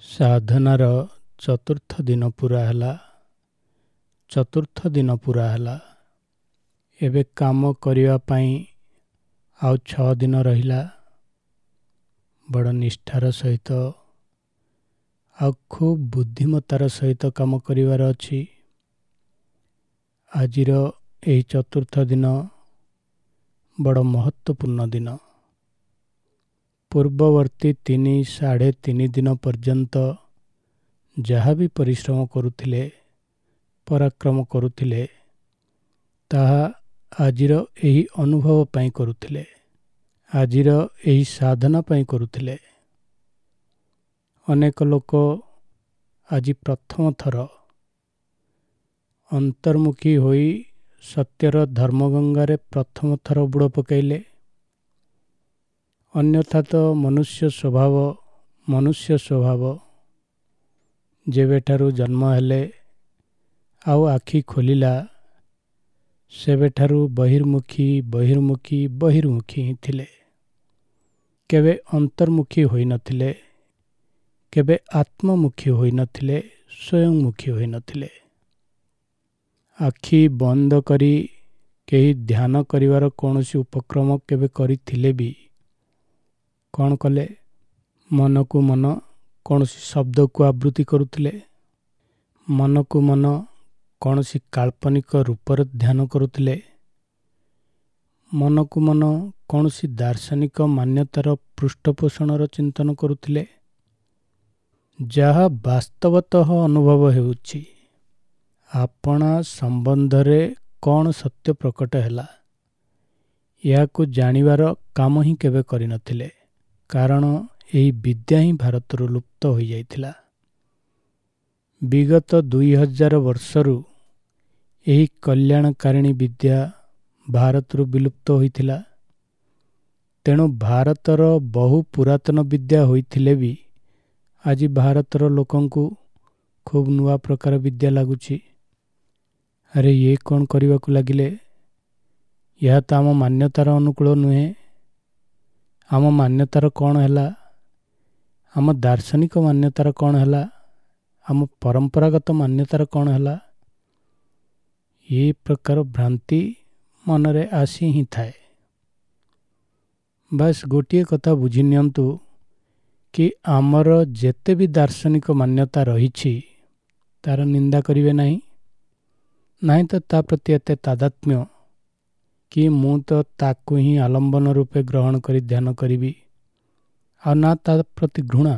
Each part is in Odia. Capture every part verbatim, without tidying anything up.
ସାଧନାର ଚତୁର୍ଥ ଦିନ ପୂରା ହେଲା। ଚତୁର୍ଥ ଦିନ ପୂରା ହେଲା। ଏବେ କାମ କରିବା ପାଇଁ ଆଉ ଛଅ ଦିନ ରହିଲା। ବଡ଼ ନିଷ୍ଠାର ସହିତ ଆଉ ଖୁବ୍ ବୁଦ୍ଧିମତାର ସହିତ କାମ କରିବାର ଅଛି। ଆଜିର ଏହି ଚତୁର୍ଥ ଦିନ ବଡ଼ ମହତ୍ତ୍ୱପୂର୍ଣ୍ଣ ଦିନ। ପୂର୍ବବର୍ତ୍ତୀ ତିନି ସାଢ଼େ ତିନି ଦିନ ପର୍ଯ୍ୟନ୍ତ ଯାହା ବି ପରିଶ୍ରମ କରୁଥିଲେ, ପରାକ୍ରମ କରୁଥିଲେ, ତାହା ଆଜିର ଏହି ଅନୁଭବ ପାଇଁ କରୁଥିଲେ, ଆଜିର ଏହି ସାଧନା ପାଇଁ କରୁଥିଲେ। ଅନେକ ଲୋକ ଆଜି ପ୍ରଥମ ଥର ଅନ୍ତର୍ମୁଖୀ ହୋଇ ସତ୍ୟର ଧର୍ମଗଙ୍ଗାରେ ପ୍ରଥମ ଥର ବୁଡ଼ ପକାଇଲେ। ଅନ୍ୟଥା ତ ମନୁଷ୍ୟ ସ୍ୱଭାବ ମନୁଷ୍ୟ ସ୍ୱଭାବ ଯେବେଠାରୁ ଜନ୍ମ ହେଲେ ଆଉ ଆଖି ଖୋଲିଲା, ସେବେଠାରୁ ବହିର୍ମୁଖୀ ବହିର୍ମୁଖୀ ବହିର୍ମୁଖୀ ହିଁ ଥିଲେ। କେବେ ଅନ୍ତର୍ମୁଖୀ ହୋଇନଥିଲେ, କେବେ ଆତ୍ମମୁଖୀ ହୋଇନଥିଲେ, ସ୍ୱୟଂମୁଖୀ ହୋଇନଥିଲେ। ଆଖି ବନ୍ଦ କରି କେହି ଧ୍ୟାନ କରିବାର କୌଣସି ଉପକ୍ରମ କେବେ କରିଥିଲେ ବି କ'ଣ କଲେ? ମନକୁ ମନ କୌଣସି ଶବ୍ଦକୁ ଆବୃତ୍ତି କରୁଥିଲେ, ମନକୁ ମନ କୌଣସି କାଳ୍ପନିକ ରୂପର ଧ୍ୟାନ କରୁଥିଲେ, ମନକୁ ମନ କୌଣସି ଦାର୍ଶନିକ ମାନ୍ୟତାର ପୃଷ୍ଠପୋଷଣର ଚିନ୍ତନ କରୁଥିଲେ। ଯାହା ବାସ୍ତବତଃ ଅନୁଭବ ହେଉଛି, ଆପଣା ସମ୍ବନ୍ଧରେ କ'ଣ ସତ୍ୟ ପ୍ରକଟ ହେଲା, ଏହାକୁ ଜାଣିବାର କାମ ହିଁ କେବେ କରିନଥିଲେ। କାରଣ ଏହି ବିଦ୍ୟା ହିଁ ଭାରତରୁ ଲୁପ୍ତ ହୋଇଯାଇଥିଲା। ବିଗତ ଦୁଇ ହଜାର ବର୍ଷରୁ ଏହି କଲ୍ୟାଣକାରିଣୀ ବିଦ୍ୟା ଭାରତରୁ ବିଲୁପ୍ତ ହୋଇଥିଲା। ତେଣୁ ଭାରତର ବହୁ ପୁରାତନ ବିଦ୍ୟା ହୋଇଥିଲେ ବି ଆଜି ଭାରତର ଲୋକଙ୍କୁ ଖୁବ୍ ନୂଆ ପ୍ରକାର ବିଦ୍ୟା ଲାଗୁଛି। ଆରେ ଇଏ କ'ଣ କରିବାକୁ ଲାଗିଲେ? ଏହା ତ ଆମ ମାନ୍ୟତାର ଅନୁକୂଳ ନୁହେଁ। ଆମ ମାନ୍ୟତାର କ'ଣ ହେଲା? ଆମ ଦାର୍ଶନିକ ମାନ୍ୟତାର କ'ଣ ହେଲା? ଆମ ପରମ୍ପରାଗତ ମାନ୍ୟତାର କ'ଣ ହେଲା? ଏ ପ୍ରକାର ଭ୍ରାନ୍ତି ମନରେ ଆସି ହିଁ ଥାଏ। ବାସ୍ ଗୋଟିଏ କଥା ବୁଝି ନିଅନ୍ତୁ କି ଆମର ଯେତେ ବି ଦାର୍ଶନିକ ମାନ୍ୟତା ରହିଛି ତାର ନିନ୍ଦା କରିବେ ନାହିଁ, ନାହିଁ ତ ତା ପ୍ରତି ଏତେ ତାଦାତ୍ମ୍ୟ କି ମୁଁ ତ ତାକୁ ହିଁ ଆଲମ୍ବନ ରୂପେ ଗ୍ରହଣ କରି ଧ୍ୟାନ କରିବି, ଆଉ ନା ତା ପ୍ରତି ଘୃଣା।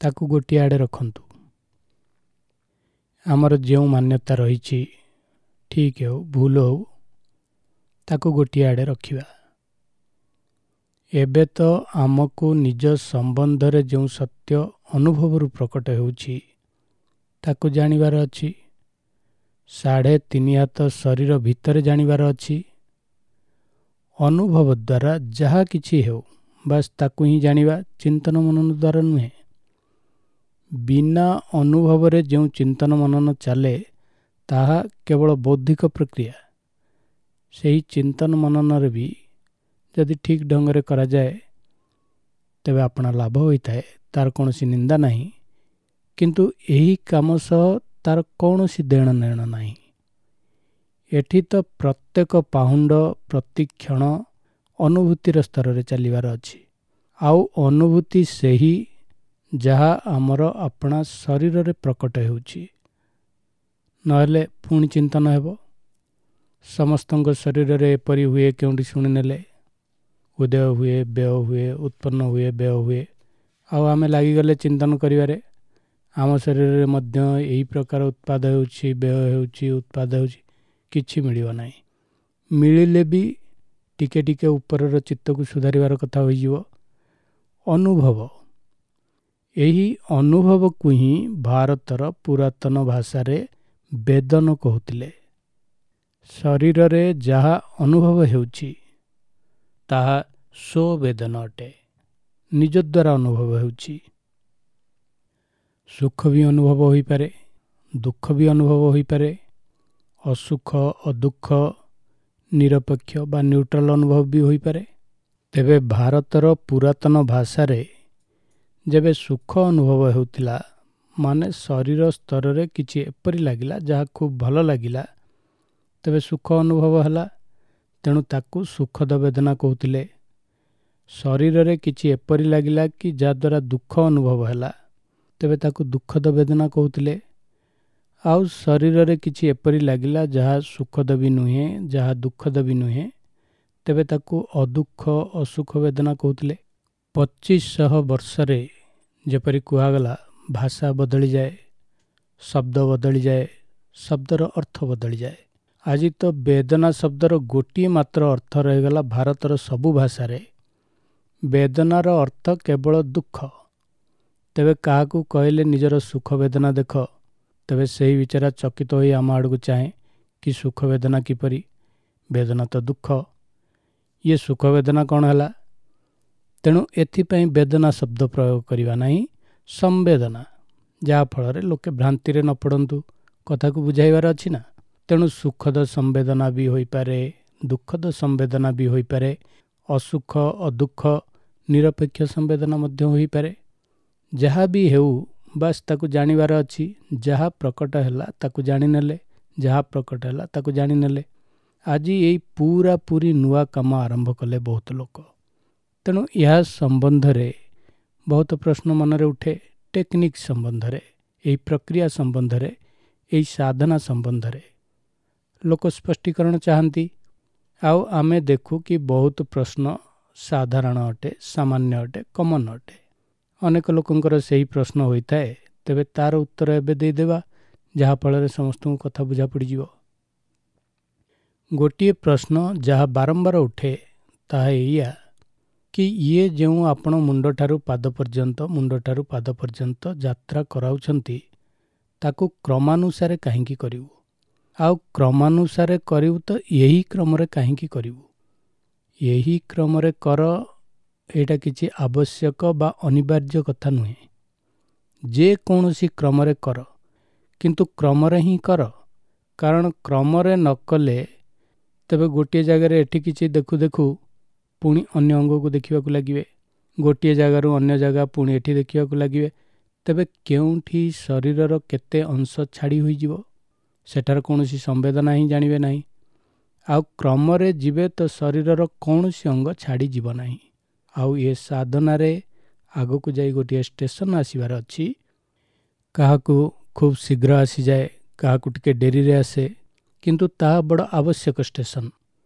ତାକୁ ଗୋଟିଏ ଆଡ଼େ ରଖନ୍ତୁ। ଆମର ଯେଉଁ ମାନ୍ୟତା ରହିଛି, ଠିକ୍ ହେଉ ଭୁଲ ହେଉ, ତାକୁ ଗୋଟିଏ ଆଡ଼େ ରଖିବା। ଏବେ ତ ଆମକୁ ନିଜ ସମ୍ବନ୍ଧରେ ଯେଉଁ ସତ୍ୟ ଅନୁଭବରୁ ପ୍ରକଟ ହେଉଛି ତାକୁ ଜାଣିବାର ଅଛି। ସାଢ଼େ ତିନି ହାତ ଶରୀର ଭିତରେ ଜାଣିବାର ଅଛି। ଅନୁଭବ ଦ୍ୱାରା ଯାହା କିଛି ହେଉ, ବାସ୍ ତାକୁ ହିଁ ଜାଣିବା, ଚିନ୍ତନ ମନନ ଦ୍ୱାରା ନୁହେଁ। ବିନା ଅନୁଭବରେ ଯେଉଁ ଚିନ୍ତନ ମନନ ଚାଲେ ତାହା କେବଳ ବୌଦ୍ଧିକ ପ୍ରକ୍ରିୟା। ସେହି ଚିନ୍ତନ ମନନରେ ବି ଯଦି ଠିକ୍ ଢଙ୍ଗରେ କରାଯାଏ ତେବେ ଆପଣା ଲାଭ ହୋଇଥାଏ, ତାର କୌଣସି ନିନ୍ଦା ନାହିଁ। କିନ୍ତୁ ଏହି କାମ ସହ ତାର କୌଣସି ଦେଣ ନେଣ ନାହିଁ। ଏଠି ତ ପ୍ରତ୍ୟେକ ପାହୁଣ୍ଡ ପ୍ରତି କ୍ଷଣ ଅନୁଭୂତିର ସ୍ତରରେ ଚାଲିବାର ଅଛି। ଆଉ ଅନୁଭୂତି ସେହି ଯାହା ଆମର ଆପଣା ଶରୀରରେ ପ୍ରକଟ ହେଉଛି, ନହେଲେ ପୁଣି ଚିନ୍ତନ ହେବ। ସମସ୍ତଙ୍କ ଶରୀରରେ ଏପରି ହୁଏ କେଉଁଠି ଶୁଣିନେଲେ, ଉଦୟ ହୁଏ, ବ୍ୟୟ ହୁଏ, ଉତ୍ପନ୍ନ ହୁଏ, ବ୍ୟୟ ହୁଏ, ଆଉ ଆମେ ଲାଗିଗଲେ ଚିନ୍ତନ କରିବାରେ। ଆମ ଶରୀରରେ ମଧ୍ୟ ଏହି ପ୍ରକାର ଉତ୍ପାଦ ହେଉଛି, ବ୍ୟୟ ହେଉଛି, ଉତ୍ପାଦ ହେଉଛି, କିଛି ମିଳିବ ନାହିଁ। ମିଳିଲେ ବି ଟିକେ ଟିକେ ଉପରର ଚିତ୍ତକୁ ସୁଧାରିବାର କଥା ହୋଇଯିବ। ଅନୁଭବ, ଏହି ଅନୁଭବକୁ ହିଁ ଭାରତର ପୁରାତନ ଭାଷାରେ ବେଦନ କହୁଥିଲେ। ଶରୀରରେ ଯାହା ଅନୁଭବ ହେଉଛି ତାହା ସ୍ୱବେଦନ ଅଟେ, ନିଜ ଦ୍ୱାରା ଅନୁଭବ ହେଉଛି। ସୁଖ ବି ଅନୁଭବ ହୋଇପାରେ, ଦୁଃଖ ବି ଅନୁଭବ ହୋଇପାରେ, ଅସୁଖ ଅଦୁଃଖ ନିରପେକ୍ଷ ବା ନ୍ୟୁଟ୍ରାଲ ଅନୁଭବ ବି ହୋଇପାରେ। ତେବେ ଭାରତର ପୁରାତନ ଭାଷାରେ ଯେବେ ସୁଖ ଅନୁଭବ ହେଉଥିଲା, ମାନେ ଶରୀର ସ୍ତରରେ କିଛି ଏପରି ଲାଗିଲା ଯାହା ଖୁବ୍ ଭଲ ଲାଗିଲା, ତେବେ ସୁଖ ଅନୁଭବ ହେଲା, ତେଣୁ ତାକୁ ସୁଖଦ ବେଦନା କହୁଥିଲେ। ଶରୀରରେ କିଛି ଏପରି ଲାଗିଲା କି ଯାହାଦ୍ୱାରା ଦୁଃଖ ଅନୁଭବ ହେଲା, ତେବେ ତାକୁ ଦୁଃଖଦ ବେଦନା କହୁଥିଲେ। ଆଉ ଶରୀରରେ କିଛି ଏପରି ଲାଗିଲା ଯାହା ସୁଖଦ ବି ନୁହେଁ, ଯାହା ଦୁଃଖଦ ବି ନୁହେଁ, ତେବେ ତାକୁ ଅଦୁଃଖ ଅସୁଖ ବେଦନା କହୁଥିଲେ। ପଚିଶ ଶହ ବର୍ଷରେ ଯେପରି କୁହାଗଲା, ଭାଷା ବଦଳିଯାଏ, ଶବ୍ଦ ବଦଳିଯାଏ, ଶବ୍ଦର ଅର୍ଥ ବଦଳିଯାଏ। ଆଜି ତ ବେଦନା ଶବ୍ଦର ଗୋଟିଏ ମାତ୍ର ଅର୍ଥ ରହିଗଲା ଭାରତର ସବୁ ଭାଷାରେ। ବେଦନାର ଅର୍ଥ କେବଳ ଦୁଃଖ। ତେବେ କାହାକୁ କହିଲେ ନିଜର ସୁଖ ବେଦନା ଦେଖ, ତେବେ ସେହି ବିଚାରା ଚକିତ ହୋଇ ଆମ ଆଡ଼କୁ ଚାହେଁ କି ସୁଖ ବେଦନା କିପରି? ବେଦନା ତ ଦୁଃଖ, ଇଏ ସୁଖ ବେଦନା କ'ଣ ହେଲା? ତେଣୁ ଏଥିପାଇଁ ବେଦନା ଶବ୍ଦ ପ୍ରୟୋଗ କରିବା ନାହିଁ, ସମ୍ବେଦନା, ଯାହାଫଳରେ ଲୋକେ ଭ୍ରାନ୍ତିରେ ନ ପଡ଼ନ୍ତୁ। କଥାକୁ ବୁଝାଇବାର ଅଛି ନା। ତେଣୁ ସୁଖଦ ସମ୍ବେଦନା ବି ହୋଇପାରେ, ଦୁଃଖଦ ସମ୍ବେଦନା ବି ହୋଇପାରେ, ଅସୁଖ ଅଦୁଃଖ ନିରପେକ୍ଷ ସମ୍ବେଦନା ମଧ୍ୟ ହୋଇପାରେ। ଯାହା ବି ହେଉ, ବାସ୍ ତାକୁ ଜାଣିବାର ଅଛି। ଯାହା ପ୍ରକଟ ହେଲା ତାକୁ ଜାଣିନେଲେ, ଯାହା ପ୍ରକଟ ହେଲା ତାକୁ ଜାଣିନେଲେ। ଆଜି ଏଇ ପୁରାପୁରି ନୂଆ କାମ ଆରମ୍ଭ କଲେ ବହୁତ ଲୋକ। ତେଣୁ ଏହା ସମ୍ବନ୍ଧରେ ବହୁତ ପ୍ରଶ୍ନ ମନରେ ଉଠେ, ଟେକ୍ନିକ୍ ସମ୍ବନ୍ଧରେ, ଏହି ପ୍ରକ୍ରିୟା ସମ୍ବନ୍ଧରେ, ଏହି ସାଧନା ସମ୍ବନ୍ଧରେ ଲୋକ ସ୍ପଷ୍ଟୀକରଣ ଚାହାନ୍ତି। ଆଉ ଆମେ ଦେଖୁ କି ବହୁତ ପ୍ରଶ୍ନ ସାଧାରଣ ଅଟେ, ସାମାନ୍ୟ ଅଟେ, କମନ୍ ଅଟେ। ଅନେକ ଲୋକଙ୍କର ସେହି ପ୍ରଶ୍ନ ହୋଇଥାଏ। ତେବେ ତାର ଉତ୍ତର ଏବେ ଦେଇଦେବା, ଯାହାଫଳରେ ସମସ୍ତଙ୍କୁ କଥା ବୁଝା ପଡ଼ିଯିବ। ଗୋଟିଏ ପ୍ରଶ୍ନ ଯାହା ବାରମ୍ବାର ଉଠେ ତାହା ଏଇଆ କି ଇଏ ଯେଉଁ ଆପଣ ମୁଣ୍ଡଠାରୁ ପାଦ ପର୍ଯ୍ୟନ୍ତ, ମୁଣ୍ଡଠାରୁ ପାଦ ପର୍ଯ୍ୟନ୍ତ ଯାତ୍ରା କରାଉଛନ୍ତି, ତାକୁ କ୍ରମାନୁସାରେ କାହିଁକି କରିବୁ? ଆଉ କ୍ରମାନୁସାରେ କରିବୁ ତ ଏହି କ୍ରମରେ କାହିଁକି କରିବୁ? ଏହି କ୍ରମରେ କର, ଏଇଟା କିଛି ଆବଶ୍ୟକ ବା ଅନିବାର୍ଯ୍ୟ କଥା ନୁହେଁ। ଯେକୌଣସି କ୍ରମରେ କର, କିନ୍ତୁ କ୍ରମରେ ହିଁ କର। କାରଣ କ୍ରମରେ ନ କଲେ ତେବେ ଗୋଟିଏ ଜାଗାରେ ଏଠି କିଛି ଦେଖୁ ଦେଖୁ ପୁଣି ଅନ୍ୟ ଅଙ୍ଗକୁ ଦେଖିବାକୁ ଲାଗିବେ, ଗୋଟିଏ ଜାଗାରୁ ଅନ୍ୟ ଜାଗା ପୁଣି ଏଠି ଦେଖିବାକୁ ଲାଗିବେ। ତେବେ କେଉଁଠି ଶରୀରର କେତେ ଅଂଶ ଛାଡ଼ି ହୋଇଯିବ, ସେଠାର କୌଣସି ସମ୍ବେଦନା ହିଁ ଜାଣିବେ ନାହିଁ। ଆଉ କ୍ରମରେ ଯିବେ ତ ଶରୀରର କୌଣସି ଅଙ୍ଗ ଛାଡ଼ିଯିବ ନାହିଁ। ଆଉ ଏ ସାଧନାରେ ଆଗକୁ ଯାଇ ଗୋଟିଏ ଷ୍ଟେସନ ଆସିବାର ଅଛି। କାହାକୁ ଖୁବ୍ ଶୀଘ୍ର ଆସିଯାଏ, କାହାକୁ ଟିକେ ଡେରିରେ ଆସେ, କିନ୍ତୁ ତାହା ବଡ଼ ଆବଶ୍ୟକ ଷ୍ଟେସନ।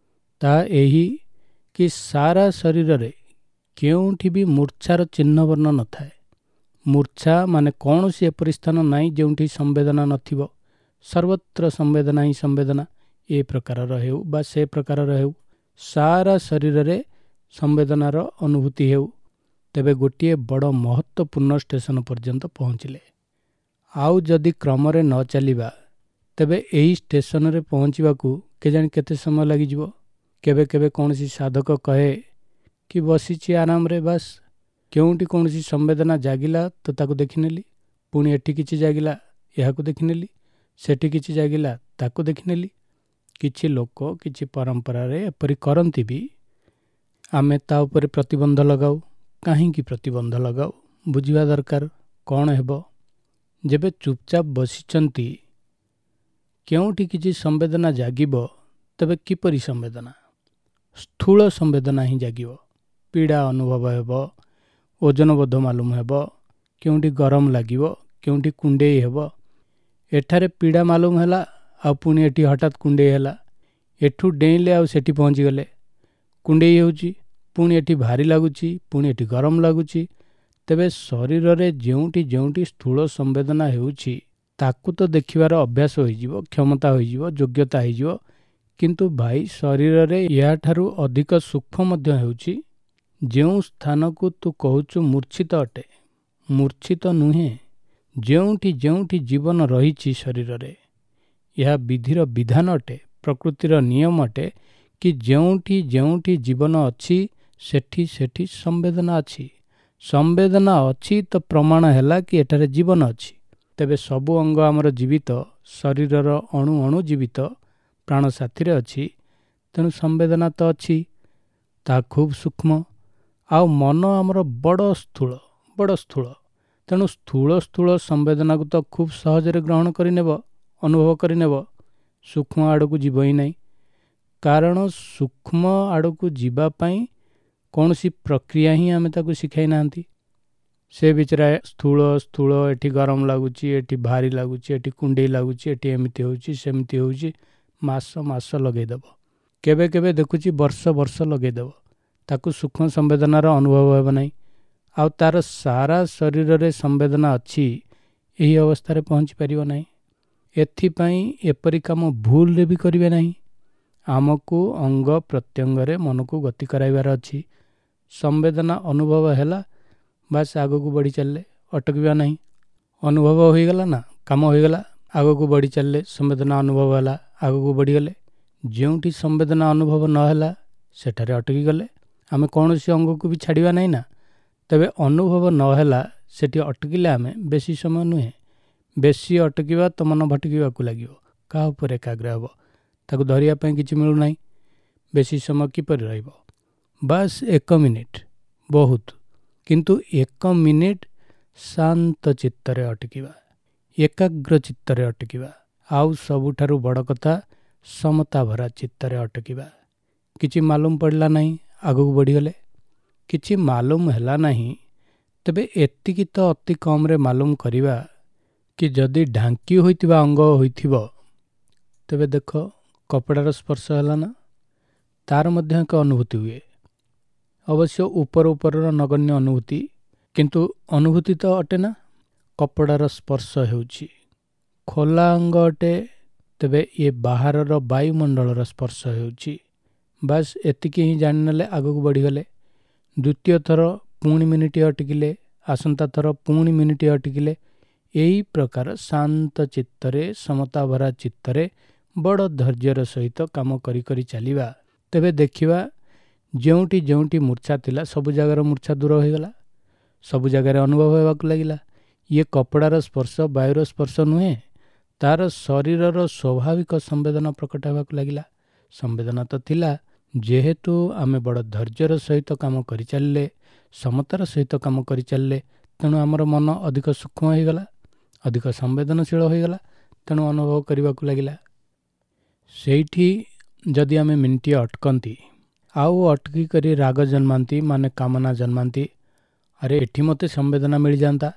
ତାହା ଏହି କି ସାରା ଶରୀରରେ କେଉଁଠି ବି ମୂର୍ଚ୍ଛାର ଚିହ୍ନବର୍ଣ୍ଣ ନଥାଏ। ମୂର୍ଚ୍ଛା ମାନେ କୌଣସି ଏପରି ସ୍ଥାନ ନାହିଁ ଯେଉଁଠି ସମ୍ବେଦନା ନଥିବ। ସର୍ବତ୍ର ସମ୍ବେଦନା ହିଁ ସମ୍ବେଦନା, ଏ ପ୍ରକାରର ହେଉ ବା ସେ ପ୍ରକାରର ହେଉ, ସାରା ଶରୀରରେ ସମ୍ବେଦନାର ଅନୁଭୂତି ହେଉ। ତେବେ ଗୋଟିଏ ବଡ଼ ମହତ୍ତ୍ୱପୂର୍ଣ୍ଣ ଷ୍ଟେସନ ପର୍ଯ୍ୟନ୍ତ ପହଞ୍ଚିଲେ। ଆଉ ଯଦି କ୍ରମରେ ନ ଚାଲିବା, ତେବେ ଏହି ଷ୍ଟେସନରେ ପହଞ୍ଚିବାକୁ କେଜାଣି କେତେ ସମୟ ଲାଗିଯିବ। କେବେ କେବେ କୌଣସି ସାଧକ କହେ କି ବସିଛି ଆରାମରେ, ବାସ୍ କେଉଁଠି କୌଣସି ସମ୍ବେଦନା ଜାଗିଲା ତ ତାକୁ ଦେଖିନେଲି, ପୁଣି ଏଠି କିଛି ଜାଗିଲା ଏହାକୁ ଦେଖିନେଲି, ସେଠି କିଛି ଜାଗିଲା ତାକୁ ଦେଖିନେଲି। କିଛି ଲୋକ କିଛି ପରମ୍ପରାରେ ଏପରି କରନ୍ତି ବି। ଆମେ ତା ଉପରେ ପ୍ରତିବନ୍ଧ ଲଗାଉ। କାହିଁକି ପ୍ରତିବନ୍ଧ ଲଗାଉ? ବୁଝିବା ଦରକାର କ'ଣ ହେବ। ଯେବେ ଚୁପଚାପ ବସିଛନ୍ତି, କେଉଁଠି କିଛି ସମ୍ବେଦନା ଜାଗିବ, ତେବେ କିପରି ସମ୍ବେଦନା? ସ୍ଥୂଳ ସମ୍ବେଦନା ହିଁ ଜାଗିବ। ପୀଡ଼ା ଅନୁଭବ ହେବ, ଓଜନବୋଧ ମାଲୁମ ହେବ, କେଉଁଠି ଗରମ ଲାଗିବ, କେଉଁଠି କୁଣ୍ଡେଇ ହେବ। ଏଠାରେ ପୀଡ଼ା ମାଲୁମ ହେଲା, ଆଉ ପୁଣି ଏଠି ହଠାତ୍ କୁଣ୍ଡେଇ ହେଲା। ଏଠୁ ଡେଇଁଲେ ଆଉ ସେଠି ପହଞ୍ଚିଗଲେ, କୁଣ୍ଡେଇ ହେଉଛି, ପୁଣି ଏଠି ଭାରି ଲାଗୁଛି, ପୁଣି ଏଠି ଗରମ ଲାଗୁଛି। ତେବେ ଶରୀରରେ ଯେଉଁଠି ଯେଉଁଠି ସ୍ଥୂଳ ସମ୍ବେଦନା ହେଉଛି, ତାକୁ ତ ଦେଖିବାର ଅଭ୍ୟାସ ହୋଇଯିବ, କ୍ଷମତା ହୋଇଯିବ, ଯୋଗ୍ୟତା ହେଇଯିବ। କିନ୍ତୁ ଭାଇ, ଶରୀରରେ ଏହାଠାରୁ ଅଧିକ ସୂକ୍ଷ୍ମ ମଧ୍ୟ ହେଉଛି। ଯେଉଁ ସ୍ଥାନକୁ ତୁ କହୁଛୁ ମୂର୍ଚ୍ଛିତ ଅଟେ, ମୂର୍ଚ୍ଛିତ ନୁହେଁ। ଯେଉଁଠି ଯେଉଁଠି ଜୀବନ ରହିଛି ଶରୀରରେ, ଏହା ବିଧିର ବିଧାନ ଅଟେ, ପ୍ରକୃତିର ନିୟମ ଅଟେ କି ଯେଉଁଠି ଯେଉଁଠି ଜୀବନ ଅଛି, ସେଠି ସେଠି ସମ୍ବେଦନା ଅଛି। ସମ୍ବେଦନା ଅଛି ତ ପ୍ରମାଣ ହେଲା କି ଏଠାରେ ଜୀବନ ଅଛି। ତେବେ ସବୁ ଅଙ୍ଗ ଆମର ଜୀବିତ, ଶରୀରର ଅଣୁ ଅଣୁ ଜୀବିତ, ପ୍ରାଣ ସାଥିରେ ଅଛି। ତେଣୁ ସମ୍ବେଦନା ତ ଅଛି, ତାହା ଖୁବ୍ ସୂକ୍ଷ୍ମ। ଆଉ ମନ ଆମର ବଡ଼ ସ୍ଥୂଳ, ବଡ଼ ସ୍ଥୂଳ। ତେଣୁ ସ୍ଥୂଳ ସ୍ଥୂଳ ସମ୍ବେଦନାକୁ ତ ଖୁବ୍ ସହଜରେ ଗ୍ରହଣ କରିନେବ, ଅନୁଭବ କରିନେବ, ସୂକ୍ଷ୍ମ ଆଡ଼କୁ ଯିବ ହିଁ ନାହିଁ। କାରଣ ସୂକ୍ଷ୍ମ ଆଡ଼କୁ ଯିବା ପାଇଁ କୌଣସି ପ୍ରକ୍ରିୟା ହିଁ ଆମେ ତାକୁ ଶିଖାଇ ନାହାନ୍ତି। ସେ ବିଚରା ସ୍ଥୂଳ ସ୍ଥୂଳ, ଏଠି ଗରମ ଲାଗୁଛି, ଏଠି ଭାରି ଲାଗୁଛି, ଏଠି କୁଣ୍ଡେଇ ଲାଗୁଛି, ଏଠି ଏମିତି ହେଉଛି ସେମିତି ହେଉଛି, ମାସ ମାସ ଲଗେଇଦେବ। କେବେ କେବେ ଦେଖୁଛି ବର୍ଷ ବର୍ଷ ଲଗେଇଦେବ। ତାକୁ ସୂକ୍ଷ୍ମ ସମ୍ବେଦନାର ଅନୁଭବ ହେବ ନାହିଁ। ଆଉ ତାର ସାରା ଶରୀରରେ ସମ୍ବେଦନା ଅଛି, ଏହି ଅବସ୍ଥାରେ ପହଞ୍ଚି ପାରିବ ନାହିଁ। ଏଥିପାଇଁ ଏପରି କାମ ଭୁଲରେ ବି କରିବେ ନାହିଁ। ଆମକୁ ଅଙ୍ଗ ପ୍ରତ୍ୟଙ୍ଗରେ ମନକୁ ଗତି କରାଇବାର ଅଛି। ସମ୍ବେଦନା ଅନୁଭବ ହେଲା, ବାସ୍ ଆଗକୁ ବଢ଼ି ଚାଲିଲେ, ଅଟକିବା ନାହିଁ। ଅନୁଭବ ହୋଇଗଲା ନା, କାମ ହୋଇଗଲା, ଆଗକୁ ବଢ଼ି ଚାଲିଲେ, ସମ୍ବେଦନା ଅନୁଭବ ହେଲା, ଆଗକୁ ବଢ଼ିଗଲେ। ଯେଉଁଠି ସମ୍ବେଦନା ଅନୁଭବ ନହେଲା ସେଠାରେ ଅଟକି ଗଲେ। ଆମେ କୌଣସି ଅଙ୍ଗକୁ ବି ଛାଡ଼ିବା ନାହିଁ ନା। ତେବେ ଅନୁଭବ ନହେଲା ସେଠି ଅଟକିଲେ ଆମେ ବେଶୀ ସମୟ ନୁହେଁ, ବେଶୀ ଅଟକିବା ତ ମନ ଭଟକିବାକୁ ଲାଗିବ। କାହା ଉପରେ ଏକାଗ୍ର ହେବ? ତାକୁ ଧରିବା ପାଇଁ କିଛି ମିଳୁନାହିଁ। ବେଶୀ ସମୟ କିପରି ରହିବ? ବାସ୍ ଏକ ମିନିଟ୍ ବହୁତ, କିନ୍ତୁ ଏକ ମିନିଟ୍ ଶାନ୍ତ ଚିତ୍ତରେ ଅଟକିବା, ଏକାଗ୍ର ଚିତ୍ତରେ ଅଟକିବା, ଆଉ ସବୁଠାରୁ ବଡ଼ କଥା ସମତା ଭରା ଚିତ୍ତରେ ଅଟକିବା। କିଛି ମାଲୁମ ପଡ଼ିଲା ନାହିଁ, ଆଗକୁ ବଢ଼ିଗଲେ। କିଛି ମାଲୁମ ହେଲା ନାହିଁ, ତେବେ ଏତିକି ତ ଅତି କମ୍ରେ ମାଲୁମ କରିବା କି ଯଦି ଢାଙ୍କି ହୋଇଥିବା ଅଙ୍ଗ ହୋଇଥିବ, ତେବେ ଦେଖ କପଡ଼ାର ସ୍ପର୍ଶ ହେଲା ନା, ତାର ମଧ୍ୟ ଏକ ଅନୁଭୂତି ହୁଏ। ଅବଶ୍ୟ ଉପର ଉପରର ନଗଣ୍ୟ ଅନୁଭୂତି, କିନ୍ତୁ ଅନୁଭୂତି ତ ଅଟେ ନା। କପଡ଼ାର ସ୍ପର୍ଶ ହେଉଛି। ଖୋଲା ଅଙ୍ଗ ଅଟେ, ତେବେ ଇଏ ବାହାରର ବାୟୁମଣ୍ଡଳର ସ୍ପର୍ଶ ହେଉଛି। ବାସ୍ ଏତିକି ହିଁ ଜାଣିନେଲେ ଆଗକୁ ବଢ଼ିଗଲେ। ଦ୍ୱିତୀୟ ଥର ପୁଣି ମିନିଟିଏ ଅଟକିଲେ, ଆସନ୍ତା ଥର ପୁଣି ମିନିଟିଏ ଅଟକିଲେ। ଏହି ପ୍ରକାର ଶାନ୍ତ ଚିତ୍ତରେ, ସମତାଭରା ଚିତ୍ତରେ ବଡ଼ ଧୈର୍ଯ୍ୟର ସହିତ କାମ କରି କରି ଚାଲିବା, ତେବେ ଦେଖିବା ଯେଉଁଠି ଯେଉଁଠି ମୂର୍ଚ୍ଛା ଥିଲା ସବୁ ଜାଗାର ମୂର୍ଚ୍ଛା ଦୂର ହୋଇଗଲା, ସବୁ ଜାଗାରେ ଅନୁଭବ ହେବାକୁ ଲାଗିଲା। ଇଏ କପଡ଼ାର ସ୍ପର୍ଶ, ବାୟୁର ସ୍ପର୍ଶ ନୁହେଁ, ତାର ଶରୀରର ସ୍ୱାଭାବିକ ସମ୍ବେଦନା ପ୍ରକଟ ହେବାକୁ ଲାଗିଲା। ସମ୍ବେଦନା ତ ଥିଲା, ଯେହେତୁ ଆମେ ବଡ଼ ଧୈର୍ଯ୍ୟର ସହିତ କାମ କରିଚାଲିଲେ, ସମତାର ସହିତ କାମ କରିଚାଲିଲେ, ତେଣୁ ଆମର ମନ ଅଧିକ ସୂକ୍ଷ୍ମ ହୋଇଗଲା, ଅଧିକ ସମ୍ବେଦନଶୀଳ ହୋଇଗଲା, ତେଣୁ ଅନୁଭବ କରିବାକୁ ଲାଗିଲା। ସେଇଠି ଯଦି ଆମେ ମିନିଟିଏ ଅଟକନ୍ତି, ଆଉ ଅଟକି କରି ରାଗ ଜନ୍ମାନ୍ତି, ମାନେ କାମନା ଜନ୍ମାନ୍ତି, ଆରେ ଏଠି ମୋତେ ସମ୍ବେଦନା ମିଳିଯାଆନ୍ତା,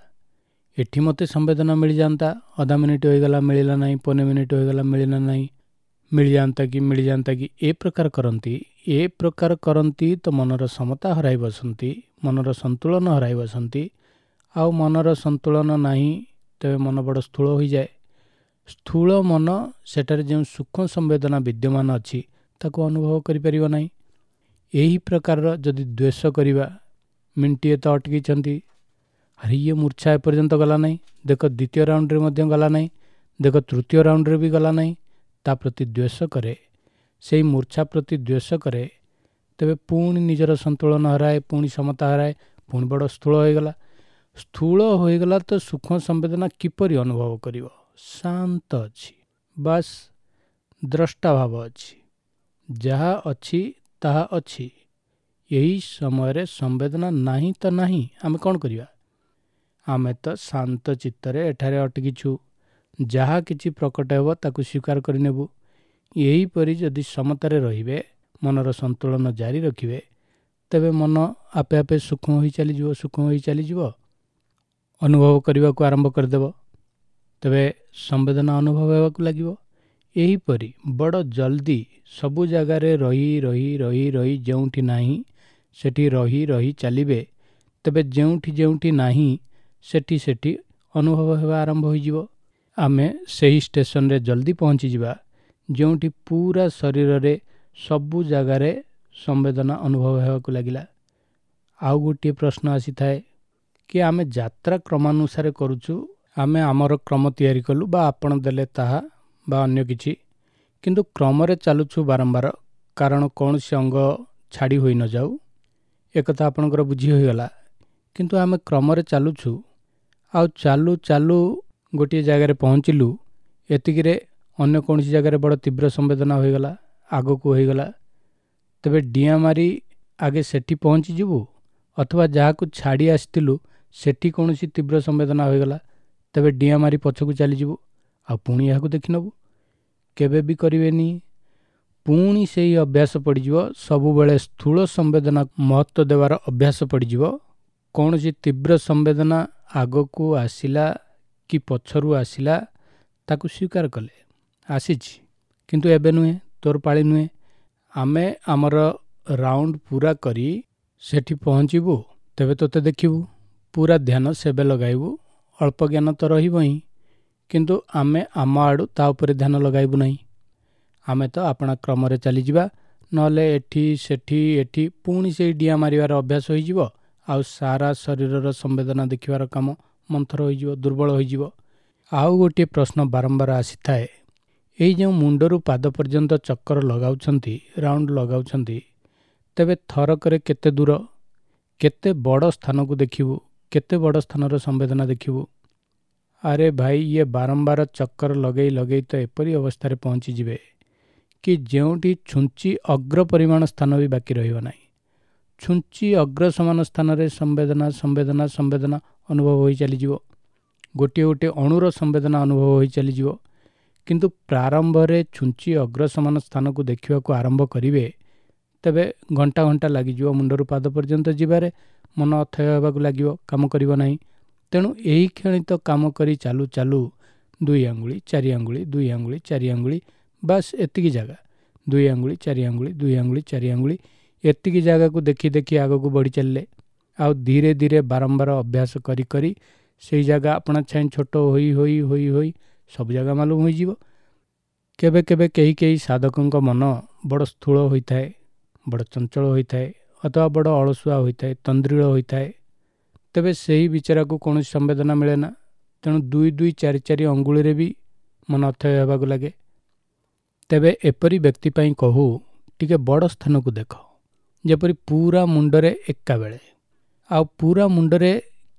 ଏଠି ମୋତେ ସମ୍ବେଦନା ମିଳିଯାଆନ୍ତା, ଅଧା ମିନିଟ୍ ହୋଇଗଲା ମିଳିଲା ନାହିଁ, ପନେ ମିନିଟ୍ ହୋଇଗଲା ମିଳିଲା ନାହିଁ, ମିଳିଯାଆନ୍ତା କି ମିଳିଯାଆନ୍ତା କି, ଏ ପ୍ରକାର କରନ୍ତି। ଏ ପ୍ରକାର କରନ୍ତି ତ ମନର ସମତା ହରାଇ ବସନ୍ତି, ମନର ସନ୍ତୁଳନ ହରାଇ ବସନ୍ତି। ଆଉ ମନର ସନ୍ତୁଳନ ନାହିଁ ତେବେ ମନ ବଡ଼ ସ୍ଥୂଳ ହୋଇଯାଏ। ସ୍ଥୂଳ ମନ ସେଠାରେ ଯେଉଁ ସୂକ୍ଷ୍ମ ସମ୍ବେଦନା ବିଦ୍ୟମାନ ଅଛି ତାକୁ ଅନୁଭବ କରିପାରିବ ନାହିଁ। ଏହି ପ୍ରକାରର ଯଦି ଦ୍ୱେଷ କରିବା, ମିନିଟିଏ ତ ଅଟକିଛନ୍ତି, ଆରେ ଇଏ ମୂର୍ଚ୍ଛା ଏପର୍ଯ୍ୟନ୍ତ ଗଲା ନାହିଁ, ଦେଖ ଦ୍ୱିତୀୟ ରାଉଣ୍ଡରେ ମଧ୍ୟ ଗଲା ନାହିଁ, ଦେଖ ତୃତୀୟ ରାଉଣ୍ଡରେ ବି ଗଲା ନାହିଁ, ତା ପ୍ରତି ଦ୍ୱେଷ କରେ, ସେଇ ମୂର୍ଚ୍ଛା ପ୍ରତି ଦ୍ୱେଷ କରେ, ତେବେ ପୁଣି ନିଜର ସନ୍ତୁଳନ ହରାଏ, ପୁଣି ସମତା ହରାଏ, ପୁଣି ବଡ଼ ସ୍ଥୂଳ ହୋଇଗଲା। ସ୍ଥୂଳ ହୋଇଗଲା ତ ସୂକ୍ଷ୍ମ ସମ୍ବେଦନା କିପରି ଅନୁଭବ କରିବ? ଶାନ୍ତ ଅଛି, ବାସ୍ ଦ୍ରଷ୍ଟା ଭାବ ଅଛି, ଯାହା ଅଛି ତାହା ଅଛି। ଏହି ସମୟରେ ସମ୍ବେଦନା ନାହିଁ ତ ନାହିଁ, ଆମେ କ'ଣ କରିବା? ଆମେ ତ ଶାନ୍ତ ଚିତ୍ତରେ ଏଠାରେ ଅଟକିଛୁ, ଯାହା କିଛି ପ୍ରକଟ ହେବ ତାକୁ ସ୍ୱୀକାର କରିନେବୁ। ଏହିପରି ଯଦି ସମତାରେ ରହିବେ, ମନର ସନ୍ତୁଳନ ଜାରି ରଖିବେ, ତେବେ ମନ ଆପେ ଆପେ ସୂକ୍ଷ୍ମ ହୋଇ ଚାଲିଯିବ, ସୂକ୍ଷ୍ମ ହୋଇ ଚାଲିଯିବ, ଅନୁଭବ କରିବାକୁ ଆରମ୍ଭ କରିଦେବ, ତେବେ ସମ୍ବେଦନା ଅନୁଭବ ହେବାକୁ ଲାଗିବ। ଏହିପରି ବଡ଼ ଜଲ୍ଦି ସବୁ ଜାଗାରେ ରହି ରହି ରହି ରହି ଯେଉଁଠି ନାହିଁ ସେଠି ରହି ରହି ଚାଲିବେ, ତେବେ ଯେଉଁଠି ଯେଉଁଠି ନାହିଁ ସେଠି ସେଠି ଅନୁଭବ ହେବା ଆରମ୍ଭ ହୋଇଯିବ। ଆମେ ସେହି ଷ୍ଟେସନରେ ଜଲ୍ଦି ପହଞ୍ଚିଯିବା ଯେଉଁଠି ପୁରା ଶରୀରରେ ସବୁ ଜାଗାରେ ସମ୍ବେଦନା ଅନୁଭବ ହେବାକୁ ଲାଗିଲା। ଆଉ ଗୋଟିଏ ପ୍ରଶ୍ନ ଆସିଥାଏ କି ଆମେ ଯାତ୍ରା କ୍ରମାନୁସାରେ କରୁଛୁ, ଆମେ ଆମର କ୍ରମ ତିଆରି କଲୁ ବା ଆପଣ ଦେଲେ ତାହା ବା ଅନ୍ୟ କିଛି, କିନ୍ତୁ କ୍ରମରେ ଚାଲୁଛୁ ବାରମ୍ବାର, କାରଣ କୌଣସି ଅଙ୍ଗ ଛାଡ଼ି ହୋଇ ନଯାଉ, ଏକଥା ଆପଣଙ୍କର ବୁଝି ହୋଇଗଲା। କିନ୍ତୁ ଆମେ କ୍ରମରେ ଚାଲୁଛୁ, ଆଉ ଚାଲୁ ଚାଲୁ ଗୋଟିଏ ଜାଗାରେ ପହଞ୍ଚିଲୁ, ଏତିକିରେ ଅନ୍ୟ କୌଣସି ଜାଗାରେ ବଡ଼ ତୀବ୍ର ସମ୍ବେଦନା ହୋଇଗଲା, ଆଗକୁ ହୋଇଗଲା, ତେବେ ଡିଆଁ ମାରି ଆଗେ ସେଠି ପହଞ୍ଚିଯିବୁ ଅଥବା ଯାହାକୁ ଛାଡ଼ି ଆସିଥିଲୁ ସେଠି କୌଣସି ତୀବ୍ର ସମ୍ବେଦନା ହୋଇଗଲା, ତେବେ ଡିଆଁ ମାରି ପଛକୁ ଚାଲିଯିବୁ ଆଉ ପୁଣି ଏହାକୁ ଦେଖିନେବୁ। କେବେ ବି କରିବେନି। ପୁଣି ସେଇ ଅଭ୍ୟାସ ପଡ଼ିଯିବ, ସବୁବେଳେ ସ୍ଥୂଳ ସମ୍ବେଦନା ମହତ୍ତ୍ୱ ଦେବାର ଅଭ୍ୟାସ ପଡ଼ିଯିବ। କୌଣସି ତୀବ୍ର ସମ୍ବେଦନା ଆଗକୁ ଆସିଲା କି ପଛରୁ ଆସିଲା, ତାକୁ ସ୍ୱୀକାର କଲେ, ଆସିଛି, କିନ୍ତୁ ଏବେ ନୁହେଁ, ତୋର ପାଳି ନୁହେଁ। ଆମେ ଆମର ରାଉଣ୍ଡ ପୁରା କରି ସେଠି ପହଞ୍ଚିବୁ, ତେବେ ତୋତେ ଦେଖିବୁ। ପୁରା ଧ୍ୟାନ ସେବେ ଲଗାଇବୁ। ଅଳ୍ପ ଜ୍ଞାନ ତ ରହିବ ହିଁ, କିନ୍ତୁ ଆମେ ଆମ ଆଡ଼ୁ ତା ଉପରେ ଧ୍ୟାନ ଲଗାଇବୁ ନାହିଁ। ଆମେ ତ ଆପଣା କ୍ରମରେ ଚାଲିଯିବା, ନହେଲେ ଏଠି ସେଠି ଏଠି ପୁଣି ସେଇ ଡିଆଁ ମାରିବାର ଅଭ୍ୟାସ ହୋଇଯିବ, ଆଉ ସାରା ଶରୀରର ସମ୍ବେଦନା ଦେଖିବାର କାମ ମନ୍ଥର ହୋଇଯିବ, ଦୁର୍ବଳ ହୋଇଯିବ। ଆଉ ଗୋଟିଏ ପ୍ରଶ୍ନ ବାରମ୍ବାର ଆସିଥାଏ, ଏଇ ଯେଉଁ ମୁଣ୍ଡରୁ ପାଦ ପର୍ଯ୍ୟନ୍ତ ଚକ୍କର ଲଗାଉଛନ୍ତି, ରାଉଣ୍ଡ ଲଗାଉଛନ୍ତି, ତେବେ ଥରକରେ କେତେ ଦୂର, କେତେ ବଡ଼ ସ୍ଥାନକୁ ଦେଖିବୁ, କେତେ ବଡ଼ ସ୍ଥାନର ସମ୍ବେଦନା ଦେଖିବୁ? ଆରେ ଭାଇ, ଇଏ ବାରମ୍ବାର ଚକ୍କର ଲଗେଇ ଲଗେଇ ତ ଏପରି ଅବସ୍ଥାରେ ପହଞ୍ଚିଯିବେ କି ଯେଉଁଠି ଛୁଞ୍ଚି ଅଗ୍ର ପରିମାଣ ସ୍ଥାନ ବି ବାକି ରହିବ ନାହିଁ। ଛୁଞ୍ଚି ଅଗ୍ର ସମାନ ସ୍ଥାନରେ ସମ୍ବେଦନା ସମ୍ବେଦନା ସମ୍ବେଦନା ଅନୁଭବ ହୋଇ ଚାଲିଯିବ। ଗୋଟିଏ ଗୋଟିଏ ଅଣୁର ସମ୍ବେଦନା ଅନୁଭବ ହୋଇ ଚାଲିଯିବ। କିନ୍ତୁ ପ୍ରାରମ୍ଭରେ ଛୁଞ୍ଚି ଅଗ୍ର ସମାନ ସ୍ଥାନକୁ ଦେଖିବାକୁ ଆରମ୍ଭ କରିବେ, ତେବେ ଘଣ୍ଟା ଘଣ୍ଟା ଲାଗିଯିବ ମୁଣ୍ଡରୁ ପାଦ ପର୍ଯ୍ୟନ୍ତ ଯିବାରେ, ମନ ଅଥୟ ହେବାକୁ ଲାଗିବ, କାମ କରିବ ନାହିଁ। ତେଣୁ ଏହି କ୍ଷଣି ତ କାମ କରି ଚାଲୁ ଚାଲୁ ଦୁଇ ଆଙ୍ଗୁଳି ଚାରି ଆଙ୍ଗୁଳି ଦୁଇ ଆଙ୍ଗୁଳି ଚାରି ଆଙ୍ଗୁଳି, ବାସ୍ ଏତିକି ଜାଗା, ଦୁଇ ଆଙ୍ଗୁଳି ଚାରି ଆଙ୍ଗୁଳି ଦୁଇ ଆଙ୍ଗୁଳି ଚାରି ଆଙ୍ଗୁଳି, ଏତିକି ଜାଗାକୁ ଦେଖି ଦେଖି ଆଗକୁ ବଢ଼ି ଚାଲିଲେ, ଆଉ ଧୀରେ ଧୀରେ ବାରମ୍ବାର ଅଭ୍ୟାସ କରି କରି ସେଇ ଜାଗା ଆପଣା ଛାଇଁ ଛୋଟ ହୋଇ ହୋଇ ହୋଇ ହୋଇ ସବୁ ଜାଗା ମାଲୁମ ହୋଇଯିବ। କେବେ କେବେ କେହି କେହି ସାଧକଙ୍କ ମନ ବଡ଼ ସ୍ଥୂଳ ହୋଇଥାଏ, ବଡ଼ ଚଞ୍ଚଳ ହୋଇଥାଏ, ଅଥବା ବଡ଼ ଅଳସୁଆ ହୋଇଥାଏ, ତନ୍ଦ୍ରିଳ ହୋଇଥାଏ। ତେବେ ସେହି ବିଚାରାକୁ କୌଣସି ସମ୍ବେଦନା ମିଳେ ନା। ତେଣୁ ଦୁଇ ଦୁଇ ଚାରି ଚାରି ଅଙ୍ଗୁଳିରେ ବି ମନ ଅଥୟ ହେବାକୁ ଲାଗେ। ତେବେ ଏପରି ବ୍ୟକ୍ତି ପାଇଁ କହୁ, ଟିକେ ବଡ଼ ସ୍ଥାନକୁ ଦେଖ, ଯେପରି ପୁରା ମୁଣ୍ଡରେ ଏକାବେଳେ, ଆଉ ପୁରା ମୁଣ୍ଡରେ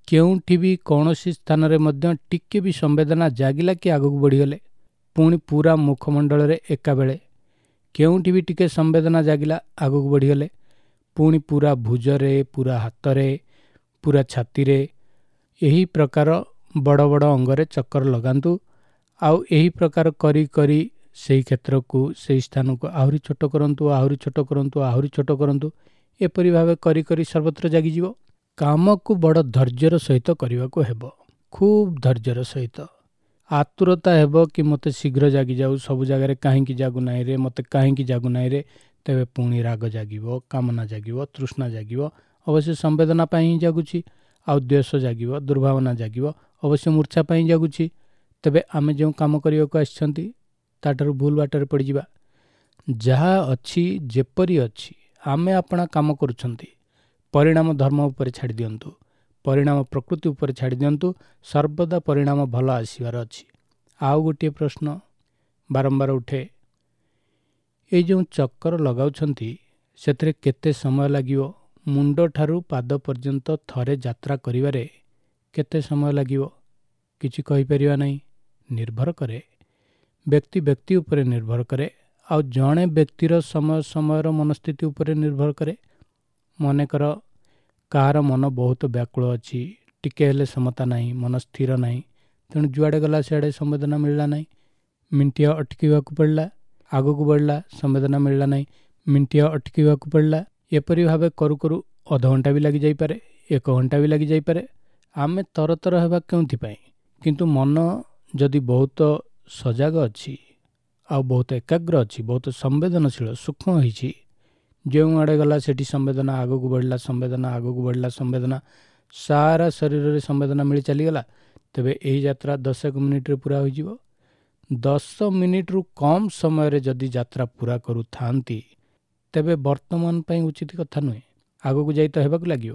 କେଉଁଠି ବି କୌଣସି ସ୍ଥାନରେ ମଧ୍ୟ ଟିକେ ବି ସମ୍ବେଦନା ଜାଗିଲା କି ଆଗକୁ ବଢ଼ିଗଲେ, ପୁଣି ପୁରା ମୁଖମଣ୍ଡଳରେ ଏକାବେଳେ କେଉଁଠି ବି ଟିକେ ସମ୍ବେଦନା ଜାଗିଲା ଆଗକୁ ବଢ଼ିଗଲେ, ପୁଣି ପୁରା ଭୁଜରେ, ପୁରା ହାତରେ, ପୁରା ଛାତିରେ, ଏହି ପ୍ରକାର ବଡ଼ ବଡ଼ ଅଙ୍ଗରେ ଚକ୍କର ଲଗାନ୍ତୁ। ଆଉ ଏହି ପ୍ରକାର କରି କରି ସେହି କ୍ଷେତ୍ରକୁ, ସେହି ସ୍ଥାନକୁ ଆହୁରି ଛୋଟ କରନ୍ତୁ, ଆହୁରି ଛୋଟ କରନ୍ତୁ, ଆହୁରି ଛୋଟ କରନ୍ତୁ। ଏପରି ଭାବେ କରି କରି ସର୍ବତ୍ର ଜାଗିଯିବ। କାମକୁ ବଡ଼ ଧୈର୍ଯ୍ୟର ସହିତ କରିବାକୁ ହେବ, ଖୁବ୍ ଧୈର୍ଯ୍ୟର ସହିତ। ଆତୁରତା ହେବ କି ମୋତେ ଶୀଘ୍ର ଜାଗିଯାଉ, ସବୁ ଜାଗାରେ କାହିଁକି ଜାଗୁନାହିଁ ରେ, ମୋତେ କାହିଁକି ଜାଗୁନାହିଁ ରେ, ତେବେ ପୁଣି ରାଗ ଜାଗିବ, କାମନା ଜାଗିବ, ତୃଷ୍ଣା ଜାଗିବ। ଅବଶ୍ୟ ସମ୍ବେଦନା ପାଇଁ ହିଁ ଜାଗୁଛି। ଆଉ ଦ୍ୱେଷ ଜାଗିବ, ଦୁର୍ଭାବନା ଜାଗିବ, ଅବଶ୍ୟ ମୂର୍ଚ୍ଛା ପାଇଁ ଜାଗୁଛି। ତେବେ ଆମେ ଯେଉଁ କାମ କରିବାକୁ ଆସିଛନ୍ତି ତାଠାରୁ ଭୁଲ ବାଟରେ ପଡ଼ିଯିବା। ଯାହା ଅଛି, ଯେପରି ଅଛି, ଆମେ ଆପଣା କାମ କରୁଛନ୍ତି, ପରିଣାମ ଧର୍ମ ଉପରେ ଛାଡ଼ି ଦିଅନ୍ତୁ, ପରିଣାମ ପ୍ରକୃତି ଉପରେ ଛାଡ଼ି ଦିଅନ୍ତୁ। ସର୍ବଦା ପରିଣାମ ଭଲ ଆସିବାର ଅଛି। ଆଉ ଗୋଟିଏ ପ୍ରଶ୍ନ ବାରମ୍ବାର ଉଠେ, ଏଇ ଯେଉଁ ଚକ୍କର ଲଗାଉଛନ୍ତି ସେଥିରେ କେତେ ସମୟ ଲାଗିବ? ମୁଣ୍ଡଠାରୁ ପାଦ ପର୍ଯ୍ୟନ୍ତ ଥରେ ଯାତ୍ରା କରିବାରେ କେତେ ସମୟ ଲାଗିବ? କିଛି କହିପାରିବା ନାହିଁ। ନିର୍ଭର କରେ, ବ୍ୟକ୍ତି ବ୍ୟକ୍ତି ଉପରେ ନିର୍ଭର କରେ, ଆଉ ଜଣେ ବ୍ୟକ୍ତିର ସମୟ ସମୟର ମନସ୍ଥିତି ଉପରେ ନିର୍ଭର କରେ। ମନେକର କାହାର ମନ ବହୁତ ବ୍ୟାକୁଳ ଅଛି, ଟିକେ ହେଲେ ସମତା ନାହିଁ, ମନ ସ୍ଥିର ନାହିଁ, ତେଣୁ ଯୁଆଡ଼େ ଗଲା ସିଆଡ଼େ ସମ୍ବେଦନା ମିଳିଲା ନାହିଁ, ମିଣ୍ଟିଆ ଅଟକିବାକୁ ପଡ଼ିଲା, ଆଗକୁ ବଢ଼ିଲା, ସମ୍ବେଦନା ମିଳିଲା ନାହିଁ, ମିଣ୍ଟିଆ ଅଟକିବାକୁ ପଡ଼ିଲା। ଏପରି ଭାବେ କରୁ କରୁ ଅଧଘଣ୍ଟା ବି ଲାଗିଯାଇପାରେ, ଏକ ଘଣ୍ଟା ବି ଲାଗିଯାଇପାରେ। ଆମେ ତରତର ହେବା କେଉଁଥିପାଇଁ? କିନ୍ତୁ ମନ ଯଦି ବହୁତ ସଜାଗ ଅଛି, ଆଉ ବହୁତ ଏକାଗ୍ର ଅଛି, ବହୁତ ସମ୍ବେଦନଶୀଳ, ସୂକ୍ଷ୍ମ ହୋଇଛି, ଯେଉଁଆଡ଼େ ଗଲା ସେଠି ସମ୍ବେଦନା, ଆଗକୁ ବଢ଼ିଲା ସମ୍ବେଦନା, ଆଗକୁ ବଢ଼ିଲା ସମ୍ବେଦନା, ସାରା ଶରୀରରେ ସମ୍ବେଦନା ମିଳି ଚାଲିଗଲା, ତେବେ ଏହି ଯାତ୍ରା ଦଶ ଏକ ମିନିଟ୍ରେ ପୂରା ହୋଇଯିବ। ଦଶ ମିନିଟ୍ରୁ କମ୍ ସମୟରେ ଯଦି ଯାତ୍ରା ପୂରା କରୁଥାନ୍ତି, ତେବେ ବର୍ତ୍ତମାନ ପାଇଁ ଉଚିତ କଥା ନୁହେଁ। ଆଗକୁ ଯାଇ ତ ହେବାକୁ ଲାଗିବ,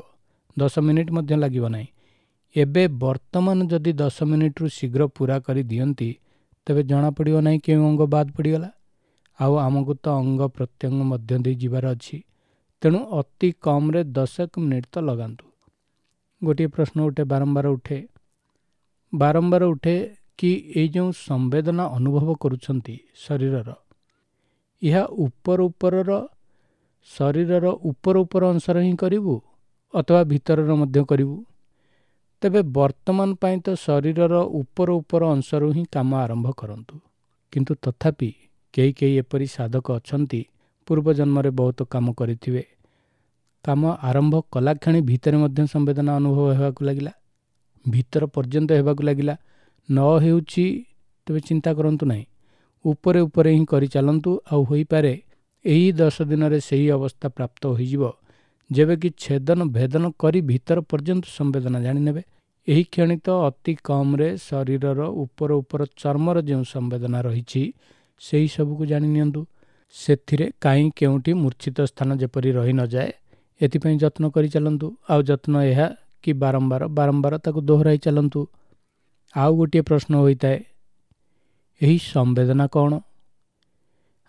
ଦଶ ମିନିଟ୍ ମଧ୍ୟ ଲାଗିବ ନାହିଁ। ଏବେ ବର୍ତ୍ତମାନ ଯଦି ଦଶ ମିନିଟ୍ରୁ ଶୀଘ୍ର ପୂରା କରି ଦିଅନ୍ତି, ତେବେ ଜଣାପଡ଼ିବ ନାହିଁ କେଉଁ ଅଙ୍ଗ ବାଦ ପଡ଼ିଗଲା। ଆଉ ଆମକୁ ତ ଅଙ୍ଗ ପ୍ରତ୍ୟଙ୍ଗ ମଧ୍ୟ ଦେଇ ଯିବାର ଅଛି, ତେଣୁ ଅତି କମ୍ରେ ଦଶ ଏକ ମିନିଟ୍ ତ ଲଗାନ୍ତୁ। ଗୋଟିଏ ପ୍ରଶ୍ନ ଉଠେ, ବାରମ୍ବାର ଉଠେ, ବାରମ୍ବାର ଉଠେ କି ଏଇ ଯେଉଁ ସମ୍ବେଦନା ଅନୁଭବ କରୁଛନ୍ତି ଶରୀରର, ଏହା ଉପର ଉପରର ଶରୀରର ଉପର ଉପର ଅଂଶର ହିଁ କରିବୁ ଅଥବା ଭିତରର ମଧ୍ୟ କରିବୁ? ତେବେ ବର୍ତ୍ତମାନ ପାଇଁ ତ ଶରୀରର ଉପର ଉପର ଅଂଶରୁ ହିଁ କାମ ଆରମ୍ଭ କରନ୍ତୁ। କିନ୍ତୁ ତଥାପି କେହି କେହି ଏପରି ସାଧକ ଅଛନ୍ତି, ପୂର୍ବଜନ୍ମରେ ବହୁତ କାମ କରିଥିବେ। କାମ ଆରମ୍ଭ କଲାକ୍ଷଣି ଭିତରେ ମଧ୍ୟ ସମ୍ବେଦନା ଅନୁଭବ ହେବାକୁ ଲାଗିଲା, ଭିତର ପର୍ଯ୍ୟନ୍ତ ହେବାକୁ ଲାଗିଲା। ନ ହେଉଛି ତେବେ ଚିନ୍ତା କରନ୍ତୁ ନାହିଁ, ଉପରେ ଉପରେ ହିଁ କରିଚାଲନ୍ତୁ। ଆଉ ହୋଇପାରେ ଏହି ଦଶ ଦିନରେ ସେହି ଅବସ୍ଥା ପ୍ରାପ୍ତ ହୋଇଯିବ ଯେବେ କି ଛେଦନ ଭେଦନ କରି ଭିତର ପର୍ଯ୍ୟନ୍ତ ସମ୍ବେଦନା ଜାଣିନେବେ। ଏହି କ୍ଷଣି ତ ଅତି କମ୍ରେ ଶରୀରର ଉପର ଉପର ଚର୍ମର ଯେଉଁ ସମ୍ବେଦନା ରହିଛି ସେହି ସବୁକୁ ଜାଣି ନିଅନ୍ତୁ। ସେଥିରେ କାହିଁ କେଉଁଠି ମୂର୍ଚ୍ଛିତ ସ୍ଥାନ ଯେପରି ରହି ନଯାଏ ଏଥିପାଇଁ ଯତ୍ନ କରି ଚାଲନ୍ତୁ। ଆଉ ଯତ୍ନ ଏହା କି ବାରମ୍ବାର ବାରମ୍ବାର ତାକୁ ଦୋହରାଇ ଚାଲନ୍ତୁ। ଆଉ ଗୋଟିଏ ପ୍ରଶ୍ନ ହୋଇଥାଏ, ଏହି ସମ୍ବେଦନା କ'ଣ?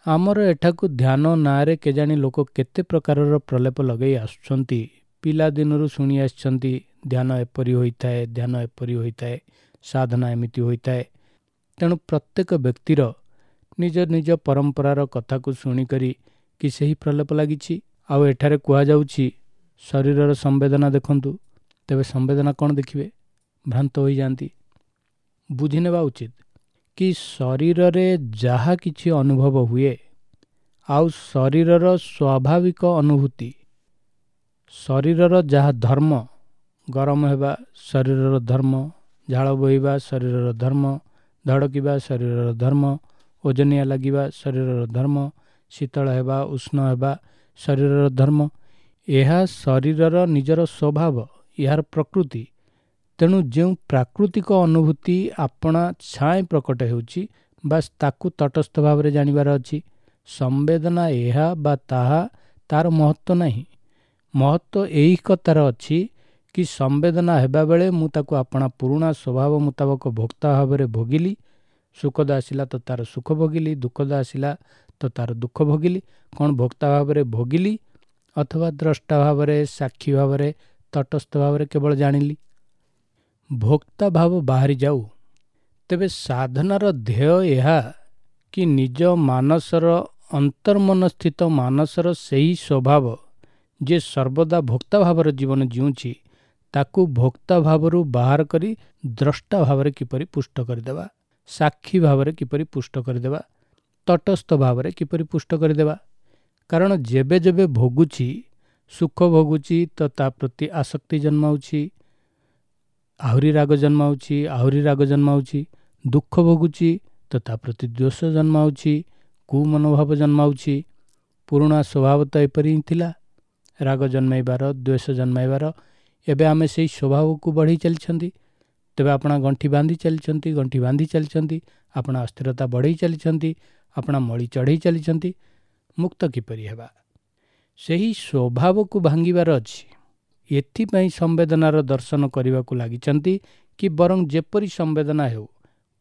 ଆମର ଏଠାକୁ ଧ୍ୟାନ ନାଁରେ କେଜାଣି ଲୋକ କେତେ ପ୍ରକାରର ପ୍ରଲେପ ଲଗାଇ ଆସୁଛନ୍ତି। ପିଲାଦିନରୁ ଶୁଣି ଆସିଛନ୍ତି ଧ୍ୟାନ ଏପରି ହୋଇଥାଏ, ଧ୍ୟାନ ଏପରି ହୋଇଥାଏ, ସାଧନା ଏମିତି ହୋଇଥାଏ। ତେଣୁ ପ୍ରତ୍ୟେକ ବ୍ୟକ୍ତିର ନିଜ ନିଜ ପରମ୍ପରାର କଥାକୁ ଶୁଣିକରି କି ସେହି ପ୍ରଲେପ ଲାଗିଛି। ଆଉ ଏଠାରେ କୁହାଯାଉଛି ଶରୀରର ସମ୍ବେଦନା ଦେଖନ୍ତୁ, ତେବେ ସମ୍ବେଦନା କ'ଣ ଦେଖିବେ? ଭ୍ରାନ୍ତ ହୋଇଯାଆନ୍ତି। ବୁଝିନେବା ଉଚିତ କି ଶରୀରରେ ଯାହା କିଛି ଅନୁଭବ ହୁଏ ଆଉ ଶରୀରର ସ୍ୱାଭାବିକ ଅନୁଭୂତି, ଶରୀରର ଯାହା ଧର୍ମ, ଗରମ ହେବା ଶରୀରର ଧର୍ମ, ଝାଳ ବୋହିବା ଶରୀରର ଧର୍ମ, ଧଡ଼କିବା ଶରୀରର ଧର୍ମ, ଓଜନିଆ ଲାଗିବା ଶରୀରର ଧର୍ମ, ଶୀତଳ ହେବା ଉଷ୍ଣ ହେବା ଶରୀରର ଧର୍ମ, ଏହା ଶରୀରର ନିଜର ସ୍ୱଭାବ, ଏହାର ପ୍ରକୃତି। ତେଣୁ ଯେଉଁ ପ୍ରାକୃତିକ ଅନୁଭୂତି ଆପଣା ଛାଏଁ ପ୍ରକଟ ହେଉଛି, ବାସ୍ ତାକୁ ତଟସ୍ଥ ଭାବରେ ଜାଣିବାର ଅଛି। ସମ୍ବେଦନା ଏହା ବା ତାହା ତାର ମହତ୍ତ୍ୱ ନାହିଁ। ମହତ୍ତ୍ୱ ଏହି କଥାର ଅଛି କି ସମ୍ବେଦନା ହେବାବେଳେ ମୁଁ ତାକୁ ଆପଣା ପୁରୁଣା ସ୍ୱଭାବ ମୁତାବକ ଭୋକ୍ତା ଭାବରେ ଭୋଗିଲି। ସୁଖଦ ଆସିଲା ତ ତାର ସୁଖ ଭୋଗିଲି, ଦୁଃଖଦ ଆସିଲା ତ ତାର ଦୁଃଖ ଭୋଗିଲି। କ'ଣ ଭୋକ୍ତା ଭାବରେ ଭୋଗିଲି ଅଥବା ଦ୍ରଷ୍ଟା ଭାବରେ, ସାକ୍ଷୀ ଭାବରେ, ତଟସ୍ଥ ଭାବରେ କେବଳ ଜାଣିଲି? ଭୋକ୍ତା ଭାବ ବାହାରି ଯାଉ। ତେବେ ସାଧନାର ଧ୍ୟେୟ ଏହା କି ନିଜ ମାନସର ଅନ୍ତର୍ମନସ୍ଥିତ ମାନସର ସେହି ସ୍ୱଭାବ ଯିଏ ସର୍ବଦା ଭୋକ୍ତା ଭାବର ଜୀବନ ଜିଉଁଛି, ତାକୁ ଭୋକ୍ତା ଭାବରୁ ବାହାର କରି ଦ୍ରଷ୍ଟା ଭାବରେ କିପରି ପୁଷ୍ଟ କରିଦେବା, ସାକ୍ଷୀ ଭାବରେ କିପରି ପୁଷ୍ଟ କରିଦେବା, ତଟସ୍ଥ ଭାବରେ କିପରି ପୁଷ୍ଟ କରିଦେବା। କାରଣ ଯେବେ ଯେବେ ଭୋଗୁଛି, ସୁଖ ଭୋଗୁଛି ତ ତା ପ୍ରତି ଆସକ୍ତି ଜନ୍ମାଉଛି, ଆହୁରି ରାଗ ଜନ୍ମାଉଛି, ଆହୁରି ରାଗ ଜନ୍ମାଉଛି। ଦୁଃଖ ଭୋଗୁଛି ତ ତା ପ୍ରତି ଦ୍ୱେଷ ଜନ୍ମାଉଛି, କୁମନୋଭାବ ଜନ୍ମାଉଛି। ପୁରୁଣା ସ୍ୱଭାବ ତ ଏପରି ହିଁ ଥିଲା, ରାଗ ଜନ୍ମାଇବାର, ଦ୍ୱେଷ ଜନ୍ମାଇବାର। ଏବେ ଆମେ ସେଇ ସ୍ୱଭାବକୁ ବଢ଼େଇ ଚାଲିଛନ୍ତି। ତେବେ ଆପଣା ଗଣ୍ଠି ବାନ୍ଧି ଚାଲିଛନ୍ତି, ଗଣ୍ଠି ବାନ୍ଧି ଚାଲିଛନ୍ତି, ଆପଣା ଅସ୍ଥିରତା ବଢ଼େଇ ଚାଲିଛନ୍ତି, ଆପଣା ମଳି ଚଢ଼େଇ ଚାଲିଛନ୍ତି। ମୁକ୍ତ କିପରି ହେବା? ସେହି ସ୍ୱଭାବକୁ ଭାଙ୍ଗିବାର ଅଛି। ଏଥିପାଇଁ ସମ୍ବେଦନାର ଦର୍ଶନ କରିବାକୁ ଲାଗିଛନ୍ତି କି ବରଂ ଯେପରି ସମ୍ବେଦନା ହେଉ,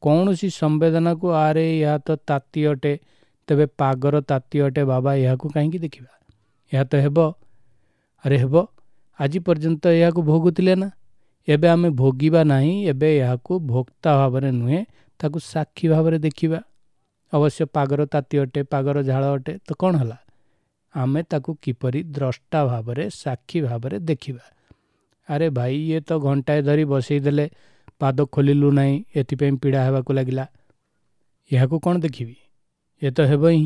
କୌଣସି ସମ୍ବେଦନାକୁ ଆରେ ଏହା ତ ତାତି ଅଟେ, ତେବେ ପାଗର ତାତି ଅଟେ ବାବା, ଏହାକୁ କାହିଁକି ଦେଖିବା, ଏହା ତ ହେବ। ଆରେ ହେବ, ଆଜି ପର୍ଯ୍ୟନ୍ତ ଏହାକୁ ଭୋଗୁଥିଲେ ନା, ଏବେ ଆମେ ଭୋଗିବା ନାହିଁ। ଏବେ ଏହାକୁ ଭୋକ୍ତା ଭାବରେ ନୁହେଁ, ତାକୁ ସାକ୍ଷୀ ଭାବରେ ଦେଖିବା। ଅବଶ୍ୟ ପାଗର ତାତି ଅଟେ, ପାଗର ଝାଳ ଅଟେ, ତ କ'ଣ ହେଲା? ଆମେ ତାକୁ କିପରି ଦ୍ରଷ୍ଟା ଭାବରେ, ସାକ୍ଷୀ ଭାବରେ ଦେଖିବା। ଆରେ ଭାଇ, ଇଏ ତ ଘଣ୍ଟାଏ ଧରି ବସେଇ ଦେଲେ, ପାଦ ଖୋଲିଲୁ ନାହିଁ, ଏଥିପାଇଁ ପୀଡ଼ା ହେବାକୁ ଲାଗିଲା, ଏହାକୁ କ'ଣ ଦେଖିବି? ଏ ତ ହେବ ହିଁ,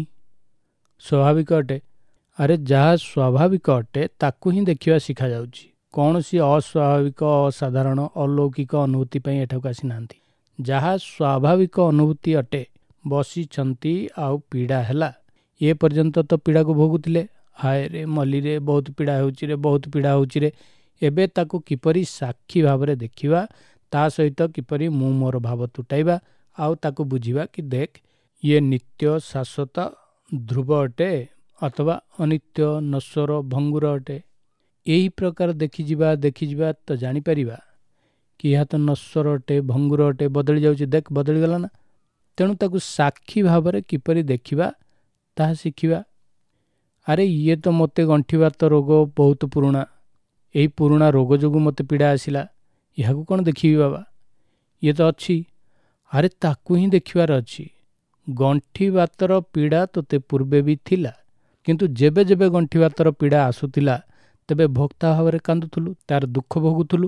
ସ୍ୱାଭାବିକ ଅଟେ। ଆରେ ଯାହା ସ୍ୱାଭାବିକ ଅଟେ ତାକୁ ହିଁ ଦେଖିବା ଶିଖାଯାଉଛି। କୌଣସି ଅସ୍ୱାଭାବିକ, ଅସାଧାରଣ, ଅଲୌକିକ ଅନୁଭୂତି ପାଇଁ ଏଠାକୁ ଆସିନାହାନ୍ତି। ଯାହା ସ୍ୱାଭାବିକ ଅନୁଭୂତି ଅଟେ, ବସିଛନ୍ତି ଆଉ ପୀଡ଼ା ହେଲା, ଏ ପର୍ଯ୍ୟନ୍ତ ତ ପୀଡ଼ାକୁ ଭୋଗୁଥିଲେ, ହାୟ ରେ ମଲିରେ, ବହୁତ ପୀଡ଼ା ହେଉଛି ରେ, ବହୁତ ପୀଡ଼ା ହେଉଛି ରେ। ଏବେ ତାକୁ କିପରି ସାକ୍ଷୀ ଭାବରେ ଦେଖିବା, ତା ସହିତ କିପରି ମୁଁ ମୋର ଭାବ ତୁଟାଇବା, ଆଉ ତାକୁ ବୁଝିବା କି ଦେଖ ଇଏ ନିତ୍ୟ, ଶାଶ୍ୱତ, ଧ୍ରୁବ ଅଟେ ଅଥବା ଅନିତ୍ୟ, ନଶ୍ୱର, ଭଙ୍ଗୁର ଅଟେ। ଏହି ପ୍ରକାର ଦେଖିଯିବା ଦେଖିଯିବା ତ ଜାଣିପାରିବା କି ଏହା ତ ନଶ୍ୱର ଅଟେ, ଭଙ୍ଗୁର ଅଟେ, ବଦଳି ଯାଉଛି, ଦେଖ ବଦଳିଗଲା ନା। ତେଣୁ ତାକୁ ସାକ୍ଷୀ ଭାବରେ କିପରି ଦେଖିବା ତାହା ଶିଖିବା। ଆରେ ଇଏ ତ ମୋତେ ଗଣ୍ଠିବାତ ରୋଗ ବହୁତ ପୁରୁଣା, ଏହି ପୁରୁଣା ରୋଗ ଯୋଗୁଁ ମୋତେ ପୀଡ଼ା ଆସିଲା, ଏହାକୁ କ'ଣ ଦେଖିବି ବାବା, ଇଏ ତ ଅଛି। ଆରେ ତାକୁ ହିଁ ଦେଖିବାର ଅଛି। ଗଣ୍ଠିବାତର ପୀଡ଼ା ତୋତେ ପୂର୍ବେ ବି ଥିଲା, କିନ୍ତୁ ଯେବେ ଯେବେ ଗଣ୍ଠିବାତର ପୀଡ଼ା ଆସୁଥିଲା ତେବେ ଭୋକ୍ତା ଭାବରେ କାନ୍ଦୁଥିଲୁ, ତାର ଦୁଃଖ ଭୋଗୁଥିଲୁ।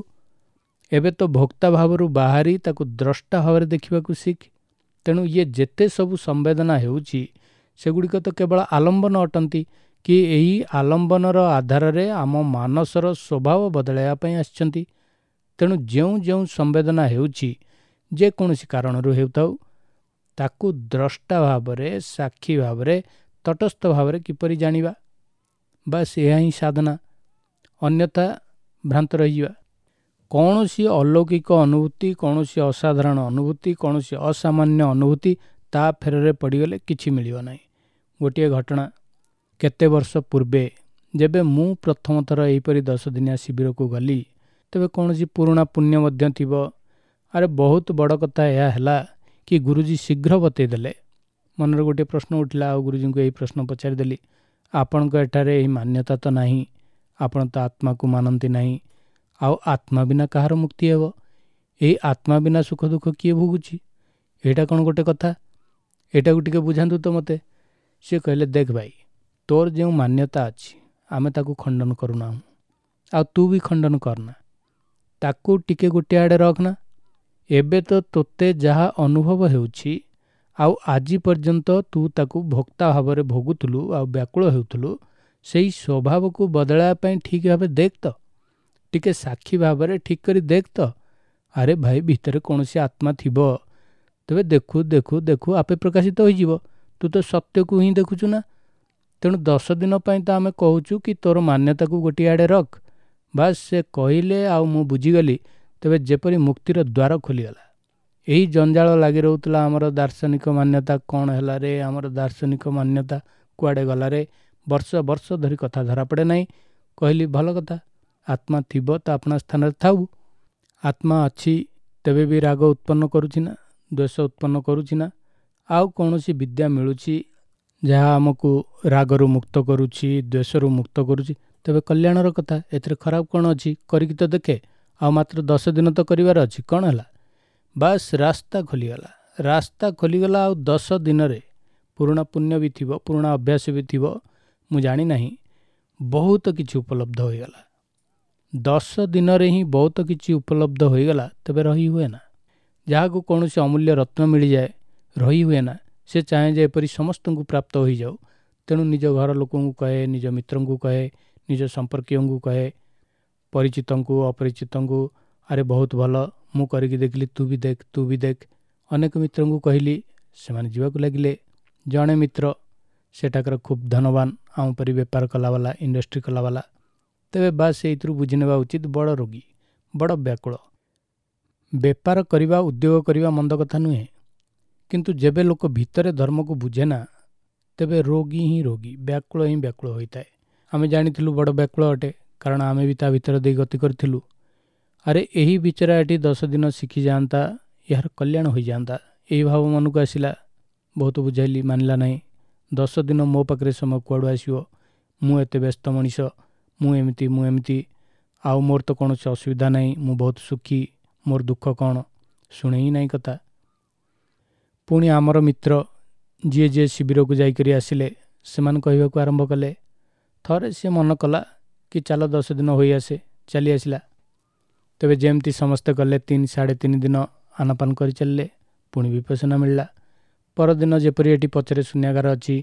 ଏବେ ତ ଭୋକ୍ତା ଭାବରୁ ବାହାରି ତାକୁ ଦ୍ରଷ୍ଟା ଭାବରେ ଦେଖିବାକୁ ଶିଖ। ତେଣୁ ଇଏ ଯେତେ ସବୁ ସମ୍ବେଦନା ହେଉଛି ସେଗୁଡ଼ିକ ତ କେବଳ ଆଲମ୍ବନ ଅଟନ୍ତି, କି ଏହି ଆଲମ୍ବନର ଆଧାରରେ ଆମ ମାନସର ସ୍ୱଭାବ ବଦଳାଇବା ପାଇଁ ଆସିଛନ୍ତି। ତେଣୁ ଯେଉଁ ଯେଉଁ ସମ୍ବେଦନା ହେଉଛି, ଯେକୌଣସି କାରଣରୁ ହେଉଥାଉ, ତାକୁ ଦ୍ରଷ୍ଟା ଭାବରେ, ସାକ୍ଷୀ ଭାବରେ, ତଟସ୍ଥ ଭାବରେ କିପରି ଜାଣିବା, ବାସ୍ ଏହା ହିଁ ସାଧନା। ଅନ୍ୟଥା ଭ୍ରାନ୍ତ ରହିଯିବା। କୌଣସି ଅଲୌକିକ ଅନୁଭୂତି, କୌଣସି ଅସାଧାରଣ ଅନୁଭୂତି, କୌଣସି ଅସାମାନ୍ୟ ଅନୁଭୂତି ତା ଫେରରେ ପଡ଼ିଗଲେ କିଛି ମିଳିବ ନାହିଁ। ଗୋଟିଏ ଘଟଣା, କେତେ ବର୍ଷ ପୂର୍ବେ ଯେବେ ମୁଁ ପ୍ରଥମ ଥର ଏହିପରି ଦଶଦିନିଆ ଶିବିରକୁ ଗଲି, ତେବେ କୌଣସି ପୁରୁଣା ପୁଣ୍ୟ ମଧ୍ୟ ଥିବ। ଆରେ ବହୁତ ବଡ଼ କଥା ଏହା ହେଲା କି ଗୁରୁଜୀ ଶୀଘ୍ର ବତେଇ ଦେଲେ। ମନରେ ଗୋଟିଏ ପ୍ରଶ୍ନ ଉଠିଲା, ଆଉ ଗୁରୁଜୀଙ୍କୁ ଏହି ପ୍ରଶ୍ନ ପଚାରିଦେଲି, ଆପଣଙ୍କ ଏଠାରେ ଏହି ମାନ୍ୟତା ତ ନାହିଁ, ଆପଣ ତ ଆତ୍ମାକୁ ମାନନ୍ତି ନାହିଁ, ଆଉ ଆତ୍ମା ବିନା କାହାର ମୁକ୍ତି ହେବ? ଏହି ଆତ୍ମା ବିନା ସୁଖ ଦୁଃଖ କିଏ ଭୋଗୁଛି? ଏଇଟା କ'ଣ ଗୋଟେ କଥା? ଏଇଟାକୁ ଟିକେ ବୁଝାନ୍ତୁ ତ ମୋତେ। ସିଏ କହିଲେ, ଦେଖ ଭାଇ, ତୋର ଯେଉଁ ମାନ୍ୟତା ଅଛି ଆମେ ତାକୁ ଖଣ୍ଡନ କରୁନାହୁଁ, ଆଉ ତୁ ବି ଖଣ୍ଡନ କରନା, ତାକୁ ଟିକେ ଗୋଟିଏ ଆଡ଼େ ରଖନା। ଏବେ ତ ତୋତେ ଯାହା ଅନୁଭବ ହେଉଛି, ଆଉ ଆଜି ପର୍ଯ୍ୟନ୍ତ ତୁ ତାକୁ ଭୋକ୍ତା ଭାବରେ ଭୋଗୁଥିଲୁ ଆଉ ବ୍ୟାକୁଳ ହେଉଥିଲୁ, ସେଇ ସ୍ୱଭାବକୁ ବଦଳାଇବା ପାଇଁ ଠିକ୍ ଭାବେ ଦେଖ ତ, ଟିକେ ସାକ୍ଷୀ ଭାବରେ ଠିକ୍ କରି ଦେଖ ତ। ଆରେ ଭାଇ, ଭିତରେ କୌଣସି ଆତ୍ମା ଥିବ, ତେବେ ଦେଖୁ ଦେଖୁ ଦେଖୁ ଆପେ ପ୍ରକାଶିତ ହୋଇଯିବ। ତୁ ତ ସତ୍ୟକୁ ହିଁ ଦେଖୁଛୁ ନା। ତେଣୁ ଦଶ ଦିନ ପାଇଁ ତ ଆମେ କହୁଛୁ କି ତୋର ମାନ୍ୟତାକୁ ଗୋଟିଏ ଆଡ଼େ ରଖ। ବାସ୍ ସେ କହିଲେ ଆଉ ମୁଁ ବୁଝିଗଲି। ତେବେ ଯେପରି ମୁକ୍ତିର ଦ୍ୱାର ଖୋଲିଗଲା। ଏହି ଜଞ୍ଜାଳ ଲାଗି ରହୁଥିଲା ଆମର ଦାର୍ଶନିକ ମାନ୍ୟତା କ'ଣ ହେଲା ରେ, ଆମର ଦାର୍ଶନିକ ମାନ୍ୟତା କୁଆଡ଼େ ଗଲା ରେ, ବର୍ଷ ବର୍ଷ ଧରି କଥା ଧରାପଡ଼େ ନାହିଁ। କହିଲି ଭଲ କଥା, ଆତ୍ମା ଥିବ ତ ଆପଣା ସ୍ଥାନରେ ଥାଉ। ଆତ୍ମା ଅଛି ତେବେ ବି ରାଗ ଉତ୍ପନ୍ନ କରୁଛି ନା, ଦ୍ୱେଷ ଉତ୍ପନ୍ନ କରୁଛି ନା? ଆଉ କୌଣସି ବିଦ୍ୟା ମିଳୁଛି ଯାହା ଆମକୁ ରାଗରୁ ମୁକ୍ତ କରୁଛି, ଦ୍ୱେଷରୁ ମୁକ୍ତ କରୁଛି, ତେବେ କଲ୍ୟାଣର କଥା, ଏଥିରେ ଖରାପ କ'ଣ ଅଛି? କରିକି ତ ଦେଖେ, ଆଉ ମାତ୍ର ଦଶ ଦିନ ତ କରିବାର ଅଛି, କ'ଣ ହେଲା? ବାସ୍ ରାସ୍ତା ଖୋଲିଗଲା, ରାସ୍ତା ଖୋଲିଗଲା। ଆଉ ଦଶ ଦିନରେ ପୁରୁଣା ପୁଣ୍ୟ ବି ଥିବ, ପୁରୁଣା ଅଭ୍ୟାସ ବି ଥିବ, ମୁଁ ଜାଣିନାହିଁ, ବହୁତ କିଛି ଉପଲବ୍ଧ ହୋଇଗଲା। ଦଶ ଦିନରେ ହିଁ ବହୁତ କିଛି ଉପଲବ୍ଧ ହୋଇଗଲା, ତେବେ ରହି ହୁଏ ନା। ଯାହାକୁ କୌଣସି ଅମୂଲ୍ୟ ରତ୍ନ ମିଳିଯାଏ ରହି ହୁଏ ନା, ସେ ଚାହେଁ ଯେ ଏପରି ସମସ୍ତଙ୍କୁ ପ୍ରାପ୍ତ ହୋଇଯାଉ। ତେଣୁ ନିଜ ଘର ଲୋକଙ୍କୁ କହେ, ନିଜ ମିତ୍ରଙ୍କୁ କହେ, ନିଜ ସମ୍ପର୍କୀୟଙ୍କୁ କହେ, ପରିଚିତଙ୍କୁ, ଅପରିଚିତଙ୍କୁ, ଆରେ ବହୁତ ଭଲ, ମୁଁ କରିକି ଦେଖିଲି, ତୁ ବି ଦେଖ, ତୁ ବି ଦେଖ। ଅନେକ ମିତ୍ରଙ୍କୁ କହିଲି, ସେମାନେ ଯିବାକୁ ଲାଗିଲେ। ଜଣେ ମିତ୍ର ସେଠାକାର ଖୁବ୍ ଧନବାନ, ଆମ ପରି ବେପାର କଲାବାଲା, ଇଣ୍ଡଷ୍ଟ୍ରି କଲାବାଲା। ତେବେ ବାସ୍ ଏଇଥିରୁ ବୁଝିନେବା ଉଚିତ, ବଡ଼ ରୋଗୀ, ବଡ଼ ବ୍ୟାକୁଳ। ବେପାର କରିବା, ଉଦ୍ୟୋଗ କରିବା ମନ୍ଦ କଥା ନୁହେଁ, କିନ୍ତୁ ଯେବେ ଲୋକ ଭିତରେ ଧର୍ମକୁ ବୁଝେ ନା, ତେବେ ରୋଗୀ ହିଁ ରୋଗୀ, ବ୍ୟାକୁଳ ହିଁ ବ୍ୟାକୁଳ ହୋଇଥାଏ। ଆମେ ଜାଣିଥିଲୁ ବଡ଼ ବ୍ୟାକୁଳ ଅଟେ, କାରଣ ଆମେ ବି ତା ଭିତରେ ଦେଇ ଗତି କରିଥିଲୁ। ଆରେ ଏହି ବିଚରା ଏଠି ଦଶ ଦିନ ଶିଖିଯାଆନ୍ତା, ଏହାର କଲ୍ୟାଣ ହୋଇଯାଆନ୍ତା, ଏହି ଭାବ ମନକୁ ଆସିଲା। ବହୁତ ବୁଝାଇଲି, ମାନିଲା ନାହିଁ। ଦଶ ଦିନ ମୋ ପାଖରେ ସମୟ କୁଆଡ଼ୁ ଆସିବ? ମୁଁ ଏତେ ବ୍ୟସ୍ତ ମଣିଷ, ମୁଁ ଏମିତି ମୁଁ ଏମିତି, ଆଉ ମୋର ତ କୌଣସି ଅସୁବିଧା ନାହିଁ, ମୁଁ ବହୁତ ସୁଖୀ, ମୋର ଦୁଃଖ କ'ଣ? ଶୁଣେ ହିଁ ନାହିଁ କଥା। ପୁଣି ଆମର ମିତ୍ର ଯିଏ ଯିଏ ଶିବିରକୁ ଯାଇକରି ଆସିଲେ, ସେମାନେ କହିବାକୁ ଆରମ୍ଭ କଲେ। ଥରେ ସିଏ ମନ କଲା କି ଚାଲ ଦଶ ଦିନ ହୋଇଆସେ, ଚାଲି ଆସିଲା। ତେବେ ଯେମିତି ସମସ୍ତେ ଗଲେ, ତିନି ସାଢ଼େ ତିନି ଦିନ ଆନାପାନ କରି ଚାଲିଲେ, ପୁଣି ବିପସନା ମିଳିଲା। ପରଦିନ ଯେପରି ଏଠି ପଛରେ ଶୂନ୍ୟାଗାର ଅଛି,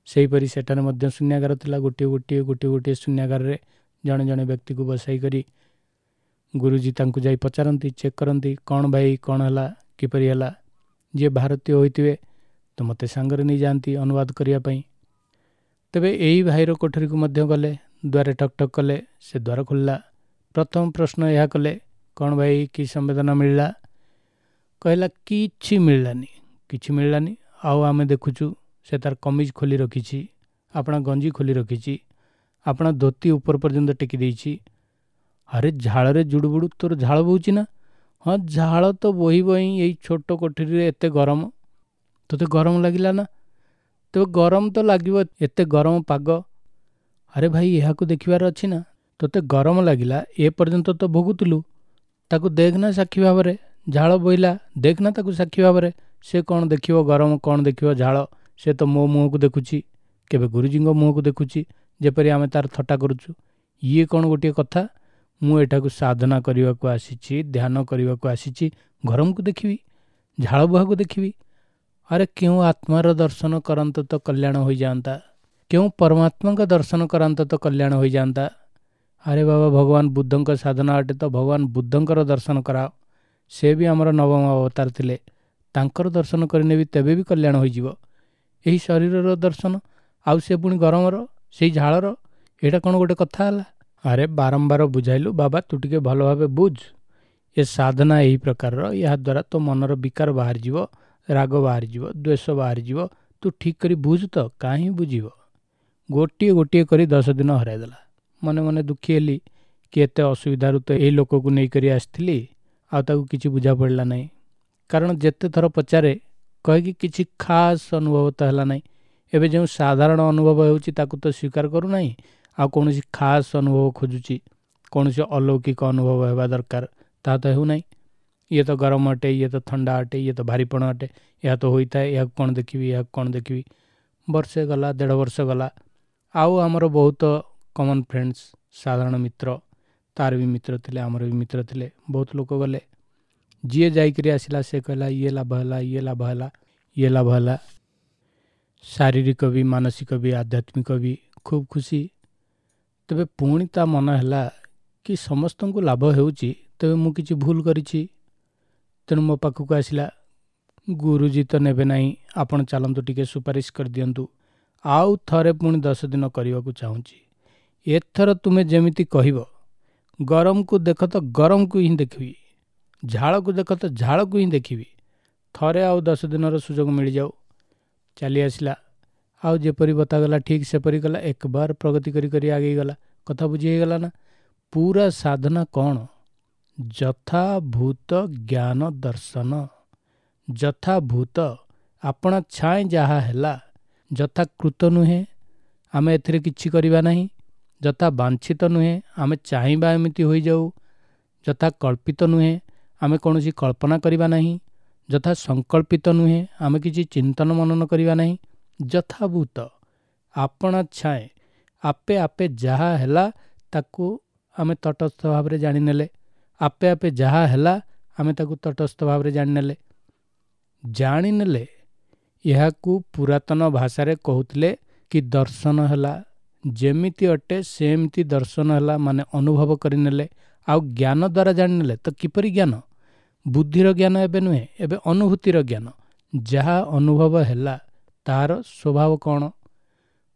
ସେହିପରି ସେଠାରେ ମଧ୍ୟ ଶୂନ୍ୟାଗାର ଥିଲା। ଗୋଟିଏ ଗୋଟିଏ ଗୋଟିଏ ଗୋଟିଏ ଶୂନ୍ୟାଗାରରେ ଜଣେ ଜଣେ ବ୍ୟକ୍ତିକୁ ବସାଇ କରି ଗୁରୁଜୀ ତାଙ୍କୁ ଯାଇ ପଚାରନ୍ତି, ଚେକ୍ କରନ୍ତି, କ'ଣ ଭାଇ, କ'ଣ ହେଲା, କିପରି ହେଲା। ଯିଏ ଭାରତୀୟ ହୋଇଥିବେ ତ ମୋତେ ସାଙ୍ଗରେ ନେଇଯାଆନ୍ତି ଅନୁବାଦ କରିବା ପାଇଁ। ତେବେ ଏହି ଭାଇର କୋଠରୀକୁ ମଧ୍ୟ ଗଲେ, ଦ୍ୱାରେ ଠକ୍ ଠକ୍ କଲେ, ସେ ଦ୍ୱାର ଖୋଲିଲା। ପ୍ରଥମ ପ୍ରଶ୍ନ ଏହା କଲେ, କ'ଣ ଭାଇ, କି ସମ୍ବେଦନା ମିଳିଲା? କହିଲା କିଛି ମିଳିଲାନି, କିଛି ମିଳିଲାନି। ଆଉ ଆମେ ଦେଖୁଛୁ ସେ ତାର କମିଜ ଖୋଲି ରଖିଛି, ଆପଣା ଗଞ୍ଜି ଖୋଲି ରଖିଛି, ଆପଣା ଧୋତି ଉପର ପର୍ଯ୍ୟନ୍ତ ଟେକି ଦେଇଛି। ଆରେ ଝାଳରେ ଜୁଡ଼ୁବୁଡ଼ୁ, ତୋର ଝାଳ ବୋହୁଛି ନା? ହଁ, ଝାଳ ତ ବୋହିବ ହିଁ, ଏଇ ଛୋଟ କୋଠରୀରେ ଏତେ ଗରମ। ତୋତେ ଗରମ ଲାଗିଲା ନା? ତେବେ ଗରମ ତ ଲାଗିବ, ଏତେ ଗରମ ପାଗ। ଆରେ ଭାଇ, ଏହାକୁ ଦେଖିବାର ଅଛି ନା। ତୋତେ ଗରମ ଲାଗିଲା, ଏ ପର୍ଯ୍ୟନ୍ତ ତ ଭୋଗୁଥିଲୁ, ତାକୁ ଦେଖ ନା ସାକ୍ଷୀ ଭାବରେ। ଝାଳ ବୋହିଲା, ଦେଖ ନା ତାକୁ ସାକ୍ଷୀ ଭାବରେ। ସେ କ'ଣ ଦେଖିବ ଗରମ, କ'ଣ ଦେଖିବ ଝାଳ? ସେ ତ ମୋ ମୁହଁକୁ ଦେଖୁଛି, କେବେ ଗୁରୁଜୀଙ୍କ ମୁହଁକୁ ଦେଖୁଛି, ଯେପରି ଆମେ ତାର ଥଟ୍ଟା କରୁଛୁ। ଇଏ କ'ଣ ଗୋଟିଏ କଥା? ମୁଁ ଏଠାକୁ ସାଧନା କରିବାକୁ ଆସିଛି, ଧ୍ୟାନ କରିବାକୁ ଆସିଛି, ଗରମକୁ ଦେଖିବି, ଝାଳ ବୁହାକୁ ଦେଖିବି? ଆରେ କେଉଁ ଆତ୍ମାର ଦର୍ଶନ କରନ୍ତ ତ କଲ୍ୟାଣ ହୋଇଯାଆନ୍ତା, କେଉଁ ପରମାତ୍ମାଙ୍କ ଦର୍ଶନ କରାନ୍ତ ତ କଲ୍ୟାଣ ହୋଇଯାଆନ୍ତା। ଆରେ ବାବା, ଭଗବାନ ବୁଦ୍ଧଙ୍କ ସାଧନା ଅଟେ ତ ଭଗବାନ ବୁଦ୍ଧଙ୍କର ଦର୍ଶନ କରାଅ। ସେ ବି ଆମର ନବମ ଅବତାର ଥିଲେ, ତାଙ୍କର ଦର୍ଶନ କରିନେବି ତେବେ ବି କଲ୍ୟାଣ ହୋଇଯିବ। ଏହି ଶରୀରର ଦର୍ଶନ, ଆଉ ସେ ପୁଣି ଗରମର, ସେଇ ଝାଳର, ଏଇଟା କ'ଣ ଗୋଟେ କଥା ହେଲା? ଆରେ ବାରମ୍ବାର ବୁଝାଇଲୁ ବାବା, ତୁ ଟିକେ ଭଲ ଭାବେ ବୁଝ। ଏ ସାଧନା ଏହି ପ୍ରକାରର, ଏହାଦ୍ୱାରା ତୋ ମନର ବିକାର ବାହାରିଯିବ, ରାଗ ବାହାରିଯିବ, ଦ୍ୱେଷ ବାହାରିଯିବ। ତୁ ଠିକ୍ କରି ବୁଝ ତ। କାହିଁ ବୁଝିବ? ଗୋଟିଏ ଗୋଟିଏ କରି ଦଶ ଦିନ ହରାଇଦେଲା। ମନେ ମନେ ଦୁଃଖୀ ହେଲି କି ଏତେ ଅସୁବିଧାରୁ ତ ଏଇ ଲୋକକୁ ନେଇକରି ଆସିଥିଲି, ଆଉ ତାକୁ କିଛି ବୁଝା ପଡ଼ିଲା ନାହିଁ। କାରଣ ଯେତେ ଥର ପଚାରେ କହିକି କିଛି ଖାସ୍ ଅନୁଭବ ତ ହେଲା ନାହିଁ। ଏବେ ଯେଉଁ ସାଧାରଣ ଅନୁଭବ ହେଉଛି ତାକୁ ତ ସ୍ୱୀକାର କରୁନାହିଁ, ଆଉ କୌଣସି ଖାସ୍ ଅନୁଭବ ଖୋଜୁଛି, କୌଣସି ଅଲୌକିକ ଅନୁଭବ ହେବା ଦରକାର, ତାହା ତ ହେଉନାହିଁ। ଇଏ ତ ଗରମ ଅଟେ, ଇଏ ତ ଥଣ୍ଡା ଅଟେ, ଇଏ ତ ଭାରିପଣ ଅଟେ, ଏହା ତ ହୋଇଥାଏ, ଏହାକୁ କ'ଣ ଦେଖିବି, ଏହାକୁ କ'ଣ ଦେଖିବି। ବର୍ଷେ ଗଲା, ଦେଢ଼ ବର୍ଷ ଗଲା। ଆଉ ଆମର ବହୁତ କମନ୍ ଫ୍ରେଣ୍ଡସ୍, ସାଧାରଣ ମିତ୍ର, ତାର ବି ମିତ୍ର ଥିଲେ, ଆମର ବି ମିତ୍ର ଥିଲେ, ବହୁତ ଲୋକ ଗଲେ। ଯିଏ ଯାଇକରି ଆସିଲା ସେ କହିଲା ଇଏ ଲାଭ ହେଲା, ଇଏ ଲାଭ ହେଲା, ଇଏ ଲାଭ ହେଲା। ଶାରୀରିକ ବି, ମାନସିକ ବି, ଆଧ୍ୟାତ୍ମିକ ବି ଖୁବ୍ ଖୁସି। ତେବେ ପୁଣି ତା ମନ ହେଲା କି ସମସ୍ତଙ୍କୁ ଲାଭ ହେଉଛି, ତେବେ ମୁଁ କିଛି ଭୁଲ କରିଛି। ତେଣୁ ମୋ ପାଖକୁ ଆସିଲା, ଗୁରୁଜୀ ତ ନେବେ ନାହିଁ, ଆପଣ ଚାଲନ୍ତୁ ଟିକେ ସୁପାରିଶ କରିଦିଅନ୍ତୁ। ଆଉ ଥରେ ପୁଣି ଦଶ ଦିନ କରିବାକୁ ଚାହୁଁଛି। ଏଥର ତୁମେ ଯେମିତି କହିବ, ଗରମକୁ ଦେଖ ତ ଗରମକୁ ହିଁ ଦେଖିବି, ଝାଳକୁ ଦେଖ ତ ଝାଳକୁ ହିଁ ଦେଖିବି। ଥରେ ଆଉ ଦଶ ଦିନର ସୁଯୋଗ ମିଳିଯାଉ। ଚାଲି ଆସିଲା, ଆଉ ଯେପରି ବତାଗଲା ଠିକ୍ ସେପରି କଲା, ଏକବାର ପ୍ରଗତି କରି କରି ଆଗେଇ ଗଲା। କଥା ବୁଝି ହେଇଗଲା ନା? ପୁରା ସାଧନା କ'ଣ? ଯଥାଭୂତ ଜ୍ଞାନ ଦର୍ଶନ। ଯଥାଭୂତ, ଆପଣା ଛାଏଁ ଯାହା ହେଲା, ଯଥାକୃତ ନୁହେଁ, ଆମେ ଏଥିରେ କିଛି କରିବା ନାହିଁ। ଯଥା ବାଞ୍ଛିତ ନୁହେଁ, ଆମେ ଚାହିଁବା ଏମିତି ହୋଇଯାଉ। ଯଥା କଳ୍ପିତ ନୁହେଁ, ଆମେ କୌଣସି କଳ୍ପନା କରିବା ନାହିଁ। ଯଥା ସଂକଳ୍ପିତ ନୁହେଁ, ଆମେ କିଛି ଚିନ୍ତନ ମନନ କରିବା ନାହିଁ। ଯଥାଭୂତ, ଆପଣା ଛାଏଁ ଆପେ ଆପେ ଯାହା ହେଲା ତାକୁ ଆମେ ତଟସ୍ଥ ଭାବରେ ଜାଣିନେଲେ। ଆପେ ଆପେ ଯାହା ହେଲା ଆମେ ତାକୁ ତଟସ୍ଥ ଭାବରେ ଜାଣିନେଲେ। ଜାଣିନେଲେ, ଏହାକୁ ପୁରାତନ ଭାଷାରେ କହୁଥିଲେ କି ଦର୍ଶନ ହେଲା। ଯେମିତି ଅଟେ ସେମିତି ଦର୍ଶନ ହେଲା, ମାନେ ଅନୁଭବ କରିନେଲେ। ଆଉ ଜ୍ଞାନ ଦ୍ୱାରା ଜାଣିନେଲେ ତ କିପରି ଜ୍ଞାନ? ବୁଦ୍ଧିର ଜ୍ଞାନ ଏବେ ନୁହେଁ, ଏବେ ଅନୁଭୂତିର ଜ୍ଞାନ। ଯାହା ଅନୁଭବ ହେଲା ତାହାର ସ୍ୱଭାବ କ'ଣ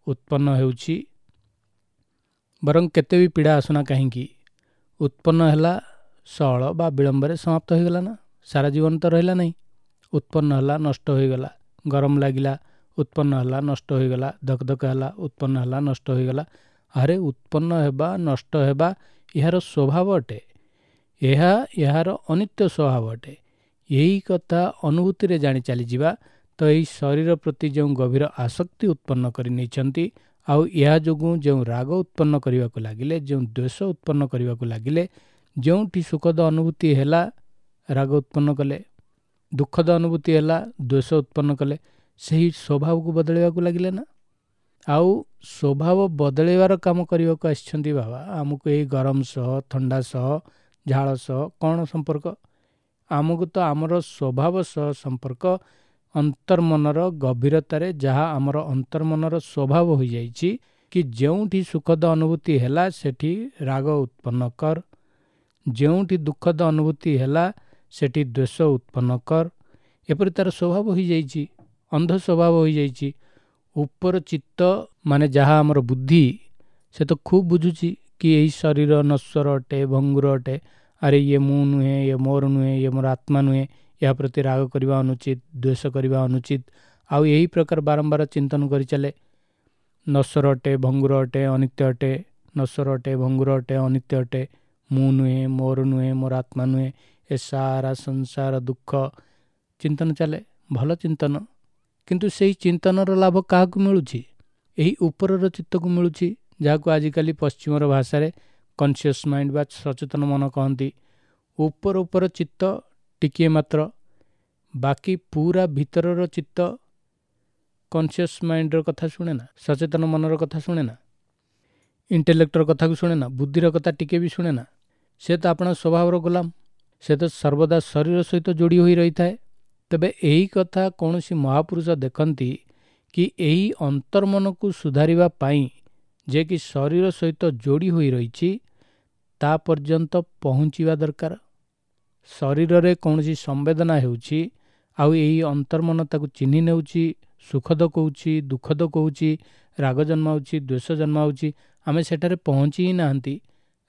ଉତ୍ପନ୍ନ ହେଉଛି, ବରଂ କେତେ ବି ପୀଡ଼ା ଆସୁନା କାହିଁକି, ଉତ୍ପନ୍ନ ହେଲା ସଅଳ ବା ବିଳମ୍ବରେ ସମାପ୍ତ ହୋଇଗଲା ନା, ସାରା ଜୀବନ ତ ରହିଲା ନାହିଁ। ଉତ୍ପନ୍ନ ହେଲା, ନଷ୍ଟ ହୋଇଗଲା। ଗରମ ଲାଗିଲା, ଉତ୍ପନ୍ନ ହେଲା, ନଷ୍ଟ ହୋଇଗଲା। ଧକଧକ ହେଲା, ଉତ୍ପନ୍ନ ହେଲା, ନଷ୍ଟ ହୋଇଗଲା। ଆରେ ଉତ୍ପନ୍ନ ହେବା, ନଷ୍ଟ ହେବା ଏହାର ସ୍ୱଭାବ ଅଟେ, ଏହା ଏହାର ଅନିତ୍ୟ ସ୍ୱଭାବ ଅଟେ। ଏହି କଥା ଅନୁଭୂତିରେ ଜାଣି ଚାଲିଯିବା ତ ଏହି ଶରୀର ପ୍ରତି ଯେଉଁ ଗଭୀର ଆସକ୍ତି ଉତ୍ପନ୍ନ କରି ନେଇଛନ୍ତି, ଆଉ ଏହା ଯୋଗୁଁ ଯେଉଁ ରାଗ ଉତ୍ପନ୍ନ କରିବାକୁ ଲାଗିଲେ, ଯେଉଁ ଦ୍ୱେଷ ଉତ୍ପନ୍ନ କରିବାକୁ ଲାଗିଲେ, ଯେଉଁଠି ସୁଖଦ ଅନୁଭୂତି ହେଲା ରାଗ ଉତ୍ପନ୍ନ କଲେ, ଦୁଃଖଦ ଅନୁଭୂତି ହେଲା ଦ୍ୱେଷ ଉତ୍ପନ୍ନ କଲେ, ସେହି ସ୍ୱଭାବକୁ ବଦଳାଇବାକୁ ଲାଗିଲେ ନା। ଆଉ ସ୍ୱଭାବ ବଦଳାଇବାର କାମ କରିବାକୁ ଆସିଛନ୍ତି ବାବା। ଆମକୁ ଏଇ ଗରମ ସହ, ଥଣ୍ଡା ସହ, ଝାଳ ସହ କ'ଣ ସମ୍ପର୍କ? ଆମକୁ ତ ଆମର ସ୍ୱଭାବ ସହ ସମ୍ପର୍କ। ଅନ୍ତର୍ମନର ଗଭୀରତାରେ ଯାହା ଆମର ଅନ୍ତର୍ମନର ସ୍ୱଭାବ ହୋଇଯାଇଛି କି ଯେଉଁଠି ସୁଖଦ ଅନୁଭୂତି ହେଲା ସେଠି ରାଗ ଉତ୍ପନ୍ନ କର, ଯେଉଁଠି ଦୁଃଖଦ ଅନୁଭୂତି ହେଲା ସେଠି ଦ୍ୱେଷ ଉତ୍ପନ୍ନ କର, ଏପରି ତାର ସ୍ୱଭାବ ହୋଇଯାଇଛି, ଅନ୍ଧ ସ୍ୱଭାବ ହୋଇଯାଇଛି। ଉପର ଚିତ୍ତ ମାନେ ଯାହା ଆମର ବୁଦ୍ଧି, ସେ ତ ଖୁବ୍ ବୁଝୁଛି କି ଏହି ଶରୀର ନଶ୍ୱର ଅଟେ, ଭଙ୍ଗୁର ଅଟେ, ଆରେ ଇଏ ମୁଁ ନୁହେଁ, ଇଏ ମୋର ନୁହେଁ, ଇଏ ମୋର ଆତ୍ମା ନୁହେଁ, ଏହା ପ୍ରତି ରାଗ କରିବା ଅନୁଚିତ, ଦ୍ୱେଷ କରିବା ଅନୁଚିତ। ଆଉ ଏହି ପ୍ରକାର ବାରମ୍ବାର ଚିନ୍ତନ କରି ଚାଲେ। ନଶ୍ୱର ଅଟେ, ଭଙ୍ଗୁର ଅଟେ, ଅନିତ୍ୟ ଅଟେ, ନଶ୍ୱର ଅଟେ, ଭଙ୍ଗୁର ଅଟେ, ଅନିତ୍ୟ ଅଟେ, ମୁଁ ନୁହେଁ, ମୋର ନୁହେଁ, ମୋର ଆତ୍ମା ନୁହେଁ, ଏ ସାରା ସଂସାର ଦୁଃଖ। ଚିନ୍ତନ ଚାଲେ, ଭଲ ଚିନ୍ତନ। କିନ୍ତୁ ସେହି ଚିନ୍ତନର ଲାଭ କାହାକୁ ମିଳୁଛି? ଏହି ଉପରର ଚିତ୍ତକୁ ମିଳୁଛି, ଯାହାକୁ ଆଜିକାଲି ପଶ୍ଚିମର ଭାଷାରେ କନସିୟସ୍ ମାଇଣ୍ଡ ବା ସଚେତନ ମନ କହନ୍ତି। ଉପର ଉପର ଚିତ୍ତ ଟିକିଏ ମାତ୍ର, ବାକି ପୁରା ଭିତରର ଚିତ୍ତ କନସିୟସ୍ ମାଇଣ୍ଡର କଥା ଶୁଣେ ନା, ସଚେତନ ମନର କଥା ଶୁଣେ ନା, ଇଣ୍ଟେଲେକ୍ଟର କଥାକୁ ଶୁଣେ ନା, ବୁଦ୍ଧିର କଥା ଟିକେ ବି ଶୁଣେ ନା। ସେ ତ ଆପଣା ସ୍ୱଭାବର ଗୋଲାମ, ସେ ତ ସର୍ବଦା ଶରୀର ସହିତ ଯୋଡ଼ି ହୋଇ ରହିଥାଏ। ତେବେ ଏହି କଥା କୌଣସି ମହାପୁରୁଷ ଦେଖନ୍ତି କି ଏହି ଅନ୍ତର୍ମନକୁ ସୁଧାରିବା ପାଇଁ ଯେ କି ଶରୀର ସହିତ ଯୋଡ଼ି ହୋଇ ରହିଛି ତା ପର୍ଯ୍ୟନ୍ତ ପହଞ୍ଚିବା ଦରକାର। ଶରୀରରେ କୌଣସି ସମ୍ବେଦନା ହେଉଛି ଆଉ ଏହି ଅନ୍ତର୍ମନ ତାକୁ ଚିହ୍ନି ନେଉଛି, ସୁଖଦ କହୁଛି, ଦୁଃଖଦ କହୁଛି, ରାଗ ଜନ୍ମାଉଛି, ଦ୍ୱେଷ ଜନ୍ମାଉଛି, ଆମେ ସେଠାରେ ପହଞ୍ଚି ହିଁ ନାହାନ୍ତି।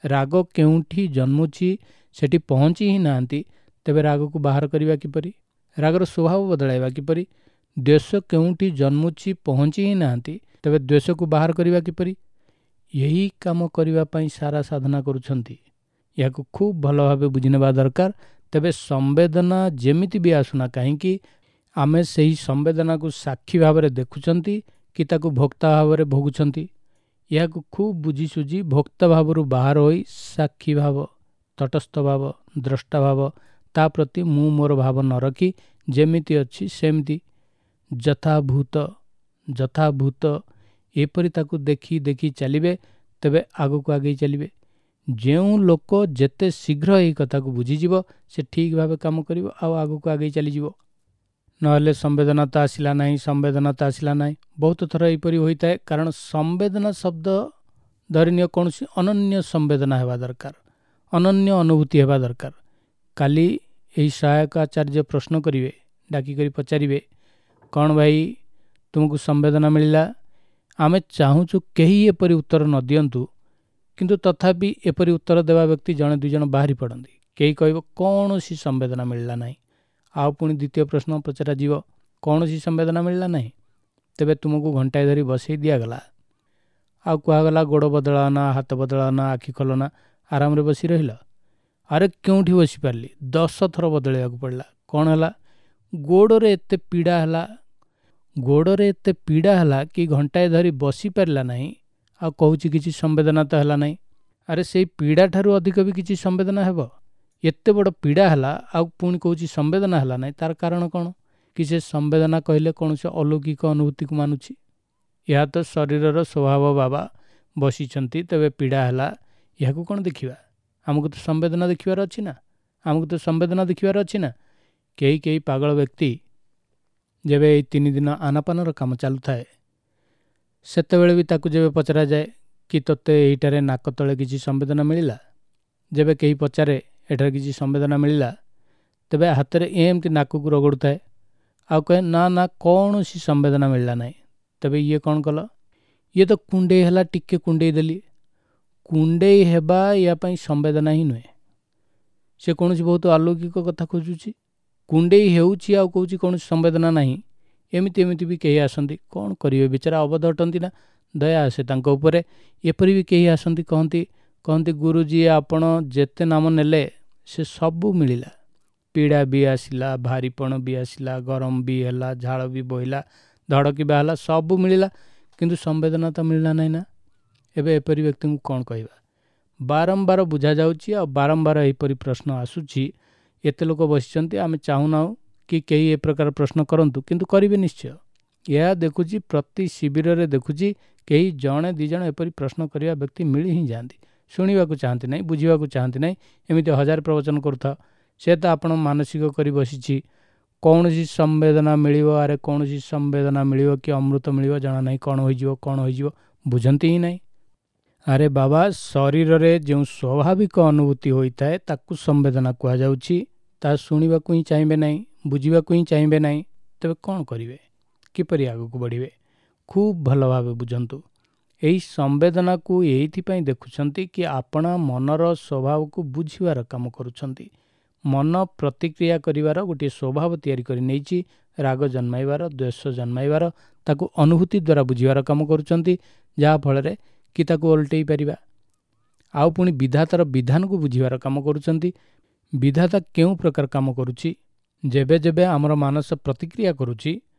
ରାଗ କେଉଁଠି ଜନ୍ମୁଛି ସେଠି ପହଞ୍ଚି ହିଁ ନାହାନ୍ତି, ତେବେ ରାଗକୁ ବାହାର କରିବା କିପରି? ରାଗର ସ୍ୱଭାବ ବଦଳାଇବା କିପରି? ଦ୍ୱେଷ କେଉଁଠି ଜନ୍ମୁଛି ପହଞ୍ଚି ହିଁ ନାହାନ୍ତି, ତେବେ ଦ୍ୱେଷକୁ ବାହାର କରିବା କିପରି? ଏହି କାମ କରିବା ପାଇଁ ସାରା ସାଧନା କରୁଛନ୍ତି। ଏହାକୁ ଖୁବ୍ ଭଲ ଭାବେ ବୁଝିନେବା ଦରକାର। ତେବେ ସମ୍ବେଦନା ଯେମିତି ବି ଆସୁନା କାହିଁକି, ଆମେ ସେହି ସମ୍ବେଦନାକୁ ସାକ୍ଷୀ ଭାବରେ ଦେଖୁଛନ୍ତି କି ତାକୁ ଭୋକ୍ତା ଭାବରେ ଭୋଗୁଛନ୍ତି? ଏହାକୁ ଖୁବ୍ ବୁଝିସୁଝି ଭୋକ୍ତା ଭାବରୁ ବାହାର ହୋଇ ସାକ୍ଷୀ ଭାବ, ତଟସ୍ଥ ଭାବ, ଦ୍ରଷ୍ଟା ଭାବ, ତା ପ୍ରତି ମୁଁ ମୋର ଭାବ ନ ରଖି ଯେମିତି ଅଛି ସେମିତି ଯଥାଭୂତ ଯଥାଭୂତ ଏପରି ତାକୁ ଦେଖି ଦେଖି ଚାଲିବେ, ତେବେ ଆଗକୁ ଆଗେଇ ଚାଲିବେ। ଯେଉଁ ଲୋକ ଯେତେ ଶୀଘ୍ର ଏହି କଥାକୁ ବୁଝିଯିବ ସେ ଠିକ୍ ଭାବେ କାମ କରିବ ଆଉ ଆଗକୁ ଆଗେଇ ଚାଲିଯିବ। ନହେଲେ ସମ୍ବେଦନା ତ ଆସିଲା ନାହିଁ, ସମ୍ବେଦନା ତ ଆସିଲା ନାହିଁ। ବହୁତ ଥର ଏହିପରି ହୋଇଥାଏ। କାରଣ ସମ୍ବେଦନା ଶବ୍ଦ ଧରିନିଅ କୌଣସି ଅନନ୍ୟ ସମ୍ବେଦନା ହେବା ଦରକାର, ଅନନ୍ୟ ଅନୁଭୂତି ହେବା ଦରକାର। କାଲି ଏହି ସହାୟକ ଆଚାର୍ଯ୍ୟ ପ୍ରଶ୍ନ କରିବେ, ଡାକିକରି ପଚାରିବେ, କ'ଣ ଭାଇ ତୁମକୁ ସମ୍ବେଦନା ମିଳିଲା? ଆମେ ଚାହୁଁଛୁ କେହି ଏପରି ଉତ୍ତର ନ ଦିଅନ୍ତୁ, କିନ୍ତୁ ତଥାପି ଏପରି ଉତ୍ତର ଦେବା ବ୍ୟକ୍ତି ଜଣେ ଦୁଇ ଜଣ ବାହାରି ପଡ଼ନ୍ତି। କେହି କହିବ କୌଣସି ସମ୍ବେଦନା ମିଳିଲା ନାହିଁ। ଆଉ ପୁଣି ଦ୍ୱିତୀୟ ପ୍ରଶ୍ନ ପଚରାଯିବ, କୌଣସି ସମ୍ବେଦନା ମିଳିଲା ନାହିଁ? ତେବେ ତୁମକୁ ଘଣ୍ଟାଏ ଧରି ବସେଇ ଦିଆଗଲା ଆଉ କୁହାଗଲା ଗୋଡ଼ ବଦଳାଅ ନା, ହାତ ବଦଳାଅ ନା, ଆଖି ଖୋଲ ନା, ଆରାମରେ ବସି ରହିଲ? ଆରେ କେଉଁଠି ବସିପାରିଲି, ଦଶ ଥର ବଦଳାଇବାକୁ ପଡ଼ିଲା। କ'ଣ ହେଲା? ଗୋଡ଼ରେ ଏତେ ପୀଡ଼ା ହେଲା, ଗୋଡ଼ରେ ଏତେ ପୀଡ଼ା ହେଲା କି ଘଣ୍ଟାଏ ଧରି ବସିପାରିଲା ନାହିଁ, ଆଉ କହୁଛି କିଛି ସମ୍ବେଦନା ତ ହେଲା ନାହିଁ। ଆରେ ସେଇ ପୀଡ଼ା ଠାରୁ ଅଧିକ ବି କିଛି ସମ୍ବେଦନା ହେବ? ଏତେ ବଡ଼ ପୀଡ଼ା ହେଲା ଆଉ ପୁଣି କହୁଛି ସମ୍ବେଦନା ହେଲା ନାହିଁ, ତାର କାରଣ କ'ଣ? କି ସେ ସମ୍ବେଦନା କହିଲେ କୌଣସି ଅଲୌକିକ ଅନୁଭୂତିକୁ ମାନୁଛି? ଏହା ତ ଶରୀରର ସ୍ୱଭାବ ବାବା, ବସିଛନ୍ତି ତେବେ ପୀଡ଼ା ହେଲା, ଏହାକୁ କ'ଣ ଦେଖିବା? ଆମକୁ ତ ସମ୍ବେଦନା ଦେଖିବାର ଅଛି ନା, ଆମକୁ ତ ସମ୍ବେଦନା ଦେଖିବାର ଅଛି ନା। କେହି କେହି ପାଗଳ ବ୍ୟକ୍ତି ଯେବେ ଏଇ ତିନି ଦିନ ଆନାପାନର କାମ ଚାଲୁଥାଏ, ସେତେବେଳେ ବି ତାକୁ ଯେବେ ପଚରାଯାଏ କି ତୋତେ ଏଇଟାରେ ନାକ ତଳେ କିଛି ସମ୍ବେଦନା ମିଳିଲା, ଯେବେ କେହି ପଚାରେ ଏଠାରେ କିଛି ସମ୍ବେଦନା ମିଳିଲା, ତେବେ ହାତରେ ଏମିତି ନାକକୁ ରଗଡ଼ୁଥାଏ ଆଉ କହେ ନା ନା କୌଣସି ସମ୍ବେଦନା ମିଳିଲା ନାହିଁ। ତେବେ ଇଏ କ'ଣ କଲ? ଇଏ ତ କୁଣ୍ଡେଇ ହେଲା, ଟିକେ କୁଣ୍ଡେଇ ଦେଲି। କୁଣ୍ଡେଇ ହେବା ୟା ପାଇଁ ସମ୍ବେଦନା ହିଁ ନୁହେଁ। ସେ କୌଣସି ବହୁତ ଅଲୌକିକ କଥା ଖୋଜୁଛି। କୁଣ୍ଡେଇ ହେଉଛି ଆଉ କହୁଛି କୌଣସି ସମ୍ବେଦନା ନାହିଁ। ଏମିତି ଏମିତି ବି କେହି ଆସନ୍ତି, କ'ଣ କରିବେ ବିଚାରା, ଅବୋଧ ଅଟନ୍ତି ନା, ଦୟା ଆସେ ତାଙ୍କ ଉପରେ। ଏପରି ବି କେହି ଆସନ୍ତି, କହନ୍ତି କହନ୍ତି ଗୁରୁଜୀ ଆପଣ ଯେତେ ନାମ ନେଲେ ସେ ସବୁ ମିଳିଲା, ପୀଡ଼ା ବି ଆସିଲା, ଭାରିପଣ ବି ଆସିଲା, ଗରମ ବି ହେଲା, ଝାଳ ବି ବୋହିଲା, ଧଡ଼କିବା ହେଲା, ସବୁ ମିଳିଲା, କିନ୍ତୁ ସମ୍ବେଦନା ତ ମିଳିଲା ନାହିଁ ନା। ଏବେ ଏପରି ବ୍ୟକ୍ତିଙ୍କୁ କ'ଣ କହିବା? ବାରମ୍ବାର ବୁଝାଯାଉଛି ଆଉ ବାରମ୍ବାର ଏହିପରି ପ୍ରଶ୍ନ ଆସୁଛି। ଏତେ ଲୋକ ବସିଛନ୍ତି, ଆମେ ଚାହୁଁନାହୁଁ କି କେହି ଏ ପ୍ରକାର ପ୍ରଶ୍ନ କରନ୍ତୁ, କିନ୍ତୁ କରିବେ ନିଶ୍ଚୟ। ଏହା ଦେଖୁଛି ପ୍ରତି ଶିବିରରେ ଦେଖୁଛି କେହି ଜଣେ ଦୁଇ ଜଣ ଏପରି ପ୍ରଶ୍ନ କରିବା ବ୍ୟକ୍ତି ମିଳି ହିଁ ଯାଆନ୍ତି। ଶୁଣିବାକୁ ଚାହାନ୍ତି ନାହିଁ, ବୁଝିବାକୁ ଚାହାନ୍ତି ନାହିଁ, ଏମିତି ହଜାର ପ୍ରବଚନ କରୁଥାଅ। ସେ ତ ଆପଣ ମାନସିକ କରି ବସିଛି, କୌଣସି ସମ୍ବେଦନା ମିଳିବ, ଆରେ କୌଣସି ସମ୍ବେଦନା ମିଳିବ କି ଅମୃତ ମିଳିବ ଜଣା ନାହିଁ, କ'ଣ ହୋଇଯିବ କ'ଣ ହୋଇଯିବ ବୁଝନ୍ତି ହିଁ ନାହିଁ। ଆରେ ବାବା, ଶରୀରରେ ଯେଉଁ ସ୍ୱାଭାବିକ ଅନୁଭୂତି ହୋଇଥାଏ ତାକୁ ସମ୍ବେଦନା କୁହାଯାଉଛି। ତାହା ଶୁଣିବାକୁ ହିଁ ଚାହିଁବେ ନାହିଁ, ବୁଝିବାକୁ ହିଁ ଚାହିଁବେ ନାହିଁ, ତେବେ କ'ଣ କରିବେ? କିପରି ଆଗକୁ ବଢ଼ିବେ? ଖୁବ୍ ଭଲ ଭାବେ ବୁଝନ୍ତୁ। ଏହି ସମ୍ବେଦନାକୁ ଏଇଥିପାଇଁ ଦେଖୁଛନ୍ତି କି ଆପଣା ମନର ସ୍ୱଭାବକୁ ବୁଝିବାର କାମ କରୁଛନ୍ତି। ମନ ପ୍ରତିକ୍ରିୟା କରିବାର ଗୋଟିଏ ସ୍ୱଭାବ ତିଆରି କରି ନେଇଛି, ରାଗ ଜନ୍ମାଇବାର, ଦ୍ୱେଷ ଜନ୍ମାଇବାର, ତାକୁ ଅନୁଭୂତି ଦ୍ୱାରା ବୁଝିବାର କାମ କରୁଛନ୍ତି, ଯାହାଫଳରେ କି ତାକୁ ଓଲଟେଇ ପାରିବା। ଆଉ ପୁଣି ବିଧାତାର ବିଧାନକୁ ବୁଝିବାର କାମ କରୁଛନ୍ତି। ବିଧାତା କେଉଁ ପ୍ରକାର କାମ କରୁଛି? ଯେବେ ଯେବେ ଆମର ମାନସ ପ୍ରତିକ୍ରିୟା କରୁଛି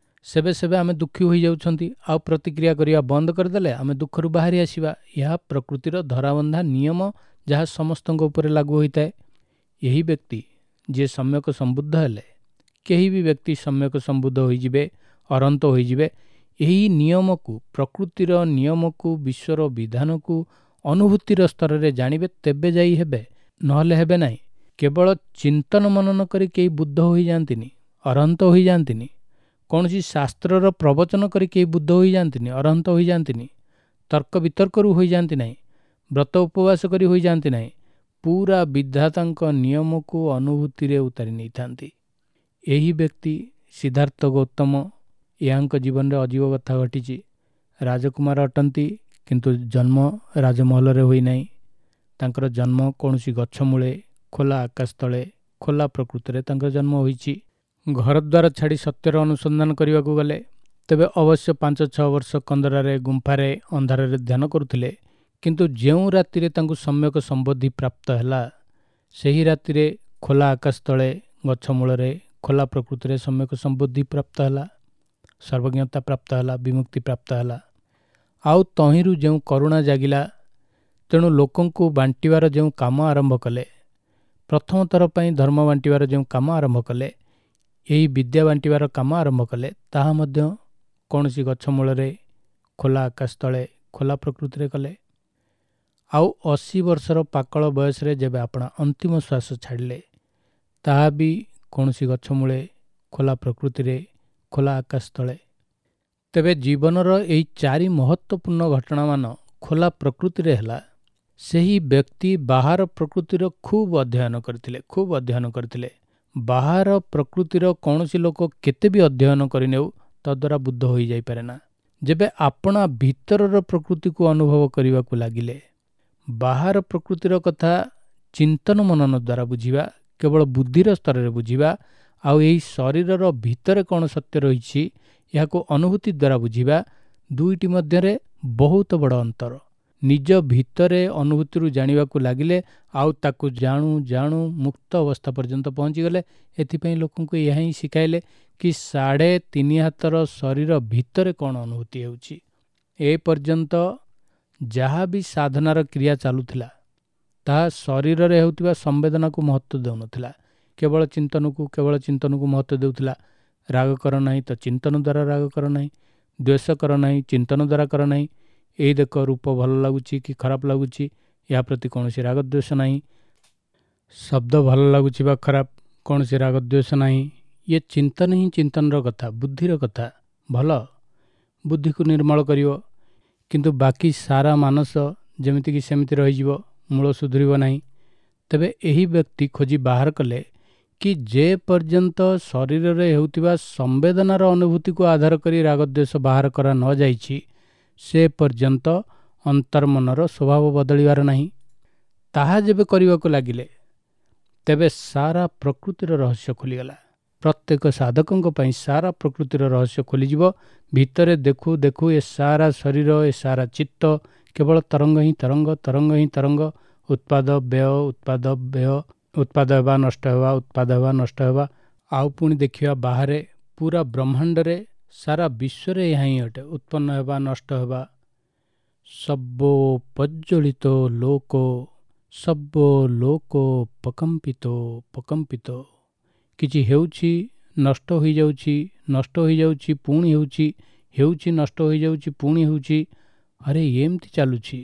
ସେବେ ସେବେ ଆମେ ଦୁଃଖୀ ହୋଇଯାଉଛନ୍ତି, ଆଉ ପ୍ରତିକ୍ରିୟା କରିବା ବନ୍ଦ କରିଦେଲେ ଆମେ ଦୁଃଖରୁ ବାହାରି ଆସିବା। ଏହା ପ୍ରକୃତିର ଧରାବନ୍ଧା ନିୟମ, ଯାହା ସମସ୍ତଙ୍କ ଉପରେ ଲାଗୁ ହୋଇଥାଏ। ଏହି ବ୍ୟକ୍ତି ଯିଏ ସମ୍ୟକ ସମ୍ବୁଦ୍ଧ ହେଲେ, କେହି ବି ବ୍ୟକ୍ତି ସମ୍ୟକ ସମ୍ବୁଦ୍ଧ ହୋଇଯିବେ, ଅରନ୍ତ ହୋଇଯିବେ, ଏହି ନିୟମକୁ, ପ୍ରକୃତିର ନିୟମକୁ, ବିଶ୍ୱର ବିଧାନକୁ ଅନୁଭୂତିର ସ୍ତରରେ ଜାଣିବେ, ତେବେ ଯାଇ ହେବେ। ନହେଲେ ହେବେ ନାହିଁ। କେବଳ ଚିନ୍ତନ ମନନ କରି କେହି ବୁଦ୍ଧ ହୋଇଯାଆନ୍ତିନି, ଅରହନ୍ତ ହୋଇଯାଆନ୍ତିନି। କୌଣସି ଶାସ୍ତ୍ରର ପ୍ରବଚନ କରି କେହି ବୁଦ୍ଧ ହୋଇଯାଆନ୍ତିନି, ଅରହନ୍ତ ହୋଇଯାଆନ୍ତିନି। ତର୍କ ବିତର୍କରୁ ହୋଇଯାଆନ୍ତି ନାହିଁ, ବ୍ରତ ଉପବାସ କରି ହୋଇଯାଆନ୍ତି ନାହିଁ। ପୁରା ବିଧାତାଙ୍କ ନିୟମକୁ ଅନୁଭୂତିରେ ଉତାରି ନେଇଥାନ୍ତି। ଏହି ବ୍ୟକ୍ତି ସିଦ୍ଧାର୍ଥ ଗୌତମ, ଏହାଙ୍କ ଜୀବନରେ ଅଜୀବ କଥା ଘଟିଛି। ରାଜକୁମାର ଅଟନ୍ତି, କିନ୍ତୁ ଜନ୍ମ ରାଜମହଲରେ ହୋଇନାହିଁ। ତାଙ୍କର ଜନ୍ମ କୌଣସି ଗଛ ମୂଳେ, ଖୋଲା ଆକାଶ ତଳେ, ଖୋଲା ପ୍ରକୃତିରେ ତାଙ୍କର ଜନ୍ମ ହୋଇଛି। ଘରଦ୍ୱାର ଛାଡ଼ି ସତ୍ୟର ଅନୁସନ୍ଧାନ କରିବାକୁ ଗଲେ। ତେବେ ଅବଶ୍ୟ ପାଞ୍ଚ ଛଅ ବର୍ଷ କନ୍ଦରାରେ, ଗୁମ୍ଫାରେ, ଅନ୍ଧାରରେ ଧ୍ୟାନ କରୁଥିଲେ। କିନ୍ତୁ ଯେଉଁ ରାତିରେ ତାଙ୍କୁ ସମ୍ୟକ ସମ୍ବୋଧି ପ୍ରାପ୍ତ ହେଲା, ସେହି ରାତିରେ ଖୋଲା ଆକାଶ ତଳେ, ଗଛ ମୂଳରେ, ଖୋଲା ପ୍ରକୃତିରେ ସମ୍ୟକ ସମ୍ବୋଧି ପ୍ରାପ୍ତ ହେଲା, ସର୍ବଜ୍ଞତା ପ୍ରାପ୍ତ ହେଲା, ବିମୁକ୍ତି ପ୍ରାପ୍ତ ହେଲା। ଆଉ ତହିଁରୁ ଯେଉଁ କରୁଣା ଜାଗିଲା, ତେଣୁ ଲୋକଙ୍କୁ ବାଣ୍ଟିବାର ଯେଉଁ କାମ ଆରମ୍ଭ କଲେ, ପ୍ରଥମ ଥର ପାଇଁ ଧର୍ମ ବାଣ୍ଟିବାର ଯେଉଁ କାମ ଆରମ୍ଭ କଲେ, ଏହି ବିଦ୍ୟା ବାଣ୍ଟିବାର କାମ ଆରମ୍ଭ କଲେ, ତାହା ମଧ୍ୟ କୌଣସି ଗଛ ମୂଳରେ, ଖୋଲା ଆକାଶ ତଳେ, ଖୋଲା ପ୍ରକୃତିରେ କଲେ। ଆଉ ଅଶୀ ବର୍ଷର ପାକଳ ବୟସରେ ଯେବେ ଆପଣା ଅନ୍ତିମ ଶ୍ୱାସ ଛାଡ଼ିଲେ, ତାହା ବି କୌଣସି ଗଛ ମୂଳେ, ଖୋଲା ପ୍ରକୃତିରେ, ଖୋଲା ଆକାଶ ତଳେ। ତେବେ ଜୀବନର ଏହି ଚାରି ମହତ୍ତ୍ୱପୂର୍ଣ୍ଣ ଘଟଣାମାନ ଖୋଲା ପ୍ରକୃତିରେ ହେଲା। ସେହି ବ୍ୟକ୍ତି ବାହାର ପ୍ରକୃତିର ଖୁବ୍ ଅଧ୍ୟୟନ କରିଥିଲେ, ଖୁବ୍ ଅଧ୍ୟୟନ କରିଥିଲେ। ବାହାର ପ୍ରକୃତିର କୌଣସି ଲୋକ କେତେ ବି ଅଧ୍ୟୟନ କରିନେଉ, ତଦ୍ୱାରା ବୁଦ୍ଧ ହୋଇଯାଇପାରେ ନା। ଯେବେ ଆପଣା ଭିତରର ପ୍ରକୃତିକୁ ଅନୁଭବ କରିବାକୁ ଲାଗିଲେ, ବାହାର ପ୍ରକୃତିର କଥା ଚିନ୍ତନ ମନନ ଦ୍ୱାରା ବୁଝିବା, କେବଳ ବୁଦ୍ଧିର ସ୍ତରରେ ବୁଝିବା, ଆଉ ଏହି ଶରୀରର ଭିତରେ କ'ଣ ସତ୍ୟ ରହିଛି ଏହାକୁ ଅନୁଭୂତି ଦ୍ୱାରା ବୁଝିବା, ଦୁଇଟି ମଧ୍ୟରେ ବହୁତ ବଡ଼ ଅନ୍ତର। ନିଜ ଭିତରେ ଅନୁଭୂତିରୁ ଜାଣିବାକୁ ଲାଗିଲେ, ଆଉ ତାକୁ ଜାଣୁ ଜାଣୁ ମୁକ୍ତ ଅବସ୍ଥା ପର୍ଯ୍ୟନ୍ତ ପହଞ୍ଚିଗଲେ। ଏଥିପାଇଁ ଲୋକଙ୍କୁ ଏହା ହିଁ ଶିଖାଇଲେ କି ସାଢ଼େ ତିନି ହାତର ଶରୀର ଭିତରେ କ'ଣ ଅନୁଭୂତି ହେଉଛି। ଏ ପର୍ଯ୍ୟନ୍ତ ଯାହା ବି ସାଧନାର କ୍ରିୟା ଚାଲୁଥିଲା, ତାହା ଶରୀରରେ ହେଉଥିବା ସମ୍ବେଦନାକୁ ମହତ୍ତ୍ୱ ଦେଉନଥିଲା, କେବଳ ଚିନ୍ତନକୁ କେବଳ ଚିନ୍ତନକୁ ମହତ୍ତ୍ୱ ଦେଉଥିଲା। ରାଗ କର ନାହିଁ ତ ଚିନ୍ତନ ଦ୍ୱାରା ରାଗ କର ନାହିଁ, ଦ୍ୱେଷ କର ନାହିଁ ଚିନ୍ତନ ଦ୍ୱାରା କର ନାହିଁ। ଏଇ ଦେଖ ରୂପ ଭଲ ଲାଗୁଛି କି ଖରାପ ଲାଗୁଛି, ଏହା ପ୍ରତି କୌଣସି ରାଗଦ୍ୱେଷ ନାହିଁ। ଶବ୍ଦ ଭଲ ଲାଗୁଛି ବା ଖରାପ, କୌଣସି ରାଗଦ୍ୱେଷ ନାହିଁ। ଇଏ ଚିନ୍ତନ ହିଁ ଚିନ୍ତନର କଥା, ବୁଦ୍ଧିର କଥା। ଭଲ, ବୁଦ୍ଧିକୁ ନିର୍ମଳ କରିବ, କିନ୍ତୁ ବାକି ସାରା ମାନସ ଯେମିତିକି ସେମିତି ରହିଯିବ, ମୂଳ ସୁଧୁରିବ ନାହିଁ। ତେବେ ଏହି ବ୍ୟକ୍ତି ଖୋଜି ବାହାର କଲେ କି ଯେ ପର୍ଯ୍ୟନ୍ତ ଶରୀରରେ ହେଉଥିବା ସମ୍ବେଦନାର ଅନୁଭୂତିକୁ ଆଧାର କରି ରାଗଦ୍ୱେଷ ବାହାର କରା ନଯାଇଛି, ସେ ପର୍ଯ୍ୟନ୍ତ ଅନ୍ତର୍ମନର ସ୍ୱଭାବ ବଦଳିବାର ନାହିଁ। ତାହା ଯେବେ କରିବାକୁ ଲାଗିଲେ, ତେବେ ସାରା ପ୍ରକୃତିର ରହସ୍ୟ ଖୋଲିଗଲା। ପ୍ରତ୍ୟେକ ସାଧକଙ୍କ ପାଇଁ ସାରା ପ୍ରକୃତିର ରହସ୍ୟ ଖୋଲିଯିବ। ଭିତରେ ଦେଖୁ ଦେଖୁ ଏ ସାରା ଶରୀର, ଏ ସାରା ଚିତ୍ତ କେବଳ ତରଙ୍ଗ ହିଁ ତରଙ୍ଗ, ତରଙ୍ଗ ହିଁ ତରଙ୍ଗ, ଉତ୍ପାଦ ବ୍ୟୟ, ଉତ୍ପାଦ ବ୍ୟୟ, ଉତ୍ପାଦ ହେବା ନଷ୍ଟ ହେବା, ଉତ୍ପାଦ ହେବା ନଷ୍ଟ ହେବା। ଆଉ ପୁଣି ଦେଖିବା ବାହାରେ ପୁରା ବ୍ରହ୍ମାଣ୍ଡରେ, ସାରା ବିଶ୍ୱରେ ଏହା ହିଁ ଅଟେ, ଉତ୍ପନ୍ନ ହେବା ନଷ୍ଟ ହେବା। ସର୍ବୋ ପ୍ରଜ୍ୱଳିତ ଲୋକ, ସର୍ବୋ ଲୋକ ପକମ୍ପିତ ପକମ୍ପିତ। କିଛି ହେଉଛି, ନଷ୍ଟ ହୋଇଯାଉଛି, ନଷ୍ଟ ହୋଇଯାଉଛି, ପୁଣି ହେଉଛି, ହେଉଛି, ନଷ୍ଟ ହୋଇଯାଉଛି, ପୁଣି ହେଉଛି। ଆରେ ଏମିତି ଚାଲୁଛି,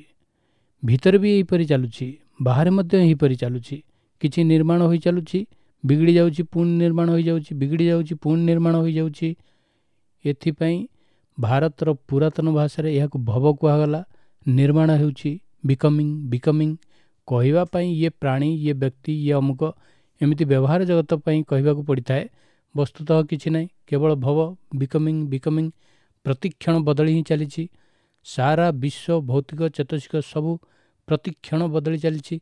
ଭିତରେ ବି ଏହିପରି ଚାଲୁଛି, ବାହାରେ ମଧ୍ୟ ଏହିପରି ଚାଲୁଛି। କିଛି ନିର୍ମାଣ ହୋଇ ଚାଲୁଛି, ବିଗିଡ଼ି ଯାଉଛି, ପୁଣି ନିର୍ମାଣ ହୋଇଯାଉଛି, ବିଗିଡ଼ି ଯାଉଛି, ପୁଣି ନିର୍ମାଣ ହୋଇଯାଉଛି। ଏଥିପାଇଁ ଭାରତର ପୁରାତନ ଭାଷାରେ ଏହାକୁ ଭବ କୁହାଗଲା। ନିର୍ମାଣ ହେଉଛି, ବିକମିଂ, ବିକମିଂ। କହିବା ପାଇଁ ଇଏ ପ୍ରାଣୀ, ଇଏ ବ୍ୟକ୍ତି, ଇଏ ଅମୁକ, ଏମିତି ବ୍ୟବହାର ଜଗତ ପାଇଁ କହିବାକୁ ପଡ଼ିଥାଏ। ବସ୍ତୁତଃ କିଛି ନାହିଁ, କେବଳ ଭବ, ବିକମିଂ, ବିକମିଂ, ପ୍ରତିକ୍ଷଣ ବଦଳି ହିଁ ଚାଲିଛି। ସାରା ବିଶ୍ୱ ଭୌତିକ ଚେତସିକ ସବୁ ପ୍ରତିକ୍ଷଣ ବଦଳି ଚାଲିଛି।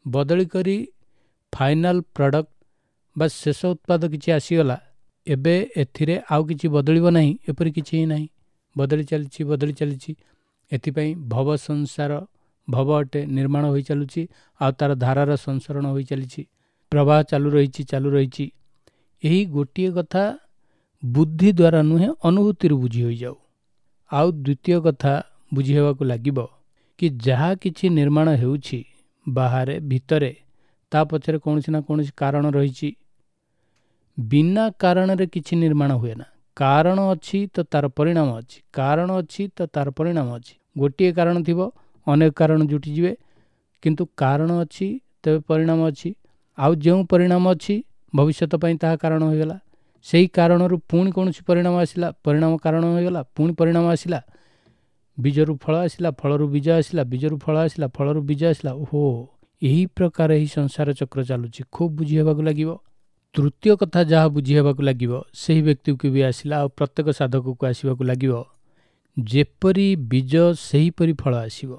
ବଦଳି କରି ଫାଇନାଲ ପ୍ରଡ଼କ୍ଟ ବା ଶେଷ ଉତ୍ପାଦ କିଛି ଆସିଗଲା, ଏବେ ଏଥିରେ ଆଉ କିଛି ବଦଳିବ ନାହିଁ, ଏପରି କିଛି ହିଁ ନାହିଁ। ବଦଳି ଚାଲିଛି, ବଦଳି ଚାଲିଛି। ଏଥିପାଇଁ ଭବ ସଂସାର, ଭବ ଅଟେ, ନିର୍ମାଣ ହୋଇ ଚାଲୁଛି, ଆଉ ତା'ର ଧାରାର ସଂସରଣ ହୋଇ ଚାଲିଛି, ପ୍ରବାହ ଚାଲୁ ରହିଛି, ଚାଲୁ ରହିଛି। ଏହି ଗୋଟିଏ କଥା ବୁଦ୍ଧି ଦ୍ୱାରା ନୁହେଁ, ଅନୁଭୂତିରୁ ବୁଝି ହୋଇଯାଉ। ଆଉ ଦ୍ୱିତୀୟ କଥା ବୁଝି ହେବାକୁ ଲାଗିବ କି ଯାହା କିଛି ନିର୍ମାଣ ହେଉଛି ବାହାରେ ଭିତରେ, ତା ପଛରେ କୌଣସି ନା କୌଣସି କାରଣ ରହିଛି। ବିନା କାରଣରେ କିଛି ନିର୍ମାଣ ହୁଏ ନା। କାରଣ ଅଛି ତ ତା'ର ପରିଣାମ ଅଛି, କାରଣ ଅଛି ତ ତା'ର ପରିଣାମ ଅଛି। ଗୋଟିଏ କାରଣ ଥିବ, ଅନେକ କାରଣ ଜୁଟିଯିବେ, କିନ୍ତୁ କାରଣ ଅଛି ତେବେ ପରିଣାମ ଅଛି। ଆଉ ଯେଉଁ ପରିଣାମ ଅଛି ଭବିଷ୍ୟତ ପାଇଁ ତାହା କାରଣ ହୋଇଗଲା। ସେହି କାରଣରୁ ପୁଣି କୌଣସି ପରିଣାମ ଆସିଲା, ପରିଣାମ କାରଣ ହୋଇଗଲା, ପୁଣି ପରିଣାମ ଆସିଲା, ବୀଜରୁ ଫଳ ଆସିଲା, ଫଳରୁ ବୀଜ ଆସିଲା, ବୀଜରୁ ଫଳ ଆସିଲା, ଫଳରୁ ବୀଜ ଆସିଲା। ଓହୋ, ଏହି ପ୍ରକାର ଏହି ସଂସାର ଚକ୍ର ଚାଲୁଛି। ଖୁବ୍ ବୁଝି ହେବାକୁ ଲାଗିବ। ତୃତୀୟ କଥା ଯାହା ବୁଝି ହେବାକୁ ଲାଗିବ, ସେହି ବ୍ୟକ୍ତିକୁ ବି ଆସିଲା ଆଉ ପ୍ରତ୍ୟେକ ସାଧକକୁ ଆସିବାକୁ ଲାଗିବ, ଯେପରି ବୀଜ ସେହିପରି ଫଳ ଆସିବ।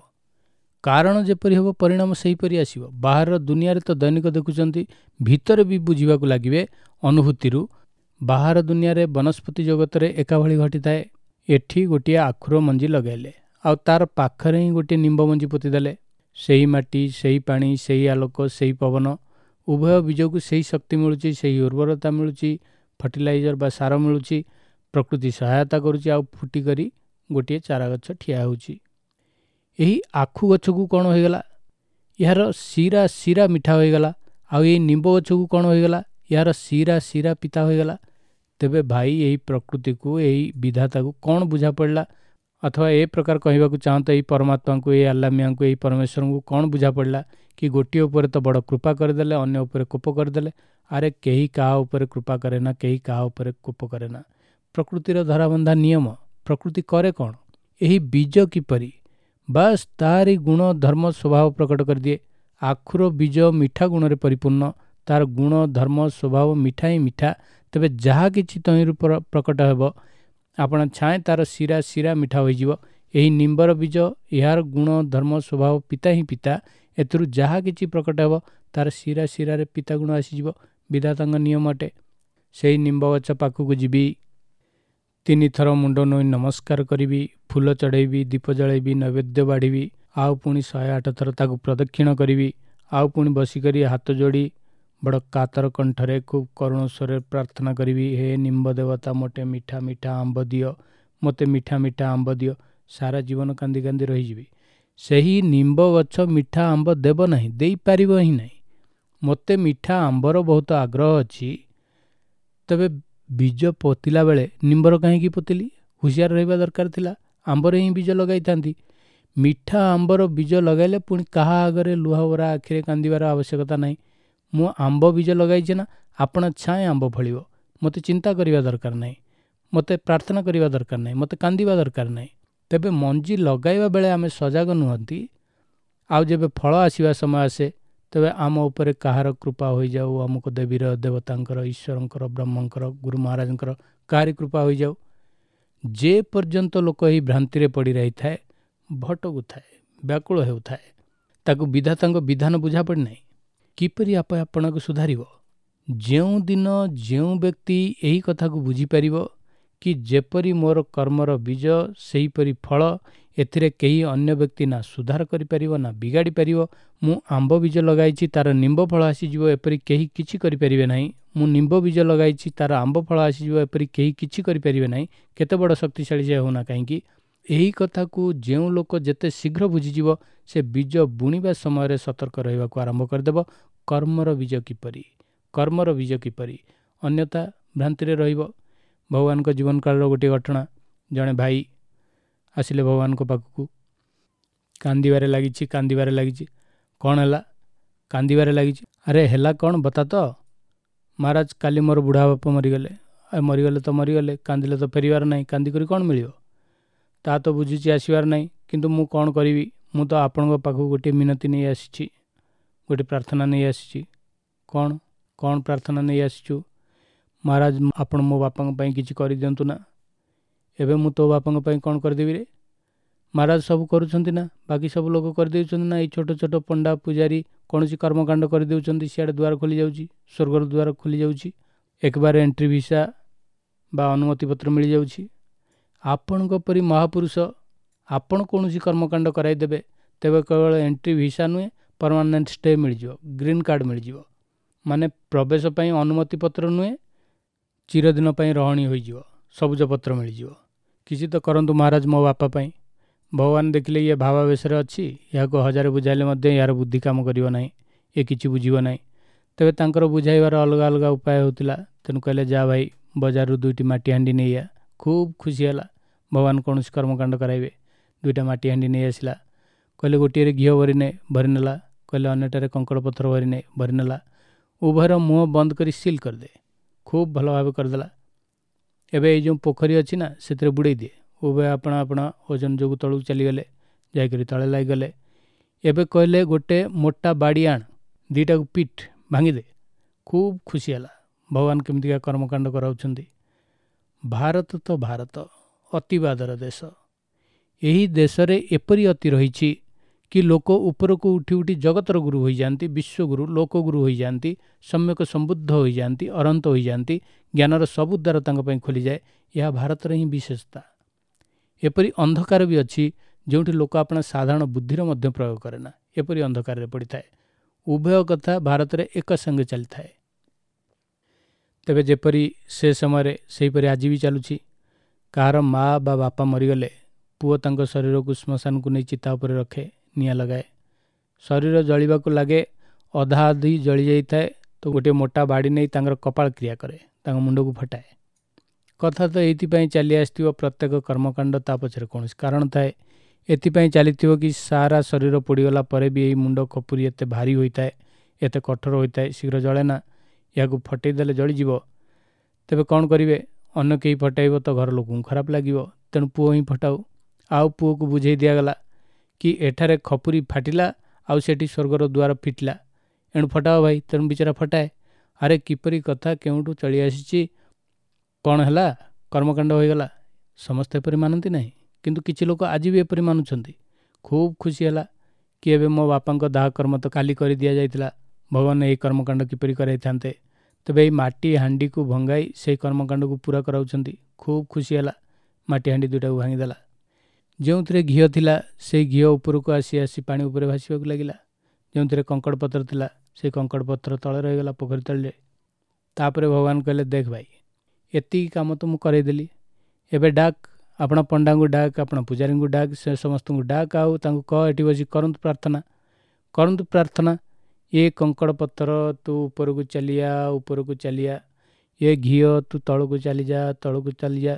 କାରଣ ଯେପରି ହେବ ପରିଣାମ ସେହିପରି ଆସିବ। ବାହାର ଦୁନିଆରେ ତ ଦୈନିକ ଦେଖୁଛନ୍ତି, ଭିତରେ ବି ବୁଝିବାକୁ ଲାଗିବେ ଅନୁଭୂତିରୁ। ବାହାର ଦୁନିଆରେ ବନସ୍ପତି ଜଗତରେ ଏକାଭଳି ଘଟିଥାଏ। ଏଠି ଗୋଟିଏ ଆଖୁର ମଞ୍ଜି ଲଗାଇଲେ ଆଉ ତାର ପାଖରେ ହିଁ ଗୋଟିଏ ନିମ୍ବ ମଞ୍ଜି ପୋତିଦେଲେ। ସେହି ମାଟି, ସେହି ପାଣି, ସେହି ଆଲୋକ, ସେହି ପବନ, ଉଭୟ ବୀଜକୁ ସେହି ଶକ୍ତି ମିଳୁଛି, ସେହି ଉର୍ବରତା ମିଳୁଛି, ଫର୍ଟିଲାଇଜର ବା ସାର ମିଳୁଛି, ପ୍ରକୃତି ସହାୟତା କରୁଛି, ଆଉ ଫୁଟିକରି ଗୋଟିଏ ଚାରା ଗଛ ଠିଆ ହେଉଛି। ଏହି ଆଖୁ ଗଛକୁ କ'ଣ ହୋଇଗଲା? ଏହାର ଶିରା ଶିରା ମିଠା ହୋଇଗଲା। ଆଉ ଏଇ ନିମ୍ବ ଗଛକୁ କ'ଣ ହୋଇଗଲା? ଏହାର ଶିରା ଶିରା ପିତା ହୋଇଗଲା। ତେବେ ଭାଇ, ଏହି ପ୍ରକୃତିକୁ, ଏହି ବିଧାତାକୁ କ'ଣ ବୁଝା ପଡ଼ିଲା? ଅଥବା ଏ ପ୍ରକାର କହିବାକୁ ଚାହାନ୍ତ ଏଇ ପରମାତ୍ମାଙ୍କୁ, ଏଇ ଆଲ୍ଲା ମିଆଁଙ୍କୁ, ଏଇ ପରମେଶ୍ୱରଙ୍କୁ କ'ଣ ବୁଝା ପଡ଼ିଲା କି ଗୋଟିଏ ଉପରେ ତ ବଡ଼ କୃପା କରିଦେଲେ, ଅନ୍ୟ ଉପରେ କୋପ କରିଦେଲେ? ଆରେ କେହି କାହା ଉପରେ କୃପା କରେ ନା, କେହି କାହା ଉପରେ କୋପ କରେ ନା। ପ୍ରକୃତିର ଧରାବନ୍ଧା ନିୟମ। ପ୍ରକୃତି କରେ କ'ଣ? ଏହି ବୀଜ କିପରି ବାସ୍ ତାରି ଗୁଣ ଧର୍ମ ସ୍ୱଭାବ ପ୍ରକଟ କରିଦିଏ। ଆଖୁର ବୀଜ ମିଠା ଗୁଣରେ ପରିପୂର୍ଣ୍ଣ, ତାର ଗୁଣ ଧର୍ମ ସ୍ୱଭାବ ମିଠା ହିଁ ମିଠା। ତେବେ ଯାହା କିଛି ତହିଁରୁ ପ୍ରକଟ ହେବ ଆପଣ ଛାଏଁ ତାର ଶିରା ଶିରା ମିଠା ହୋଇଯିବ। ଏହି ନିମ୍ବର ବୀଜ, ଏହାର ଗୁଣ ଧର୍ମ ସ୍ୱଭାବ ପିତା ହିଁ ପିତା। ଏଥିରୁ ଯାହା କିଛି ପ୍ରକଟ ହେବ ତାର ଶିରା ଶିରାରେ ପିତା ଗୁଣ ଆସିଯିବ। ବିଧାତାଙ୍କ ନିୟମ ଅଟେ। ସେଇ ନିମ୍ବ ଗଛ ପାଖକୁ ଯିବି, ତିନିଥର ମୁଣ୍ଡ ନୋଇ ନମସ୍କାର କରିବି, ଫୁଲ ଚଢ଼େଇବି, ଦୀପ ଜଳାଇବି, ନୈବେଦ୍ୟ ବାଢ଼ିବି, ଆଉ ପୁଣି ଶହେ ଆଠ ଥର ତାକୁ ପ୍ରଦକ୍ଷିଣ କରିବି, ଆଉ ପୁଣି ବସିକରି ହାତ ଯୋଡ଼ି ବଡ଼ କାତର କଣ୍ଠରେ ଖୁବ୍ କରୁଣ ସ୍ୱରରେ ପ୍ରାର୍ଥନା କରିବି, ହେ ନିମ୍ବ ଦେବତା, ମୋତେ ମିଠା ମିଠା ଆମ୍ବ ଦିଅ, ମୋତେ ମିଠା ମିଠା ଆମ୍ବ ଦିଅ। ସାରା ଜୀବନ କାନ୍ଦି କାନ୍ଦି ରହିଯିବି। ସେହି ନିମ୍ବ ଗଛ ମିଠା ଆମ୍ବ ଦେବ ନାହିଁ, ଦେଇପାରିବ ହିଁ ନାହିଁ। ମୋତେ ମିଠା ଆମ୍ବର ବହୁତ ଆଗ୍ରହ ଅଛି, ତେବେ ବୀଜ ପୋତିଲା ବେଳେ ନିମ୍ବର କାହିଁକି ପୋତିଲି? ହୁସିଆର ରହିବା ଦରକାର ଥିଲା, ଆମ୍ବରେ ହିଁ ବୀଜ ଲଗାଇଥାନ୍ତି। ମିଠା ଆମ୍ବର ବୀଜ ଲଗାଇଲେ ପୁଣି କାହା ଆଗରେ ଲୁହଭରା ଆଖିରେ କାନ୍ଦିବାର ଆବଶ୍ୟକତା ନାହିଁ। ମୁଁ ଆମ୍ବ ବୀଜ ଲଗାଇଛି ନା, ଆପଣା ଛାଏଁ ଆମ୍ବ ଫଳିବ। ମୋତେ ଚିନ୍ତା କରିବା ଦରକାର ନାହିଁ, ମୋତେ ପ୍ରାର୍ଥନା କରିବା ଦରକାର ନାହିଁ, ମୋତେ କାନ୍ଦିବା ଦରକାର ନାହିଁ। ତେବେ ମଞ୍ଜି ଲଗାଇବା ବେଳେ ଆମେ ସଜାଗ ନୁହନ୍ତି, ଆଉ ଯେବେ ଫଳ ଆସିବା ସମୟ ଆସେ ତେବେ ଆମ ଉପରେ କାହାର କୃପା ହୋଇଯାଉ, ଅମୁକ ଦେବୀର, ଦେବତାଙ୍କର, ଈଶ୍ୱରଙ୍କର, ବ୍ରହ୍ମଙ୍କର, ଗୁରୁ ମହାରାଜଙ୍କର କାହାରି କୃପା ହୋଇଯାଉ। ଯେ ପର୍ଯ୍ୟନ୍ତ ଲୋକ ଏହି ଭ୍ରାନ୍ତିରେ ପଡ଼ି ରହିଥାଏ, ଭଟକୁଥାଏ, ବ୍ୟାକୁଳ ହେଉଥାଏ, ତାକୁ ବିଧାତାଙ୍କ ବିଧାନ ବୁଝା ପଡ଼ିନାହିଁ। କିପରି ଆପେ ଆପଣାକୁ ସୁଧାରିବ? ଯେଉଁଦିନ ଯେଉଁ ବ୍ୟକ୍ତି ଏହି କଥାକୁ ବୁଝିପାରିବ କି ଯେପରି ମୋର କର୍ମର ବୀଜ ସେହିପରି ଫଳ, ଏଥିରେ କେହି ଅନ୍ୟ ବ୍ୟକ୍ତି ନା ସୁଧାର କରିପାରିବ ନା ବିଗାଡ଼ି ପାରିବ। ମୁଁ ଆମ୍ବ ବୀଜ ଲଗାଇଛି, ତାର ନିମ୍ବ ଫଳ ଆସିଯିବ, ଏପରି କେହି କିଛି କରିପାରିବେ ନାହିଁ। ମୁଁ ନିମ୍ବ ବୀଜ ଲଗାଇଛି, ତାର ଆମ୍ବ ଫଳ ଆସିଯିବ, ଏପରି କେହି କିଛି କରିପାରିବେ ନାହିଁ, କେତେ ବଡ଼ ଶକ୍ତିଶାଳୀ ସେ ହେଉନା କାହିଁକି। ଏହି କଥାକୁ ଯେଉଁ ଲୋକ ଯେତେ ଶୀଘ୍ର ବୁଝିଯିବ, ସେ ବୀଜ ବୁଣିବା ସମୟରେ ସତର୍କ ରହିବାକୁ ଆରମ୍ଭ କରିଦେବ। କର୍ମର ବୀଜ କିପରି, କର୍ମର ବୀଜ କିପରି, ଅନ୍ୟଥା ଭ୍ରାନ୍ତିରେ ରହିବ। ଭଗବାନଙ୍କ ଜୀବନ କାଳର ଗୋଟିଏ ଘଟଣା। ଜଣେ ଭାଇ ଆସିଲେ ଭଗବାନଙ୍କ ପାଖକୁ, କାନ୍ଦିବାରେ ଲାଗିଛି, କାନ୍ଦିବାରେ ଲାଗିଛି। କ'ଣ ହେଲା? କାନ୍ଦିବାରେ ଲାଗିଛି। ଆରେ ହେଲା କ'ଣ ବତା ତ? ମହାରାଜ, କାଲି ମୋର ବୁଢ଼ା ବାପା ମରିଗଲେ। ମରିଗଲେ ତ ମରିଗଲେ, କାନ୍ଦିଲେ ତ ଫେରିବାର ନାହିଁ, କାନ୍ଦିକରି କ'ଣ ମିଳିବ? ତା ତ ବୁଝୁଛି ଆସିବାର ନାହିଁ, କିନ୍ତୁ ମୁଁ କ'ଣ କରିବି? ମୁଁ ତ ଆପଣଙ୍କ ପାଖକୁ ଗୋଟିଏ ମିନତି ନେଇ ଆସିଛି, ଗୋଟିଏ ପ୍ରାର୍ଥନା ନେଇ ଆସିଛି। କ'ଣ କ'ଣ ପ୍ରାର୍ଥନା ନେଇ ଆସିଛୁ? ମହାରାଜ, ଆପଣ ମୋ ବାପାଙ୍କ ପାଇଁ କିଛି କରିଦିଅନ୍ତୁ ନା। ଏବେ ମୁଁ ତୋ ବାପାଙ୍କ ପାଇଁ କ'ଣ କରିଦେବି ରେ? ମହାରାଜ ସବୁ କରୁଛନ୍ତି ନା, ବାକି ସବୁ ଲୋକ କରିଦେଉଛନ୍ତି ନା, ଏଇ ଛୋଟ ଛୋଟ ପଣ୍ଡା ପୂଜାରୀ କୌଣସି କର୍ମକାଣ୍ଡ କରିଦେଉଛନ୍ତି, ସିଆଡ଼େ ଦ୍ୱାର ଖୋଲି ଯାଉଛି, ସ୍ୱର୍ଗର ଦ୍ୱାର ଖୋଲି ଯାଉଛି, ଏକବାର ଏଣ୍ଟ୍ରି ଭିସା ବା ଅନୁମତି ପତ୍ର ମିଳିଯାଉଛି। ଆପଣଙ୍କ ପରି ମହାପୁରୁଷ ଆପଣ କୌଣସି କର୍ମକାଣ୍ଡ କରାଇଦେବେ, ତେବେ କେବଳ ଏଣ୍ଟ୍ରି ଭିସା ନୁହେଁ, ପରମାନେଣ୍ଟ ଷ୍ଟେ ମିଳିଯିବ, ଗ୍ରୀନ୍ କାର୍ଡ଼ ମିଳିଯିବ। ମାନେ ପ୍ରବେଶ ପାଇଁ ଅନୁମତି ପତ୍ର ନୁହେଁ, ଚିରଦିନ ପାଇଁ ରହଣି ହୋଇଯିବ, ସବୁଜ ପତ୍ର ମିଳିଯିବ। କିଛି ତ କରନ୍ତୁ ମହାରାଜ ମୋ ବାପା ପାଇଁ। ଭଗବାନ ଦେଖିଲେ ଇଏ ଭାବାବେଶରେ ଅଛି, ଏହାକୁ ହଜାରେ ବୁଝାଇଲେ ମଧ୍ୟ ଏହାର ବୁଦ୍ଧି କାମ କରିବ ନାହିଁ, ଏ କିଛି ବୁଝିବ ନାହିଁ। ତେବେ ତାଙ୍କର ବୁଝାଇବାର ଅଲଗା ଅଲଗା ଉପାୟ ହେଉଥିଲା। ତେଣୁ କହିଲେ, ଯା ଭାଇ ବଜାରରୁ ଦୁଇଟି ମାଟି ହାଣ୍ଡି ନେଇଆ। ଖୁବ୍ ଖୁସି ହେଲା, ଭଗବାନ କୌଣସି କର୍ମକାଣ୍ଡ କରାଇବେ। ଦୁଇଟା ମାଟି ହାଣ୍ଡି ନେଇ ଆସିଲା। କହିଲେ ଗୋଟିଏରେ ଘିଅ ଭରିନେ, ଭରିନେଲା। କହିଲେ ଅନ୍ୟଟାରେ କଙ୍କଡ଼ ପଥର ଭରି ନେ ଭରିନେଲା। ଉଭୟର ମୁହଁ ବନ୍ଦ କରି ସିଲ୍ କରିଦେ। ଖୁବ୍ ଭଲ ଭାବେ କରିଦେଲା। ଏବେ ଏଇ ଯେଉଁ ପୋଖରୀ ଅଛି ନା, ସେଥିରେ ବୁଡ଼େଇ ଦିଏ। ଉଭୟ ଆପଣା ଆପଣା ଓଜନ ଯୋଗୁଁ ତଳକୁ ଚାଲିଗଲେ, ଯାଇକରି ତଳେ ଲାଗିଗଲେ। ଏବେ କହିଲେ ଗୋଟେ ମୋଟା ବାଡ଼ି ଆଣ, ଦୁଇଟାକୁ ପିଟ୍ ଭାଙ୍ଗିଦେ। ଖୁବ୍ ଖୁସି ହେଲା। ଭଗବାନ କେମିତିକା କର୍ମକାଣ୍ଡ କରାଉଛନ୍ତି। ଭାରତ ତ ଭାରତ, ଅତିବାଦର ଦେଶ। ଏହି ଦେଶରେ ଏପରି ଅତି ରହିଛି କି ଲୋକ ଉପରକୁ ଉଠି ଉଠି ଜଗତର ଗୁରୁ ହୋଇଯାଆନ୍ତି, ବିଶ୍ୱଗୁରୁ, ଲୋକଗୁରୁ ହୋଇଯାଆନ୍ତି, ସମ୍ୟକ ସମ୍ବୁଦ୍ଧ ହୋଇଯାଆନ୍ତି, ଅରନ୍ତ ହୋଇଯାଆନ୍ତି, ଜ୍ଞାନର ସବୁ ଦ୍ୱାର ତାଙ୍କ ପାଇଁ ଖୋଲିଯାଏ। ଏହା ଭାରତର ହିଁ ବିଶେଷତା। ଏପରି ଅନ୍ଧକାର ବି ଅଛି ଯେଉଁଠି ଲୋକ ଆପଣା ସାଧାରଣ ବୁଦ୍ଧିର ମଧ୍ୟ ପ୍ରୟୋଗ କରେ ନା, ଏପରି ଅନ୍ଧକାରରେ ପଡ଼ିଥାଏ। ଉଭୟ କଥା ଭାରତରେ ଏକ ସଙ୍ଗେ ଚାଲିଥାଏ। ତେବେ ଯେପରି ସେ ସମୟରେ ସେହିପରି ଆଜି ବି ଚାଲୁଛି। କାହାର ମା ବା ବାପା ମରିଗଲେ ପୁଅ ତାଙ୍କ ଶରୀରକୁ ଶ୍ମଶାନକୁ ନେଇ ଚିତା ଉପରେ ରଖେ, ନିଆଁ ଲଗାଏ। ଶରୀର ଜଳିବାକୁ ଲାଗେ, ଅଧା ଅଧି ଜଳି ଯାଇଥାଏ ତ ଗୋଟିଏ ମୋଟା ବାଡ଼ି ନେଇ ତାଙ୍କର କପାଳ କ୍ରିୟା କରେ, ତାଙ୍କ ମୁଣ୍ଡକୁ ଫଟାଏ। କଥା ତ ଏଇଥିପାଇଁ ଚାଲି ଆସିଥିବ, ପ୍ରତ୍ୟେକ କର୍ମକାଣ୍ଡ ତା ପଛରେ କୌଣସି କାରଣ ଥାଏ। ଏଥିପାଇଁ ଚାଲିଥିବ କି ସାରା ଶରୀର ପୋଡ଼ିଗଲା ପରେ ବି ଏଇ ମୁଣ୍ଡ ଖପୁରି ଏତେ ଭାରି ହୋଇଥାଏ, ଏତେ କଠୋର ହୋଇଥାଏ, ଶୀଘ୍ର ଜଳେ ନା। ଏହାକୁ ଫଟେଇ ଦେଲେ ଜଳିଯିବ। ତେବେ କ'ଣ କରିବେ? ଅନ୍ୟ କେହି ଫଟାଇବ ତ ଘର ଲୋକଙ୍କୁ ଖରାପ ଲାଗିବ, ତେଣୁ ପୁଅ ହିଁ ଫଟାଉ। ଆଉ ପୁଅକୁ ବୁଝେଇ ଦିଆଗଲା କି ଏଠାରେ ଖପୁରି ଫାଟିଲା ଆଉ ସେଠି ସ୍ୱର୍ଗର ଦ୍ୱାର ଫିଟିଲା, ଏଣୁ ଫଟାଅ ଭାଇ। ତେଣୁ ବିଚାରା ଫଟାଏ। ଆରେ କିପରି କଥା କେଉଁଠୁ ଚଳି ଆସିଛି, କ'ଣ ହେଲା, କର୍ମକାଣ୍ଡ ହୋଇଗଲା। ସମସ୍ତେ ଏପରି ମାନନ୍ତି ନାହିଁ, କିନ୍ତୁ କିଛି ଲୋକ ଆଜି ବି ଏପରି ମାନୁଛନ୍ତି। ଖୁବ୍ ଖୁସି ହେଲା କି ଏବେ ମୋ ବାପାଙ୍କ ଦାହ କର୍ମ ତ କାଲି କରି ଦିଆଯାଇଥିଲା, ଭଗବାନ ଏହି କର୍ମକାଣ୍ଡ କିପରି କରାଇଥାନ୍ତେ। ତେବେ ଏଇ ମାଟି ହାଣ୍ଡିକୁ ଭଙ୍ଗାଇ ସେହି କର୍ମକାଣ୍ଡକୁ ପୂରା କରାଉଛନ୍ତି। ଖୁବ୍ ଖୁସି ହେଲା, ମାଟି ହାଣ୍ଡି ଦୁଇଟାକୁ ଭାଙ୍ଗିଦେଲା। ଯେଉଁଥିରେ ଘିଅ ଥିଲା ସେଇ ଘିଅ ଉପରକୁ ଆସି ଆସି ପାଣି ଉପରେ ଭାସିବାକୁ ଲାଗିଲା। ଯେଉଁଥିରେ କଙ୍କଡ଼ ପତ୍ର ଥିଲା ସେଇ କଙ୍କଡ଼ ପତ୍ର ତଳେ ରହିଗଲା ପୋଖରୀ ତଳରେ। ତାପରେ ଭଗବାନ କହିଲେ, ଦେଖ ଭାଇ, ଏତିକି କାମ ତ ମୁଁ କରାଇଦେଲି, ଏବେ ଡାକ ଆପଣ ପଣ୍ଡାଙ୍କୁ ଡାକ, ଆପଣ ପୂଜାରୀଙ୍କୁ ଡାକ, ସେ ସମସ୍ତଙ୍କୁ ଡାକ, ଆଉ ତାଙ୍କୁ କହ ଏଠି ବସି କରନ୍ତୁ ପ୍ରାର୍ଥନା, କରନ୍ତୁ ପ୍ରାର୍ଥନା। ଏ କଙ୍କଡ଼ ପଥର ତୁ ଉପରକୁ ଚାଲିଆ, ଉପରକୁ ଚାଲିଆ, ଏ ଘିଅ ତୁ ତଳକୁ ଚାଲିଯା, ତଳକୁ ଚାଲିଯା।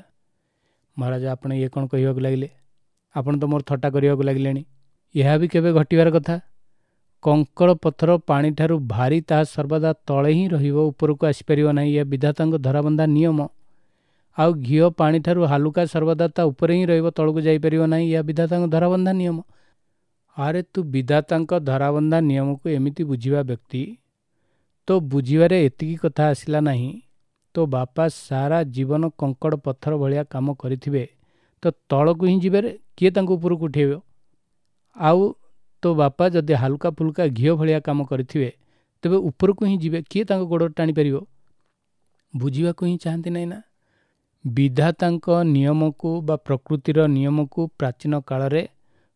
ମହାରାଜ ଆପଣ ଇଏ କ'ଣ କହିବାକୁ ଲାଗିଲେ? ଆପଣ ତ ମୋର ଥଟ୍ଟା କରିବାକୁ ଲାଗିଲେଣି। ଏହା ବି କେବେ ଘଟିବାର କଥା? କଙ୍କଡ଼ ପଥର ପାଣିଠାରୁ ଭାରି, ତାହା ସର୍ବଦା ତଳେ ହିଁ ରହିବ, ଉପରକୁ ଆସିପାରିବ ନାହିଁ। ଏହା ବିଧାତାଙ୍କ ଧରାବନ୍ଧା ନିୟମ। ଆଉ ଘିଅ ପାଣିଠାରୁ ହାଲୁକା, ସର୍ବଦା ତା ଉପରେ ହିଁ ରହିବ, ତଳକୁ ଯାଇପାରିବ ନାହିଁ। ଏହା ବିଧାତାଙ୍କ ଧରାବନ୍ଧା ନିୟମ। ଆରେ ତୁ ବିଧାତାଙ୍କ ଧରାବନ୍ଧା ନିୟମକୁ ଏମିତି ବୁଝିବା ବ୍ୟକ୍ତି, ତୋ ବୁଝିବାରେ ଏତିକି କଥା ଆସିଲା ନାହିଁ। ତୋ ବାପା ସାରା ଜୀବନ କଙ୍କଡ଼ ପଥର ଭଳିଆ କାମ କରିଥିବେ ତ ତଳକୁ ହିଁ ଯିବେରେ, କିଏ ତାଙ୍କୁ ଉପରକୁ ଉଠେଇବ? ଆଉ ତୋ ବାପା ଯଦି ହାଲୁକା ଫୁଲୁକା ଘିଅ ଭଳିଆ କାମ କରିଥିବେ ତେବେ ଉପରକୁ ହିଁ ଯିବେ, କିଏ ତାଙ୍କ ଗୋଡ଼ ଟାଣିପାରିବ? ବୁଝିବାକୁ ହିଁ ଚାହାନ୍ତି ନାହିଁ ନା। ବିଧାତାଙ୍କ ନିୟମକୁ ବା ପ୍ରକୃତିର ନିୟମକୁ ପ୍ରାଚୀନ କାଳରେ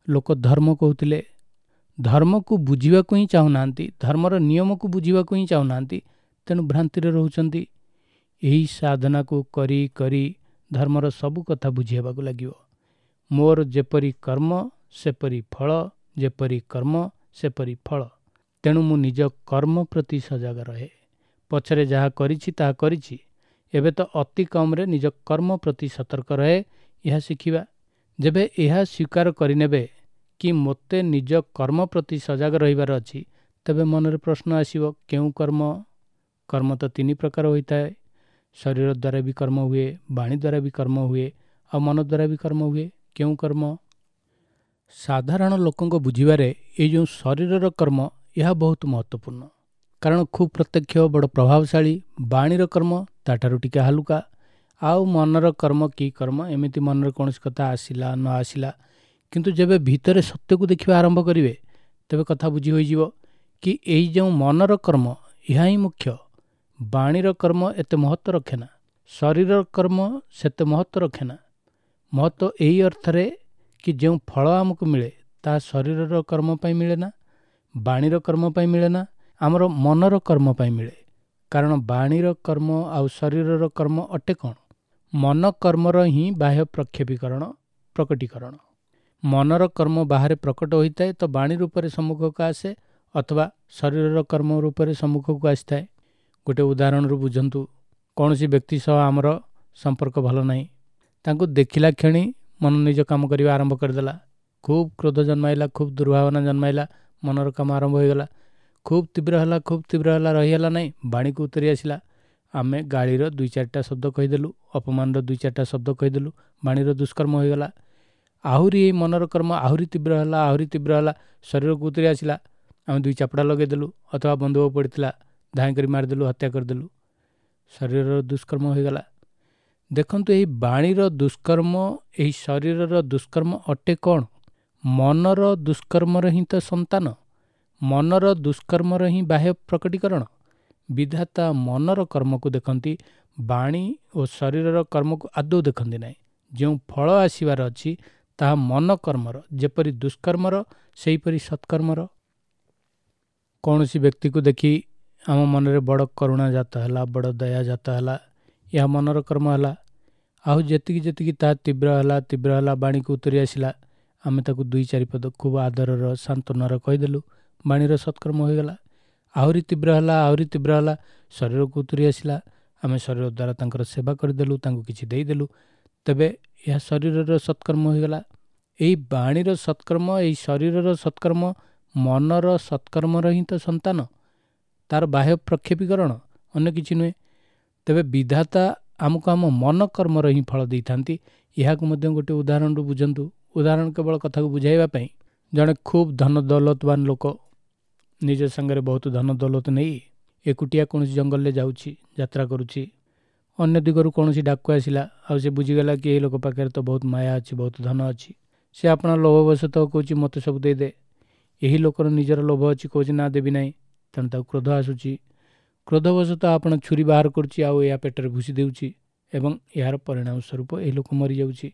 ଲୋକ ଧର୍ମ କହୁଥିଲେ। ଧର୍ମକୁ ବୁଝିବାକୁ ହିଁ ଚାହୁଁନାହାନ୍ତି, ଧର୍ମର ନିୟମକୁ ବୁଝିବାକୁ ହିଁ ଚାହୁଁନାହାନ୍ତି, ତେଣୁ ଭ୍ରାନ୍ତିରେ ରହୁଛନ୍ତି। ଏହି ସାଧନାକୁ କରି କରି ଧର୍ମର ସବୁ କଥା ବୁଝି ହେବାକୁ ଲାଗିବ। ମୋର ଯେପରି କର୍ମ ସେପରି ଫଳ, ଯେପରି କର୍ମ ସେପରି ଫଳ। ତେଣୁ ମୁଁ ନିଜ କର୍ମ ପ୍ରତି ସଜାଗ ରହେ। ପଛରେ ଯାହା କରିଛି ତାହା କରିଛି, ଏବେ ତ ଅତି କମ୍ରେ ନିଜ କର୍ମ ପ୍ରତି ସତର୍କ ରହେ, ଏହା ଶିଖିବା। ଯେବେ ଏହା ସ୍ୱୀକାର କରିନେବେ କି ମୋତେ ନିଜ କର୍ମ ପ୍ରତି ସଜାଗ ରହିବାର ଅଛି, ତେବେ ମନରେ ପ୍ରଶ୍ନ ଆସିବ, କେଉଁ କର୍ମ? କର୍ମ ତ ତିନି ପ୍ରକାର ହୋଇଥାଏ। ଶରୀର ଦ୍ୱାରା ବି କର୍ମ ହୁଏ, ବାଣୀ ଦ୍ୱାରା ବି କର୍ମ ହୁଏ, ଆଉ ମନ ଦ୍ୱାରା ବି କର୍ମ ହୁଏ। କେଉଁ କର୍ମ? ସାଧାରଣ ଲୋକଙ୍କ ବୁଝିବାରେ ଏଇ ଯେଉଁ ଶରୀରର କର୍ମ, ଏହା ବହୁତ ମହତ୍ତ୍ୱପୂର୍ଣ୍ଣ, କାରଣ ଖୁବ୍ ପ୍ରତ୍ୟକ୍ଷ, ବଡ଼ ପ୍ରଭାବଶାଳୀ। ବାଣୀର କର୍ମ ତାଠାରୁ ଟିକେ ହାଲୁକା। ଆଉ ମନର କର୍ମ କି କର୍ମ? ଏମିତି ମନରେ କୌଣସି କଥା ଆସିଲା ନ ଆସିଲା, କିନ୍ତୁ ଯେବେ ଭିତରେ ସତ୍ୟକୁ ଦେଖିବା ଆରମ୍ଭ କରିବେ ତେବେ କଥା ବୁଝି ହୋଇଯିବ କି ଏଇ ଯେଉଁ ମନର କର୍ମ, ଏହା ହିଁ ମୁଖ୍ୟ। ବାଣୀର କର୍ମ ଏତେ ମହତ୍ତ୍ୱ ରଖେନା, ଶରୀରର କର୍ମ ସେତେ ମହତ୍ତ୍ୱ ରଖେନା। ମହତ୍ତ୍ୱ ଏହି ଅର୍ଥରେ କି ଯେଉଁ ଫଳ ଆମକୁ ମିଳେ ତାହା ଶରୀରର କର୍ମ ପାଇଁ ମିଳେ ନା, ବାଣୀର କର୍ମ ପାଇଁ ମିଳେ ନା, ଆମର ମନର କର୍ମ ପାଇଁ ମିଳେ। କାରଣ ବାଣୀର କର୍ମ ଆଉ ଶରୀରର କର୍ମ ଅଟେ କ'ଣ? ମନ କର୍ମର ହିଁ ବାହ୍ୟ ପ୍ରକ୍ଷେପୀକରଣ, ପ୍ରକଟୀକରଣ। ମନର କର୍ମ ବାହାରେ ପ୍ରକଟ ହୋଇଥାଏ ତ ବାଣୀ ରୂପରେ ସମ୍ମୁଖକୁ ଆସେ, ଅଥବା ଶରୀରର କର୍ମ ରୂପରେ ସମ୍ମୁଖକୁ ଆସିଥାଏ। ଗୋଟେ ଉଦାହରଣରୁ ବୁଝନ୍ତୁ। କୌଣସି ବ୍ୟକ୍ତି ସହ ଆମର ସମ୍ପର୍କ ଭଲ ନାହିଁ, ତାଙ୍କୁ ଦେଖିଲା କ୍ଷଣି ମନ ନିଜ କାମ କରିବା ଆରମ୍ଭ କରିଦେଲା, ଖୁବ୍ କ୍ରୋଧ ଜନ୍ମାଇଲା, ଖୁବ୍ ଦୁର୍ଭାବନା ଜନ୍ମାଇଲା, ମନର କାମ ଆରମ୍ଭ ହୋଇଗଲା। ଖୁବ୍ ତୀବ୍ର ହେଲା, ଖୁବ୍ ତୀବ୍ର ହେଲା, ରହିହେଲା ନାହିଁ, ବାଣୀକୁ ଉତରି ଆସିଲା। ଆମେ ଗାଳିର ଦୁଇ ଚାରିଟା ଶବ୍ଦ କହିଦେଲୁ, ଅପମାନର ଦୁଇ ଚାରିଟା ଶବ୍ଦ କହିଦେଲୁ, ବାଣୀର ଦୁଷ୍କର୍ମ ହୋଇଗଲା। ଆହୁରି ଏଇ ମନର କର୍ମ ଆହୁରି ତୀବ୍ର ହେଲା, ଆହୁରି ତୀବ୍ର ହେଲା, ଶରୀରକୁ ଉତରି ଆସିଲା। ଆମେ ଦୁଇ ଚାପଡ଼ା ଲଗେଇଦେଲୁ, ଅଥବା ବନ୍ଧୁକ ପଡ଼ିଥିଲା ଧାଇଁ କରି ମାରିଦେଲୁ, ହତ୍ୟା କରିଦେଲୁ, ଶରୀରର ଦୁଷ୍କର୍ମ ହୋଇଗଲା। ଦେଖନ୍ତୁ, ଏହି ବାଣୀର ଦୁଷ୍କର୍ମ, ଏହି ଶରୀରର ଦୁଷ୍କର୍ମ ଅଟେ କ'ଣ? ମନର ଦୁଷ୍କର୍ମର ହିଁ ତ ସନ୍ତାନ, ମନର ଦୁଷ୍କର୍ମର ହିଁ ବାହ୍ୟ ପ୍ରକଟୀକରଣ। ବିଧାତା ମନର କର୍ମକୁ ଦେଖନ୍ତି, ବାଣୀ ଓ ଶରୀରର କର୍ମକୁ ଆଦୌ ଦେଖନ୍ତି ନାହିଁ। ଯେଉଁ ଫଳ ଆସିବାର ଅଛି ତାହା ମନ କର୍ମର, ଯେପରି ଦୁଷ୍କର୍ମର ସେହିପରି ସତ୍କର୍ମର। କୌଣସି ବ୍ୟକ୍ତିକୁ ଦେଖି ଆମ ମନରେ ବଡ଼ କରୁଣା ଜାତ ହେଲା, ବଡ଼ ଦୟା ଜାତ ହେଲା, ଏହା ମନର କର୍ମ ହେଲା। ଆଉ ଯେତିକି ଯେତିକି ତାହା ତୀବ୍ର ହେଲା, ତୀବ୍ର ହେଲା, ବାଣୀକୁ ଉତରି ଆସିଲା, ଆମେ ତାକୁ ଦୁଇ ଚାରିପଦ ଖୁବ୍ ଆଦରର ସାନ୍ତ୍ୱନାର କହିଦେଲୁ, ବାଣୀର ସତ୍କର୍ମ ହୋଇଗଲା। ଆହୁରି ତୀବ୍ର ହେଲା, ଆହୁରି ତୀବ୍ର ହେଲା, ଶରୀରକୁ ଉତରି ଆସିଲା, ଆମେ ଶରୀର ଦ୍ୱାରା ତାଙ୍କର ସେବା କରିଦେଲୁ, ତାଙ୍କୁ କିଛି ଦେଇଦେଲୁ, ତେବେ ଏହା ଶରୀରର ସତ୍କର୍ମ ହୋଇଗଲା। ଏହି ବାଣୀର ସତ୍କର୍ମ, ଏହି ଶରୀରର ସତ୍କର୍ମ ମନର ସତ୍କର୍ମର ହିଁ ତ ସନ୍ତାନ, ତାର ବାହ୍ୟ ପ୍ରକ୍ଷେପୀକରଣ, ଅନ୍ୟ କିଛି ନୁହେଁ। ତେବେ ବିଧାତା ଆମକୁ ଆମ ମନ କର୍ମର ହିଁ ଫଳ ଦେଇଥାନ୍ତି। ଏହାକୁ ମଧ୍ୟ ଗୋଟିଏ ଉଦାହରଣରୁ ବୁଝନ୍ତୁ। ଉଦାହରଣ କେବଳ କଥାକୁ ବୁଝାଇବା ପାଇଁ। ଜଣେ ଖୁବ୍ ଧନ ଦୌଲତବାନ ଲୋକ ନିଜ ସାଙ୍ଗରେ ବହୁତ ଧନ ଦୌଲତ ନେଇ ଏକୁଟିଆ କୌଣସି ଜଙ୍ଗଲରେ ଯାଉଛି, ଯାତ୍ରା କରୁଛି। ଅନ୍ୟ ଦିଗରୁ କୌଣସି ଡାକୁ ଆସିଲା, ଆଉ ସେ ବୁଝିଗଲା କି ଏହି ଲୋକ ପାଖରେ ତ ବହୁତ ମାୟା ଅଛି, ବହୁତ ଧନ ଅଛି। ସେ ଆପଣା ଲୋଭବଶତଃ କହୁଛି ମୋତେ ସବୁ ଦେଇଦେ। ଏହି ଲୋକର ନିଜର ଲୋଭ ଅଛି, କହୁଛି ନା ଦେବି ନାହିଁ। ତେଣୁ ତାକୁ କ୍ରୋଧ ଆସୁଛି। କ୍ରୋଧବଶତଃ ଆପଣ ଛୁରୀ ବାହାର କରୁଛି ଆଉ ଏହା ପେଟରେ ଭୁସି ଦେଉଛି ଏବଂ ଏହାର ପରିଣାମ ସ୍ୱରୂପ ଏହି ଲୋକ ମରିଯାଉଛି।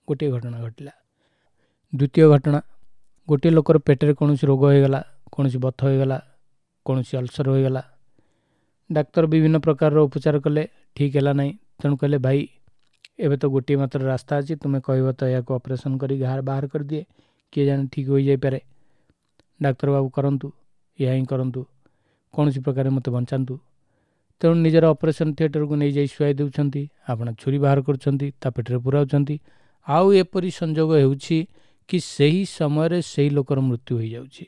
ଗୋଟିଏ ଘଟଣା ଘଟିଲା। ଦ୍ୱିତୀୟ ଘଟଣା, ଗୋଟିଏ ଲୋକର ପେଟରେ କୌଣସି ରୋଗ ହୋଇଗଲା, କୌଣସି ବଥ ହୋଇଗଲା, କୌଣସି ଅଲସର ହୋଇଗଲା। ଡାକ୍ତର ବିଭିନ୍ନ ପ୍ରକାରର ଉପଚାର କଲେ, ଠିକ୍ ହେଲା ନାହିଁ। ତେଣୁ କହିଲେ, ଭାଇ ଏବେ ତ ଗୋଟିଏ ମାତ୍ର ରାସ୍ତା ଅଛି, ତୁମେ କହିବ ତ ଏହାକୁ ଅପରେସନ୍ କରି ଘା ବାହାର କରିଦିଏ, କିଏ ଜାଣେ ଠିକ୍ ହୋଇଯାଇପାରେ। ଡାକ୍ତର ବାବୁ କରନ୍ତୁ, ଏହା ହିଁ କରନ୍ତୁ, କୌଣସି ପ୍ରକାରେ ମୋତେ ବଞ୍ଚାନ୍ତୁ। ତେଣୁ ନିଜର ଅପରେସନ୍ ଥିଏଟରକୁ ନେଇଯାଇ ଶୁଆଇ ଦେଉଛନ୍ତି, ଆପଣ ଛୁରୀ ବାହାର କରୁଛନ୍ତି, ତା ପେଟରେ ପୁରାଉଛନ୍ତି। ଆଉ ଏପରି ସଂଯୋଗ ହେଉଛି କି ସେହି ସମୟରେ ସେହି ଲୋକର ମୃତ୍ୟୁ ହୋଇଯାଉଛି।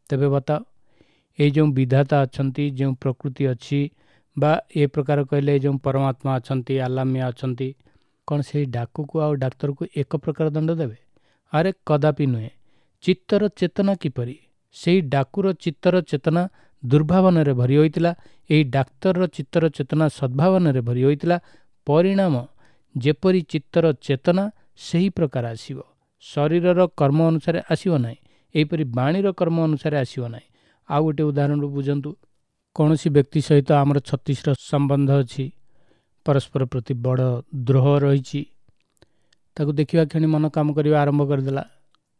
ତେବେ ବତାଅ, ଏଇ ଯେଉଁ ବିଧାତା ଅଛନ୍ତି, ଯେଉଁ ପ୍ରକୃତି ଅଛି, ବା ଏ ପ୍ରକାର କହିଲେ ଯେଉଁ ପରମାତ୍ମା ଅଛନ୍ତି, ଆଲ୍ଲାମିଆ ଅଛନ୍ତି, କ'ଣ ସେଇ ଡାକୁକୁ ଆଉ ଡାକ୍ତରକୁ ଏକ ପ୍ରକାର ଦଣ୍ଡ ଦେବେ? ଆରେ କଦାପି ନୁହେଁ। ଚିତ୍ତର ଚେତନା କିପରି? ସେଇ ଡାକୁର ଚିତ୍ତର ଚେତନା ଦୁର୍ଭାବନାରେ ଭରି ହୋଇଥିଲା, ଏହି ଡାକ୍ତରର ଚିତ୍ତର ଚେତନା ସଦ୍ଭାବନାରେ ଭରି ହୋଇଥିଲା। ପରିଣାମ ଯେପରି ଚିତ୍ତର ଚେତନା ସେହି ପ୍ରକାର ଆସିବ। ଶରୀରର କର୍ମ ଅନୁସାରେ ଆସିବ ନାହିଁ, ଏହିପରି ବାଣୀର କର୍ମ ଅନୁସାରେ ଆସିବ ନାହିଁ। ଆଉ ଗୋଟିଏ ଉଦାହରଣରୁ ବୁଝନ୍ତୁ। କୌଣସି ବ୍ୟକ୍ତି ସହିତ ଆମର ଛତିଶର ସମ୍ବନ୍ଧ ଅଛି, ପରସ୍ପର ପ୍ରତି ବଡ଼ ଦ୍ରୋହ ରହିଛି। ତାକୁ ଦେଖିବା କ୍ଷଣି ମନ କାମ କରିବା ଆରମ୍ଭ କରିଦେଲା,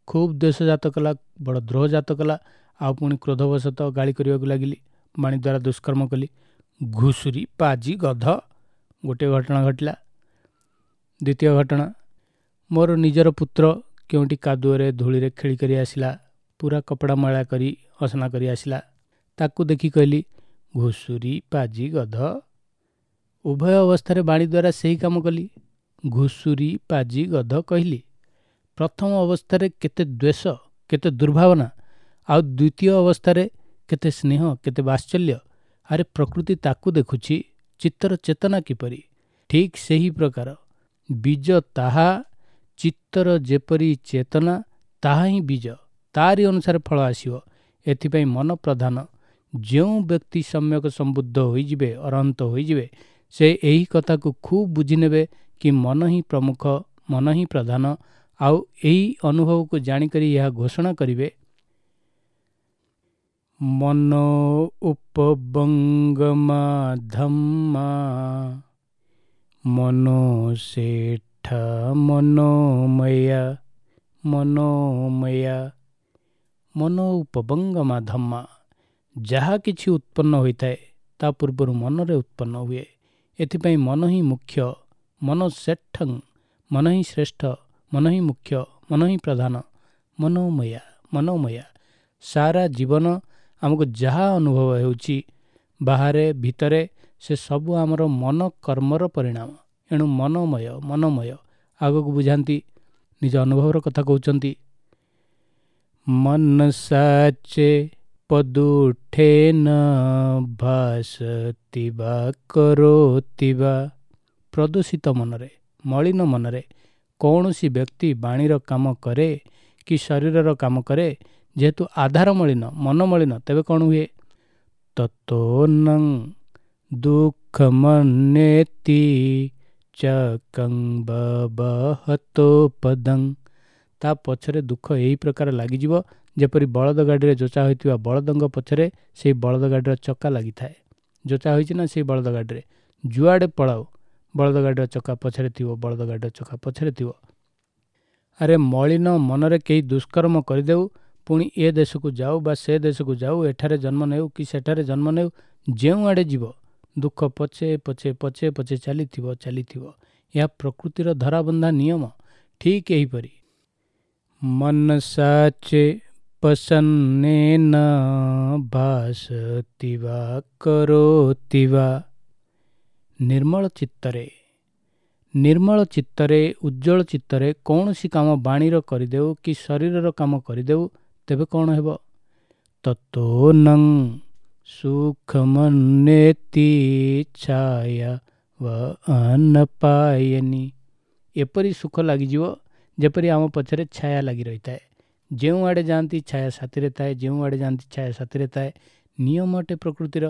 ଖୁବ୍ ଦ୍ୱେଷଜାତ କଲା, ବଡ଼ ଦ୍ରୋହ ଜାତ କଲା, ଆଉ ପୁଣି କ୍ରୋଧବଶତଃ ଗାଳି କରିବାକୁ ଲାଗିଲି, ବାଣୀ ଦ୍ୱାରା ଦୁଷ୍କର୍ମ କଲି, ଘୁଷୁରୀ ପାଜି ଗଧ। ଗୋଟିଏ ଘଟଣା ଘଟିଲା। ଦ୍ୱିତୀୟ ଘଟଣା, ମୋର ନିଜର ପୁତ୍ର କେଉଁଠି କାଦୁଅରେ ଧୂଳିରେ ଖେଳି କରି ଆସିଲା, ପୁରା କପଡ଼ା ମଇଳା କରି ଅସନା କରି ଆସିଲା। ତାକୁ ଦେଖି କହିଲି ଘୁଷୁରୀ ପାଜି ଗଧ। ଉଭୟ ଅବସ୍ଥାରେ ବାଣୀ ଦ୍ୱାରା ସେହି କାମ କଲି, ଘୁଷୁରୀ ପାଜି ଗଧ କହିଲି। ପ୍ରଥମ ଅବସ୍ଥାରେ କେତେ ଦ୍ୱେଷ, କେତେ ଦୁର୍ଭାବନା, ଆଉ ଦ୍ୱିତୀୟ ଅବସ୍ଥାରେ କେତେ ସ୍ନେହ, କେତେ ବାତ୍ସଲ୍ୟ। ଆରେ ପ୍ରକୃତି ତାକୁ ଦେଖୁଛି, ଚିତ୍ତର ଚେତନା କିପରି? ଠିକ୍ ସେହି ପ୍ରକାର ବୀଜ ତାହା, ଚିତ୍ତର ଯେପରି ଚେତନା ତାହା ହିଁ ବୀଜ, ତାରି ଅନୁସାରେ ଫଳ ଆସିବ। ଏଥିପାଇଁ ମନ ପ୍ରଧାନ। ଯେଉଁ ବ୍ୟକ୍ତି ସମ୍ୟକ ସମ୍ବୁଦ୍ଧ ହୋଇଯିବେ, ଅରହନ୍ତ ହୋଇଯିବେ, ସେ ଏହି କଥାକୁ ଖୁବ୍ ବୁଝିନେବେ କି ମନ ହିଁ ପ୍ରମୁଖ, ମନ ହିଁ ପ୍ରଧାନ। ଆଉ ଏହି ଅନୁଭବକୁ ଜାଣିକରି ଏହା ଘୋଷଣା କରିବେ, ମନ ଉପବଙ୍ଗମା ଧମ୍ମା ମନୋ ସେଠା ମନୋମୟା ମନୋମୟା। ମନ ଉପବଙ୍ଗମା ଧମ୍ମା, ଯାହା କିଛି ଉତ୍ପନ୍ନ ହୋଇଥାଏ ତା ପୂର୍ବରୁ ମନରେ ଉତ୍ପନ୍ନ ହୁଏ। ଏଥିପାଇଁ ମନ ହିଁ ମୁଖ୍ୟ, ମନ ସେଠଂ, ମନ ହିଁ ଶ୍ରେଷ୍ଠ, ମନ ହିଁ ମୁଖ୍ୟ, ମନ ହିଁ ପ୍ରଧାନ। ମନୋମୟା ମନୋମୟା। ସାରା ଜୀବନ ଆମକୁ ଯାହା ଅନୁଭବ ହେଉଛି ବାହାରେ ଭିତରେ, ସେ ସବୁ ଆମର ମନ କର୍ମର ପରିଣାମ। ଏଣୁ ମନୋମୟ ମନୋମୟ। ଆଗକୁ ବୁଝାନ୍ତି, ନିଜ ଅନୁଭବର କଥା କହୁଛନ୍ତି। ମନ ସାଚେ ପଦୁଠେନ ଭାସତି ବା କରୋତି ବା। ପ୍ରଦୂଷିତ ମନରେ, ମଳିନ ମନରେ କୌଣସି ବ୍ୟକ୍ତି ବାଣୀର କାମ କରେ କି ଶରୀରର କାମ କରେ, ଯେହେତୁ ଆଧାର ମଳିନ, ମନ ମଳିନ, ତେବେ କ'ଣ ହୁଏ? ତତୋନଂ ଦୁଃଖମନ୍ୟେତି ଚକଂ ବବହତୋ ପଦଂ। ତା ପଛରେ ଦୁଃଖ ଏହି ପ୍ରକାର ଲାଗିଯିବ ଯେପରି ବଳଦ ଗାଡ଼ିରେ ଯୋଚା ହୋଇଥିବା ବଳଦଙ୍କ ପଛରେ ସେଇ ବଳଦ ଗାଡ଼ିର ଚକା ଲାଗିଥାଏ। ଯୋଚା ହୋଇଛି ନା ସେଇ ବଳଦ ଗାଡ଼ିରେ, ଯୁଆଡ଼େ ପଳାଉ ବଳଦ ଗାଡ଼ିର ଚକା ପଛରେ ଥିବ, ବଳଦ ଗାଡ଼ିର ଚକା ପଛରେ ଥିବ। ଆରେ ମଳିନ ମନରେ କେହି ଦୁଷ୍କର୍ମ କରିଦେଉ, ପୁଣି ଏ ଦେଶକୁ ଯାଉ ବା ସେ ଦେଶକୁ ଯାଉ, ଏଠାରେ ଜନ୍ମ ନେଉ କି ସେଠାରେ ଜନ୍ମ ନେଉ, ଯେଉଁଆଡ଼େ ଯିବ ଦୁଃଖ ପଛେ ପଛେ ପଛେ ପଛେ ଚାଲିଥିବ ଚାଲିଥିବ। ଏହା ପ୍ରକୃତିର ଧରାବନ୍ଧା ନିୟମ। ଠିକ୍ ଏହିପରି ମନ ସାଚେ ପସନ୍ନେନ ଭାସତି ବା କରୋତି ବା। ନିର୍ମଳ ଚିତ୍ତରେ, ନିର୍ମଳ ଚିତ୍ତରେ, ଉଜ୍ଜ୍ୱଳ ଚିତ୍ତରେ କୌଣସି କାମ ବାଣୀର କରିଦେଉ କି ଶରୀରର କାମ କରିଦେଉ, ତେବେ କ'ଣ ହେବ? ତତୋନଂ ସୁଖମନ୍ୟେତି ଛାୟା ଅନପାୟନି। ଏପରି ସୁଖ ଲାଗିଯିବ ଯେପରି ଆମ ପଛରେ ଛାୟା ଲାଗି ରହିଥାଏ। ଯେଉଁଆଡ଼େ ଯାଆନ୍ତି ଛାୟା ସାଥିରେ ଥାଏ, ଯେଉଁଆଡ଼େ ଯାଆନ୍ତି ଛାୟା ସାଥିରେ ଥାଏ। ନିୟମ ଅଟେ ପ୍ରକୃତିର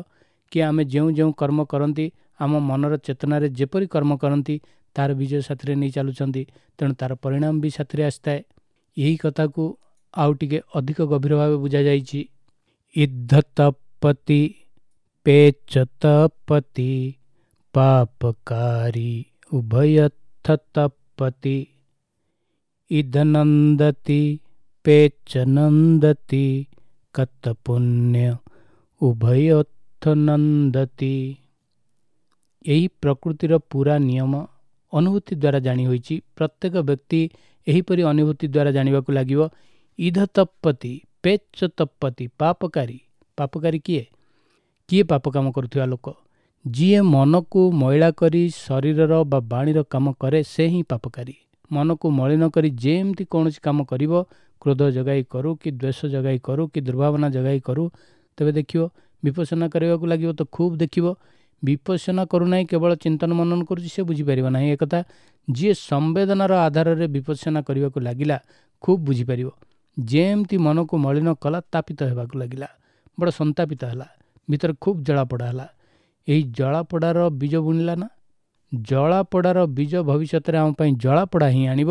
କି ଆମେ ଯେଉଁ ଯେଉଁ କର୍ମ କରନ୍ତି, ଆମ ମନର ଚେତନାରେ ଯେପରି କର୍ମ କରନ୍ତି ତାର ବିଜୟ ସାଥିରେ ନେଇ ଚାଲୁଛନ୍ତି, ତେଣୁ ତାର ପରିଣାମ ବି ସାଥିରେ ଆସିଥାଏ। ଏହି କଥାକୁ ଆଉ ଟିକେ ଅଧିକ ଗଭୀର ଭାବେ ବୁଝାଯାଇଛି। ଇଦ୍ଧ ତପତି ପେଚ ତପତି ପାପକାରୀ ଉଭୟଥ ତପତି। ଇଦନନ୍ଦତି ପେଚ ନନ୍ଦତି କତ ପୁଣ୍ୟ ଉଭୟଥ ନନ୍ଦତି। ଏହି ପ୍ରକୃତିର ପୁରା ନିୟମ ଅନୁଭୂତି ଦ୍ୱାରା ଜାଣି ହୋଇଛି। ପ୍ରତ୍ୟେକ ବ୍ୟକ୍ତି ଏହିପରି ଅନୁଭୂତି ଦ୍ୱାରା ଜାଣିବାକୁ ଲାଗିବ। ଇଧ ତପତି ପେଚ ତପତି ପାପକାରୀ। ପାପକାରୀ କିଏ? କିଏ ପାପ କାମ କରୁଥିବା ଲୋକ? ଯିଏ ମନକୁ ମଇଳା କରି ଶରୀରର ବା ବାଣୀର କାମ କରେ ସେ ହିଁ ପାପକାରୀ। ମନକୁ ମଳିନ କରି ଯେମିତି କୌଣସି କାମ କରିବ, କ୍ରୋଧ ଜଗାଇ କରୁ କି ଦ୍ୱେଷ ଜଗାଇ କରୁ କି ଦୁର୍ଭାବନା ଜଗାଇ କରୁ, ତେବେ ଦେଖିବ ବିପස්සନା କରିବାକୁ ଲାଗିବ ତ ଖୁବ୍ ଦେଖିବ। ବିପස්සନା କରୁନାହିଁ, କେବଳ ଚିନ୍ତନ ମନନ କରୁଛି, ସେ ବୁଝିପାରିବ ନାହିଁ ଏକଥା। ଯିଏ ସମ୍ବେଦନାର ଆଧାରରେ ବିପස්සନା କରିବାକୁ ଲାଗିଲା ଖୁବ୍ ବୁଝିପାରିବ। ଯେମିତି ମନକୁ ମଳିନ କଲା ତାପିତ ହେବାକୁ ଲାଗିଲା, ବଡ଼ ସନ୍ତାପିତ ହେଲା, ଭିତରେ ଖୁବ୍ ଜଳାପୋଡ଼ା ହେଲା। ଏହି ଜଳାପୋଡ଼ାର ବୀଜ ବୁଣିଲା ନା, ଜଳାପୋଡ଼ାର ବୀଜ ଭବିଷ୍ୟତରେ ଆମ ପାଇଁ ଜଳାପୋଡ଼ା ହିଁ ଆଣିବ।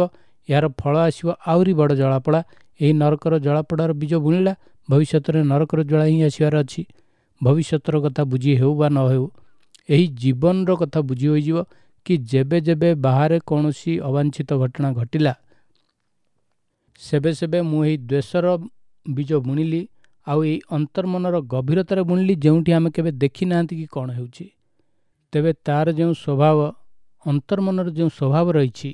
ଏହାର ଫଳ ଆସିବ ଆହୁରି ବଡ଼ ଜଳାପୋଡ଼ା। ଏହି ନରକର ଜଳାପୋଡ଼ାର ବୀଜ ବୁଣିଲା, ଭବିଷ୍ୟତରେ ନରକର ଜ୍ୱାଳା ହିଁ ଆସିବାର ଅଛି। ଭବିଷ୍ୟତର କଥା ବୁଝି ହେଉ ବା ନ ହେଉ, ଏହି ଜୀବନର କଥା ବୁଝି ହୋଇଯିବ କି ଯେବେ ଯେବେ ବାହାରେ କୌଣସି ଅବାଞ୍ଛିତ ଘଟଣା ଘଟିଲା, ସେବେ ସେବେ ମୁଁ ଏହି ଦ୍ୱେଷର ବୀଜ ବୁଣିଲି, ଆଉ ଏଇ ଅନ୍ତର୍ମନର ଗଭୀରତାରେ ବୁଣିଲି, ଯେଉଁଠି ଆମେ କେବେ ଦେଖିନାହାନ୍ତି କି କ'ଣ ହେଉଛି। ତେବେ ତାର ଯେଉଁ ସ୍ୱଭାବ, ଅନ୍ତର୍ମନର ଯେଉଁ ସ୍ୱଭାବ ରହିଛି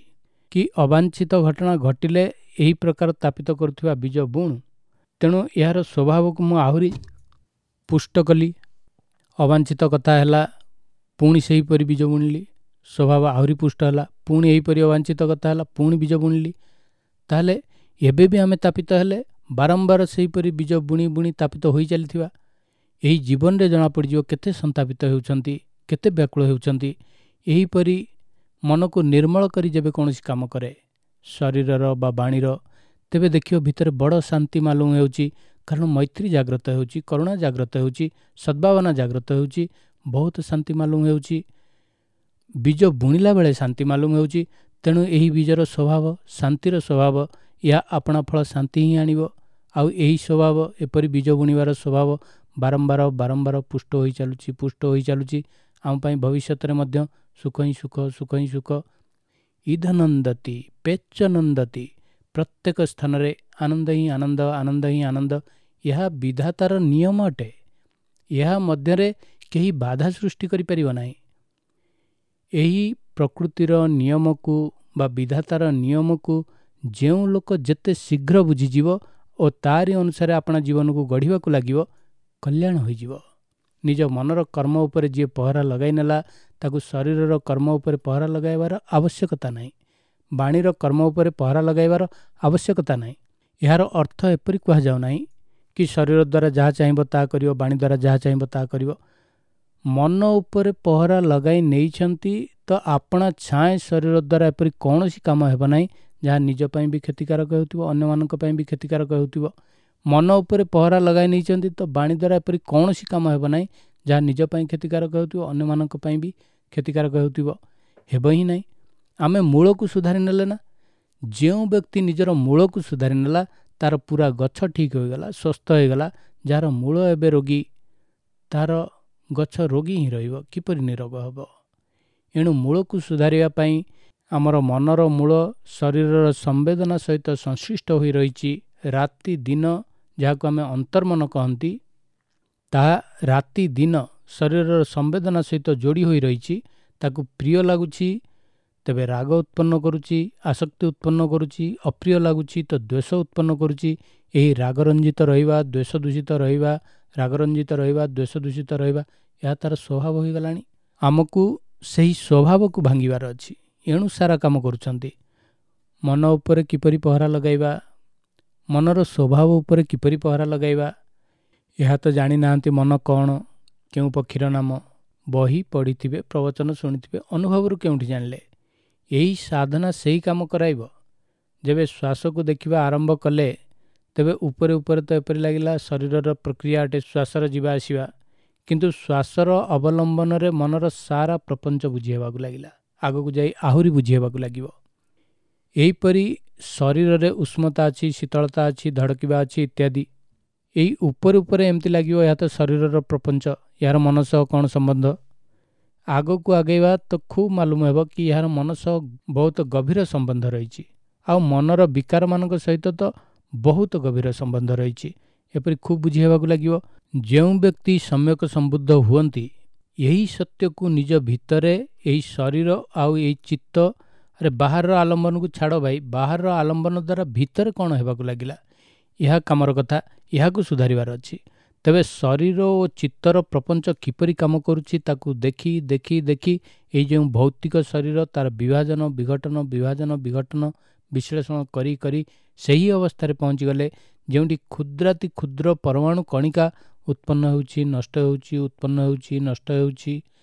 କି ଅବାଞ୍ଛିତ ଘଟଣା ଘଟିଲେ ଏହି ପ୍ରକାର ତାପିତ କରୁଥିବା ବୀଜ ବୁଣୁ, ତେଣୁ ଏହାର ସ୍ୱଭାବକୁ ମୁଁ ଆହୁରି ପୁଷ୍ଟ କଲି। ଅବାଞ୍ଛିତ କଥା ହେଲା, ପୁଣି ସେହିପରି ବୀଜ ବୁଣିଲି, ସ୍ୱଭାବ ଆହୁରି ପୁଷ୍ଟ ହେଲା। ପୁଣି ଏହିପରି ଅବାଞ୍ଛିତ କଥା ହେଲା, ପୁଣି ବୀଜ ବୁଣିଲି। ତାହେଲେ ଏବେ ବି ଆମେ ତାପିତ ହେଲେ ବାରମ୍ବାର ସେହିପରି ବୀଜ ବୁଣି ବୁଣି ତାପିତ ହୋଇ ଚାଲିଥିବା। ଏହି ଜୀବନରେ ଜଣାପଡ଼ିଯିବ କେତେ ସନ୍ତାପିତ ହେଉଛନ୍ତି, କେତେ ବ୍ୟାକୁଳ ହେଉଛନ୍ତି। ଏହିପରି ମନକୁ ନିର୍ମଳ କରି ଯେବେ କୌଣସି କାମ କରେ ଶରୀରର ବା ବାଣୀର, ତେବେ ଦେଖିବ ଭିତରେ ବଡ଼ ଶାନ୍ତି ମାଲୁମ ହେଉଛି। କାରଣ ମୈତ୍ରୀ ଜାଗ୍ରତ ହେଉଛି, କରୁଣା ଜାଗ୍ରତ ହେଉଛି, ସଦ୍ଭାବନା ଜାଗ୍ରତ ହେଉଛି, ବହୁତ ଶାନ୍ତି ମାଲୁମ ହେଉଛି। ବୀଜ ବୁଣିଲା ବେଳେ ଶାନ୍ତି ମାଲୁମ ହେଉଛି। ତେଣୁ ଏହି ବୀଜର ସ୍ୱଭାବ ଶାନ୍ତିର ସ୍ୱଭାବ, ଏହା ଆପଣା ଫଳ ଶାନ୍ତି ହିଁ ଆଣିବ। ଆଉ ଏହି ସ୍ୱଭାବ, ଏପରି ବୀଜ ବୁଣିବାର ସ୍ୱଭାବ ବାରମ୍ବାର ବାରମ୍ବାର ପୁଷ୍ଟ ହୋଇ ଚାଲୁଛି, ପୁଷ୍ଟ ହୋଇ ଚାଲୁଛି। ଆମ ପାଇଁ ଭବିଷ୍ୟତରେ ମଧ୍ୟ ସୁଖ ହିଁ ସୁଖ, ସୁଖ ହିଁ ସୁଖ। ଇଧନନ୍ଦତି ପେଚନନ୍ଦତି, ପ୍ରତ୍ୟେକ ସ୍ଥାନରେ ଆନନ୍ଦ ହିଁ ଆନନ୍ଦ, ଆନନ୍ଦ ହିଁ ଆନନ୍ଦ। ଏହା ବିଧାତାର ନିୟମ ଅଟେ। ଏହା ମଧ୍ୟରେ କେହି ବାଧା ସୃଷ୍ଟି କରିପାରିବ ନାହିଁ। ଏହି ପ୍ରକୃତିର ନିୟମକୁ ବା ବିଧାତାର ନିୟମକୁ ଯେଉଁ ଲୋକ ଯେତେ ଶୀଘ୍ର ବୁଝିଯିବ ଓ ତାରି ଅନୁସାରେ ଆପଣା ଜୀବନକୁ ଗଢ଼ିବାକୁ ଲାଗିବ, କଲ୍ୟାଣ ହୋଇଯିବ। ନିଜ ମନର କର୍ମ ଉପରେ ଯିଏ ପହରା ଲଗାଇ ନେଲା, ତାକୁ ଶରୀରର କର୍ମ ଉପରେ ପହରା ଲଗାଇବାର ଆବଶ୍ୟକତା ନାହିଁ, ବାଣୀର କର୍ମ ଉପରେ ପହରା ଲଗାଇବାର ଆବଶ୍ୟକତା ନାହିଁ। ଏହାର ଅର୍ଥ ଏପରି କୁହାଯାଉ ନାହିଁ କି ଶରୀର ଦ୍ୱାରା ଯାହା ଚାହିଁବ ତାହା କରିବ, ବାଣୀ ଦ୍ୱାରା ଯାହା ଚାହିଁବ ତାହା କରିବ। ମନ ଉପରେ ପହରା ଲଗାଇ ନେଇଛନ୍ତି ତ ଆପଣା ଛାଏଁ ଶରୀର ଦ୍ୱାରା ଏପରି କୌଣସି କାମ ହେବ ନାହିଁ ଯାହା ନିଜ ପାଇଁ ବି କ୍ଷତିକାରକ ହେଉଥିବ, ଅନ୍ୟମାନଙ୍କ ପାଇଁ ବି କ୍ଷତିକାରକ ହେଉଥିବ। ମନ ଉପରେ ପହରା ଲଗାଇ ନେଇଛନ୍ତି ତ ବାଣୀ ଦ୍ୱାରା ଏପରି କୌଣସି କାମ ହେବ ନାହିଁ ଯାହା ନିଜ ପାଇଁ କ୍ଷତିକାରକ ହେଉଥିବ, ଅନ୍ୟମାନଙ୍କ ପାଇଁ ବି କ୍ଷତିକାରକ ହେଉଥିବ। ହେବ ହିଁ ନାହିଁ। ଆମେ ମୂଳକୁ ସୁଧାରି ନେଲେ ନା। ଯେଉଁ ବ୍ୟକ୍ତି ନିଜର ମୂଳକୁ ସୁଧାରି ନେଲା ତାର ପୁରା ଗଛ ଠିକ୍ ହୋଇଗଲା, ସୁସ୍ଥ ହୋଇଗଲା। ଯାହାର ମୂଳ ଏବେ ରୋଗୀ, ତାର ଗଛ ରୋଗୀ ହିଁ ରହିବ, କିପରି ନିରୋଗ ହେବ? ଏଣୁ ମୂଳକୁ ସୁଧାରିବା ପାଇଁ ଆମର ମନର ମୂଳ ଶରୀରର ସମ୍ବେଦନା ସହିତ ସଂଶ୍ଳିଷ୍ଟ ହୋଇ ରହିଛି। ରାତି ଦିନ ଯାହାକୁ ଆମେ ଅନ୍ତର୍ମନ କହନ୍ତି, ତାହା ରାତି ଦିନ ଶରୀରର ସମ୍ବେଦନା ସହିତ ଯୋଡ଼ି ହୋଇ ରହିଛି। ତାକୁ ପ୍ରିୟ ଲାଗୁଛି ତେବେ ରାଗ ଉତ୍ପନ୍ନ କରୁଛି, ଆସକ୍ତି ଉତ୍ପନ୍ନ କରୁଛି। ଅପ୍ରିୟ ଲାଗୁଛି ତ ଦ୍ୱେଷ ଉତ୍ପନ୍ନ କରୁଛି। ଏହି ରାଗରଞ୍ଜିତ ରହିବା, ଦ୍ୱେଷ ଦୂଷିତ ରହିବା, ରାଗରଞ୍ଜିତ ରହିବା, ଦ୍ୱେଷ ଦୂଷିତ ରହିବା, ଏହା ତା'ର ସ୍ୱଭାବ ହୋଇଗଲାଣି। ଆମକୁ ସେହି ସ୍ୱଭାବକୁ ଭାଙ୍ଗିବାର ଅଛି। ଏଣୁ ସାରା କାମ କରୁଛନ୍ତି। ମନ ଉପରେ କିପରି ପହରା ଲଗାଇବା, ମନର ସ୍ୱଭାବ ଉପରେ କିପରି ପହରା ଲଗାଇବା, ଏହା ତ ଜାଣିନାହାନ୍ତି। ମନ କ'ଣ, କେଉଁ ପକ୍ଷୀର ନାମ, ବହି ପଢ଼ିଥିବେ, ପ୍ରବଚନ ଶୁଣିଥିବେ, ଅନୁଭବରୁ କେଉଁଠି ଜାଣିଲେ? ଏହି ସାଧନା ସେହି କାମ କରାଇବ। ଯେବେ ଶ୍ୱାସକୁ ଦେଖିବା ଆରମ୍ଭ କଲେ, ତେବେ ଉପରେ ଉପରେ ତ ଏପରି ଲାଗିଲା ଶରୀରର ପ୍ରକ୍ରିୟା ଅଟେ ଶ୍ୱାସର ଯିବା ଆସିବା, କିନ୍ତୁ ଶ୍ୱାସର ଅବଲମ୍ବନରେ ମନର ସାରା ପ୍ରପଞ୍ଚ ବୁଝି ହେବାକୁ ଲାଗିଲା। ଆଗକୁ ଯାଇ ଆହୁରି ବୁଝି ହେବାକୁ ଲାଗିବ। ଏହିପରି ଶରୀରରେ ଉଷ୍ମତା ଅଛି, ଶୀତଳତା ଅଛି, ଧଡ଼କିବା ଅଛି ଇତ୍ୟାଦି। ଏଇ ଉପରେ ଉପରେ ଏମିତି ଲାଗିବ ଏହା ତ ଶରୀରର ପ୍ରପଞ୍ଚ, ଏହାର ମନ ସହ କ'ଣ ସମ୍ବନ୍ଧ? ଆଗକୁ ଆଗେଇବା ତ ଖୁବ୍ ମାଲୁମ ହେବ କି ଏହାର ମନ ସହ ବହୁତ ଗଭୀର ସମ୍ବନ୍ଧ ରହିଛି। ଆଉ ମନର ବିକାରମାନଙ୍କ ସହିତ ତ ବହୁତ ଗଭୀର ସମ୍ବନ୍ଧ ରହିଛି। ଏପରି ଖୁବ୍ ବୁଝି ହେବାକୁ ଲାଗିବ। ଯେଉଁ ବ୍ୟକ୍ତି ସମ୍ୟକ ସମ୍ବୁଦ୍ଧ ହୁଅନ୍ତି, ଏହି ସତ୍ୟକୁ ନିଜ ଭିତରେ, ଏହି ଶରୀର ଆଉ ଏହି ଚିତ୍ତ, ଆରେ ବାହାରର ଆଲମ୍ବନକୁ ଛାଡ଼ ଭାଇ, ବାହାରର ଆଲମ୍ବନ ଦ୍ୱାରା ଭିତରେ କ'ଣ ହେବାକୁ ଲାଗିଲା, ଏହା କାମର କଥା, ଏହାକୁ ସୁଧାରିବାର ଅଛି। ତେବେ ଶରୀର ଓ ଚିତ୍ତର ପ୍ରପଞ୍ଚ କିପରି କାମ କରୁଛି ତାକୁ ଦେଖି ଦେଖି ଦେଖି ଏଇ ଯେଉଁ ଭୌତିକ ଶରୀର ତାର ବିଭାଜନ ବିଘଟନ ବିଭାଜନ ବିଘଟନ ବିଶ୍ଳେଷଣ କରି କରି ସେହି ଅବସ୍ଥାରେ ପହଞ୍ଚିଗଲେ ଯେଉଁଠି କ୍ଷୁଦ୍ରାତି କ୍ଷୁଦ୍ର ପରମାଣୁ କଣିକା ଉତ୍ପନ୍ନ ହେଉଛି, ନଷ୍ଟ ହେଉଛି, ଉତ୍ପନ୍ନ ହେଉଛି, ନଷ୍ଟ ହେଉଛି।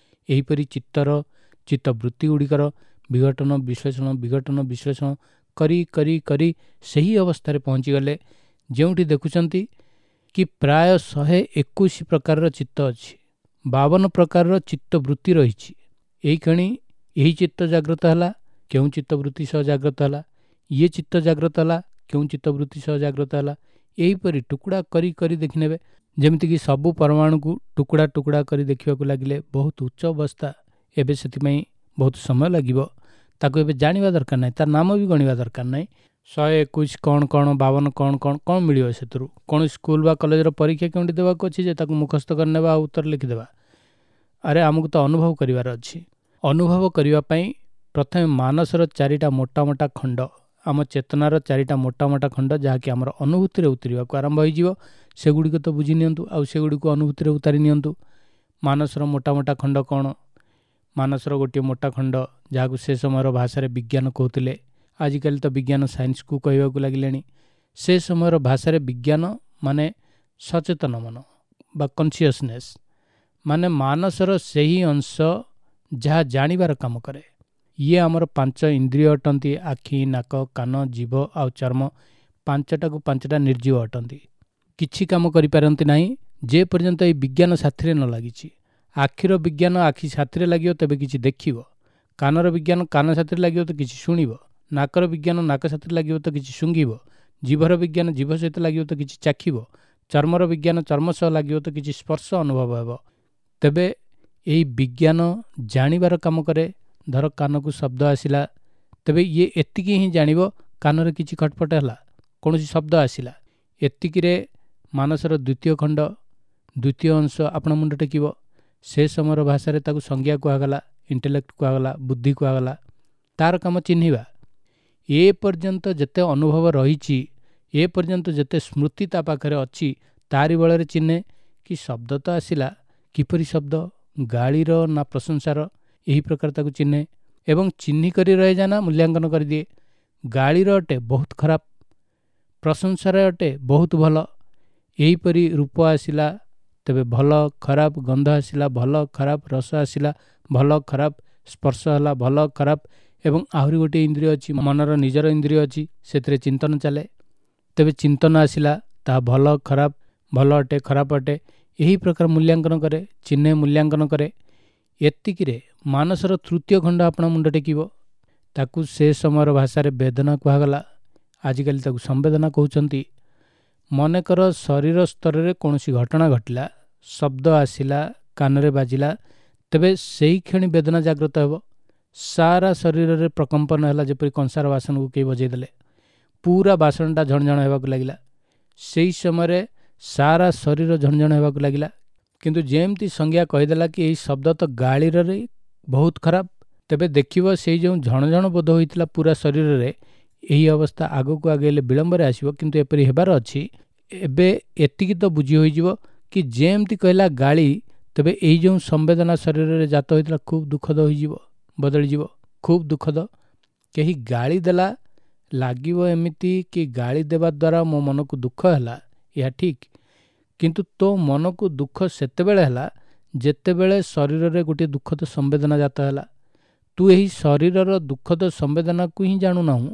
ଏହିପରି ଚିତ୍ତର ଚିତ୍ତବୃତ୍ତି ଗୁଡ଼ିକର ବିଘଟନ ବିଶ୍ଳେଷଣ ବିଘଟନ ବିଶ୍ଳେଷଣ କରି କରି କରି ସେହି ଅବସ୍ଥାରେ ପହଞ୍ଚିଗଲେ ଯେଉଁଠି ଦେଖୁଛନ୍ତି କି ପ୍ରାୟ ଶହେ ଏକୋଇଶ ପ୍ରକାରର ଚିତ୍ତ ଅଛି, ବାବନ ପ୍ରକାରର ଚିତ୍ତବୃତ୍ତି ରହିଛି। ଏଇକ୍ଷଣି ଏହି ଚିତ୍ତ ଜାଗ୍ରତ ହେଲା, କେଉଁ ଚିତ୍ତବୃତ୍ତି ସହ ଜାଗ୍ରତ ହେଲା, ଇଏ ଚିତ୍ତ ଜାଗ୍ରତ ହେଲା, କେଉଁ ଚିତ୍ତବୃତ୍ତି ସହ ଜାଗ୍ରତ ହେଲା, ଏହିପରି ଟୁକୁଡ଼ା କରି କରି ଦେଖିନେବେ। ଯେମିତିକି ସବୁ ପରମାଣୁକୁ ଟୁକୁଡ଼ା ଟୁକୁଡ଼ା କରି ଦେଖିବାକୁ ଲାଗିଲେ ବହୁତ ଉଚ୍ଚ ଅବସ୍ଥା। ଏବେ ସେଥିପାଇଁ ବହୁତ ସମୟ ଲାଗିବ, ତାକୁ ଏବେ ଜାଣିବା ଦରକାର ନାହିଁ, ତାର ନାମ ବି ଗଣିବା ଦରକାର ନାହିଁ। ଶହେ ଏକୋଇଶ କ'ଣ କ'ଣ, ବାବନ କ'ଣ କ'ଣ, କ'ଣ ମିଳିବ ସେଥିରୁ? କୌଣସି ସ୍କୁଲ ବା କଲେଜର ପରୀକ୍ଷା କେଉଁଠି ଦେବାକୁ ଅଛି ଯେ ତାକୁ ମୁଖସ୍ଥ କରିନେବା ଆଉ ଉତ୍ତର ଲେଖିଦେବା? ଆରେ ଆମକୁ ତ ଅନୁଭବ କରିବାର ଅଛି। ଅନୁଭବ କରିବା ପାଇଁ ପ୍ରଥମେ ମାନସର ଚାରିଟା ମୋଟା ମୋଟା ଖଣ୍ଡ, ଆମ ଚେତନାର ଚାରିଟା ମୋଟା ମୋଟା ଖଣ୍ଡ ଯାହାକି ଆମର ଅନୁଭୂତିରେ ଉତରିବାକୁ ଆରମ୍ଭ ହୋଇଯିବ, ସେଗୁଡ଼ିକ ତ ବୁଝି ନିଅନ୍ତୁ ଆଉ ସେଗୁଡ଼ିକୁ ଅନୁଭୂତିରେ ଉତାରି ନିଅନ୍ତୁ। ମାନସର ମୋଟା ମୋଟା ଖଣ୍ଡ କ'ଣ? ମାନସର ଗୋଟିଏ ମୋଟା ଖଣ୍ଡ ଯାହାକୁ ସେ ସମୟର ଭାଷାରେ ବିଜ୍ଞାନ କହୁଥିଲେ, ଆଜିକାଲି ତ ବିଜ୍ଞାନ ସାଇନ୍ସକୁ କହିବାକୁ ଲାଗିଲେଣି। ସେ ସମୟର ଭାଷାରେ ବିଜ୍ଞାନ ମାନେ ସଚେତନ ମନ ବା କନସିୟସନେସ୍, ମାନେ ମାନସର ସେହି ଅଂଶ ଯାହା ଜାଣିବାର କାମ କରେ। ଇଏ ଆମର ପାଞ୍ଚ ଇନ୍ଦ୍ରିୟ ଅଟନ୍ତି, ଆଖି, ନାକ, କାନ, ଜିଭ ଆଉ ଚର୍ମ। ପାଞ୍ଚଟାକୁ ପାଞ୍ଚଟା ନିର୍ଜୀବ ଅଟନ୍ତି, କିଛି କାମ କରିପାରନ୍ତି ନାହିଁ ଯେ ପର୍ଯ୍ୟନ୍ତ ଏଇ ବିଜ୍ଞାନ ସାଥିରେ ନ ଲାଗିଛି। ଆଖିର ବିଜ୍ଞାନ ଆଖି ସାଥିରେ ଲାଗିବ ତେବେ କିଛି ଦେଖିବ, କାନର ବିଜ୍ଞାନ କାନ ସାଥିରେ ଲାଗିବ ତ କିଛି ଶୁଣିବ, ନାକର ବିଜ୍ଞାନ ନାକ ସାଥିରେ ଲାଗିବ ତ କିଛି ଶୁଙ୍ଘିବ, ଜିଭର ବିଜ୍ଞାନ ଜିଭ ସହିତ ଲାଗିବ ତ କିଛି ଚାଖିବ, ଚର୍ମର ବିଜ୍ଞାନ ଚର୍ମ ସହ ଲାଗିବ ତ କିଛି ସ୍ପର୍ଶ ଅନୁଭବ ହେବ। ତେବେ ଏହି ବିଜ୍ଞାନ ଜାଣିବାର କାମ କରେ। ଧର କାନକୁ ଶବ୍ଦ ଆସିଲା, ତେବେ ଇଏ ଏତିକି ହିଁ ଜାଣିବ କାନରେ କିଛି ଖଟପଟ ହେଲା, କୌଣସି ଶବ୍ଦ ଆସିଲା, ଏତିକିରେ ମାନସର ଦ୍ୱିତୀୟ ଖଣ୍ଡ ଦ୍ୱିତୀୟ ଅଂଶ ଆପଣ ମୁଣ୍ଡ ଟେକିବ। ସେ ସମୟର ଭାଷାରେ ତାକୁ ସଂଜ୍ଞା କୁହାଗଲା, ଇଣ୍ଟେଲେକ୍ଟ କୁହାଗଲା, ବୁଦ୍ଧି କୁହାଗଲା। ତାର କାମ ଚିହ୍ନିବା। ଏ ପର୍ଯ୍ୟନ୍ତ ଯେତେ ଅନୁଭବ ରହିଛି, ଏ ପର୍ଯ୍ୟନ୍ତ ଯେତେ ସ୍ମୃତି ତା ପାଖରେ ଅଛି, ତାରି ବଳରେ ଚିହ୍ନେ କି ଶବ୍ଦ ତ ଆସିଲା, କିପରି ଶବ୍ଦ, ଗାଳିର ନା ପ୍ରଶଂସାର, ଏହି ପ୍ରକାର ତାକୁ ଚିହ୍ନେ। ଏବଂ ଚିହ୍ନି କରି ରହିଯାଏ ନା ମୂଲ୍ୟାଙ୍କନ କରିଦିଏ। ଗାଳିର ଅଟେ ବହୁତ ଖରାପ, ପ୍ରଶଂସାରେ ଅଟେ, ବହୁତ ଭଲ। ଏହିପରି ରୂପ ଆସିଲା ତେବେ ଭଲ ଖରାପ, ଗନ୍ଧ ଆସିଲା ଭଲ ଖରାପ, ରସ ଆସିଲା ଭଲ ଖରାପ, ସ୍ପର୍ଶ ହେଲା ଭଲ ଖରାପ। ଏବଂ ଆହୁରି ଗୋଟିଏ ଇନ୍ଦ୍ରିୟ ଅଛି, ମନର ନିଜର ଇନ୍ଦ୍ରିୟ ଅଛି, ସେଥିରେ ଚିନ୍ତନ ଚାଲେ। ତେବେ ଚିନ୍ତନ ଆସିଲା, ତାହା ଭଲ ଖରାପ, ଭଲ ଅଟେ ଖରାପ ଅଟେ, ଏହି ପ୍ରକାର ମୂଲ୍ୟାଙ୍କନ କରେ, ଚିହ୍ନେ ମୂଲ୍ୟାଙ୍କନ କରେ। ଏତିକିରେ ମାନସର ତୃତୀୟ ଖଣ୍ଡ ଆପଣ ମୁଣ୍ଡ ଟେକିବ। ତାକୁ ସେ ସମୟର ଭାଷାରେ ବେଦନା କୁହାଗଲା, ଆଜିକାଲି ତାକୁ ସମ୍ବେଦନା କହୁଛନ୍ତି। ମନେକର ଶରୀର ସ୍ତରରେ କୌଣସି ଘଟଣା ଘଟିଲା, ଶବ୍ଦ ଆସିଲା, କାନରେ ବାଜିଲା, ତେବେ ସେଇ କ୍ଷଣି ବେଦନା ଜାଗ୍ରତ ହେବ। ସାରା ଶରୀରରେ ପ୍ରକମ୍ପନ ହେଲା, ଯେପରି କଂସାର ବାସନକୁ କେହି ବଜେଇ ଦେଲେ, ପୁରା ବାସନଟା ଝଣଝଣ ହେବାକୁ ଲାଗିଲା। ସେଇ ସମୟରେ ସାରା ଶରୀର ଝଣଝଣ ହେବାକୁ ଲାଗିଲା। କିନ୍ତୁ ଯେମିତି ସଂଜ୍ଞା କହିଦେଲା କି ଏହି ଶବ୍ଦ ତ ଗାଳିରରେ ବହୁତ ଖରାପ, ତେବେ ଦେଖିବ ସେଇ ଯେଉଁ ଝଣଝଣ ବୋଧ ହୋଇଥିଲା ପୁରା ଶରୀରରେ, ଏହି ଅବସ୍ଥା ଆଗକୁ ଆଗେଇଲେ ବିଳମ୍ବରେ ଆସିବ, କିନ୍ତୁ ଏପରି ହେବାର ଅଛି। ଏବେ ଏତିକି ତ ବୁଝି ହୋଇଯିବ କି ଯେମିତି କହିଲା ଗାଳି, ତେବେ ଏଇ ଯେଉଁ ସମ୍ବେଦନା ଶରୀରରେ ଜାତ ହୋଇଥିଲା ଖୁବ୍ ଦୁଃଖଦ ହୋଇଯିବ, ବଦଳିଯିବ, ଖୁବ୍ ଦୁଃଖଦ। କେହି ଗାଳି ଦେଲା, ଲାଗିବ ଏମିତି କି ଗାଳି ଦେବା ଦ୍ୱାରା ମୋ ମନକୁ ଦୁଃଖ ହେଲା, ଏହା ଠିକ୍। କିନ୍ତୁ ତୋ ମନକୁ ଦୁଃଖ ସେତେବେଳେ ହେଲା ଯେତେବେଳେ ଶରୀରରେ ଗୋଟିଏ ଦୁଃଖଦ ସମ୍ବେଦନା ଜାତ ହେଲା। ତୁ ଏହି ଶରୀରର ଦୁଃଖଦ ସମ୍ବେଦନାକୁ ହିଁ ଜାଣୁନାହୁଁ,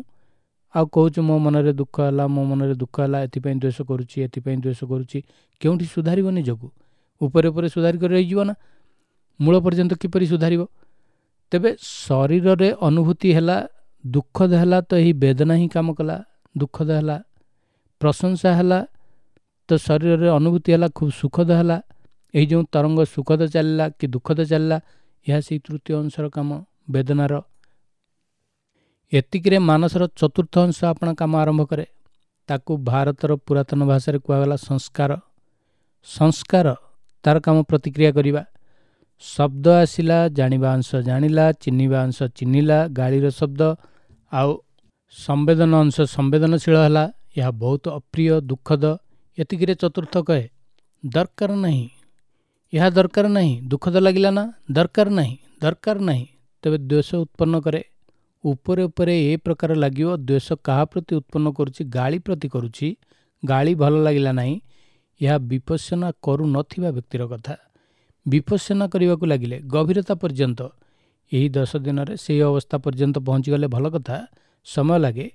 ଆଉ କହୁଛୁ ମୋ ମନରେ ଦୁଃଖ ହେଲା, ମୋ ମନରେ ଦୁଃଖ ହେଲା, ଏଥିପାଇଁ ଦ୍ୱେଷ କରୁଛି, ଏଥିପାଇଁ ଦ୍ୱେଷ କରୁଛି। କେଉଁଠି ସୁଧାରିବ ନିଜକୁ? ଉପରେ ଉପରେ ସୁଧାରି କରି ରହିଯିବ ନା, ମୂଳ ପର୍ଯ୍ୟନ୍ତ କିପରି ସୁଧାରିବ? ତେବେ ଶରୀରରେ ଅନୁଭୂତି ହେଲା, ଦୁଃଖଦ ହେଲା, ତ ଏହି ବେଦନା ହିଁ କାମ କଲା, ଦୁଃଖଦ ହେଲା। ପ୍ରଶଂସା ହେଲା ତ ଶରୀରରେ ଅନୁଭୂତି ହେଲା, ଖୁବ୍ ସୁଖଦ ହେଲା। ଏହି ଯେଉଁ ତରଙ୍ଗ ସୁଖଦ ଚାଲିଲା କି ଦୁଃଖଦ ଚାଲିଲା, ଏହା ସେଇ ତୃତୀୟ ଅଂଶର କାମ, ବେଦନାର। ଏତିକିରେ ମାନସର ଚତୁର୍ଥ ଅଂଶ ଆପଣ କାମ ଆରମ୍ଭ କରେ। ତାକୁ ଭାରତର ପୁରାତନ ଭାଷାରେ କୁହାଗଲା ସଂସ୍କାର। ସଂସ୍କାର ତାର କାମ ପ୍ରତିକ୍ରିୟା କରିବା। ଶବ୍ଦ ଆସିଲା, ଜାଣିବା ଅଂଶ ଜାଣିଲା, ଚିହ୍ନିବା ଅଂଶ ଚିହ୍ନିଲା, ଗାଳିର ଶବ୍ଦ, ଆଉ ସମ୍ବେଦନ ଅଂଶ ସମ୍ବେଦନଶୀଳ ହେଲା, ଏହା ବହୁତ ଅପ୍ରିୟ ଦୁଃଖଦ। ଏତିକିରେ ଚତୁର୍ଥ କହେ ଦରକାର ନାହିଁ, ଏହା ଦରକାର ନାହିଁ, ଦୁଃଖଦ ଲାଗିଲା ନା, ଦରକାର ନାହିଁ, ଦରକାର ନାହିଁ। ତେବେ ଦ୍ୱେଷ ଉତ୍ପନ୍ନ କରେ। ଉପରେ ଉପରେ ଏ ପ୍ରକାର ଲାଗିବ, ଦ୍ୱେଷ କାହା ପ୍ରତି ଉତ୍ପନ୍ନ କରୁଛି? ଗାଳି ପ୍ରତି କରୁଛି, ଗାଳି ଭଲ ଲାଗିଲା ନାହିଁ। ଏହା ବିପස්සନା କରୁନଥିବା ବ୍ୟକ୍ତିର କଥା। ବିପස්සନା କରିବାକୁ ଲାଗିଲେ ଗଭୀରତା ପର୍ଯ୍ୟନ୍ତ, ଏହି ଦଶ ଦିନରେ ସେହି ଅବସ୍ଥା ପର୍ଯ୍ୟନ୍ତ ପହଞ୍ଚିଗଲେ ଭଲ କଥା, ସମୟ ଲାଗେ।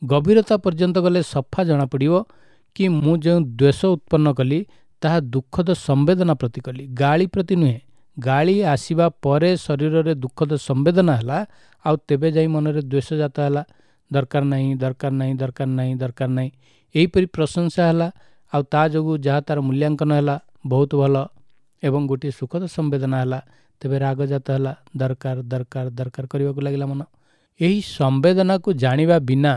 ଗଭୀରତା ପର୍ଯ୍ୟନ୍ତ ଗଲେ ସଫା ଜଣାପଡ଼ିବ କି ମୁଁ ଯେଉଁ ଦ୍ୱେଷ ଉତ୍ପନ୍ନ କଲି ତାହା ଦୁଃଖଦ ସମ୍ବେଦନା ପ୍ରତି କଲି, ଗାଳି ପ୍ରତି ନୁହେଁ। ଗାଳି ଆସିବା ପରେ ଶରୀରରେ ଦୁଃଖଦ ସମ୍ବେଦନା ହେଲା, ଆଉ ତେବେ ଯାଇ ମନରେ ଦ୍ୱେଷ ଜାତ ହେଲା, ଦରକାର ନାହିଁ, ଦରକାର ନାହିଁ, ଦରକାର ନାହିଁ, ଦରକାର ନାହିଁ। ଏହିପରି ପ୍ରଶଂସା ହେଲା, ଆଉ ତା ଯୋଗୁଁ ଯାହା ତାର ମୂଲ୍ୟାଙ୍କନ ହେଲା ବହୁତ ଭଲ, ଏବଂ ଗୋଟିଏ ସୁଖଦ ସମ୍ବେଦନା ହେଲା, ତେବେ ରାଗ ଜାତ ହେଲା, ଦରକାର ଦରକାର ଦରକାର କରିବାକୁ ଲାଗିଲା ମନ। ଏହି ସମ୍ବେଦନାକୁ ଜାଣିବା ବିନା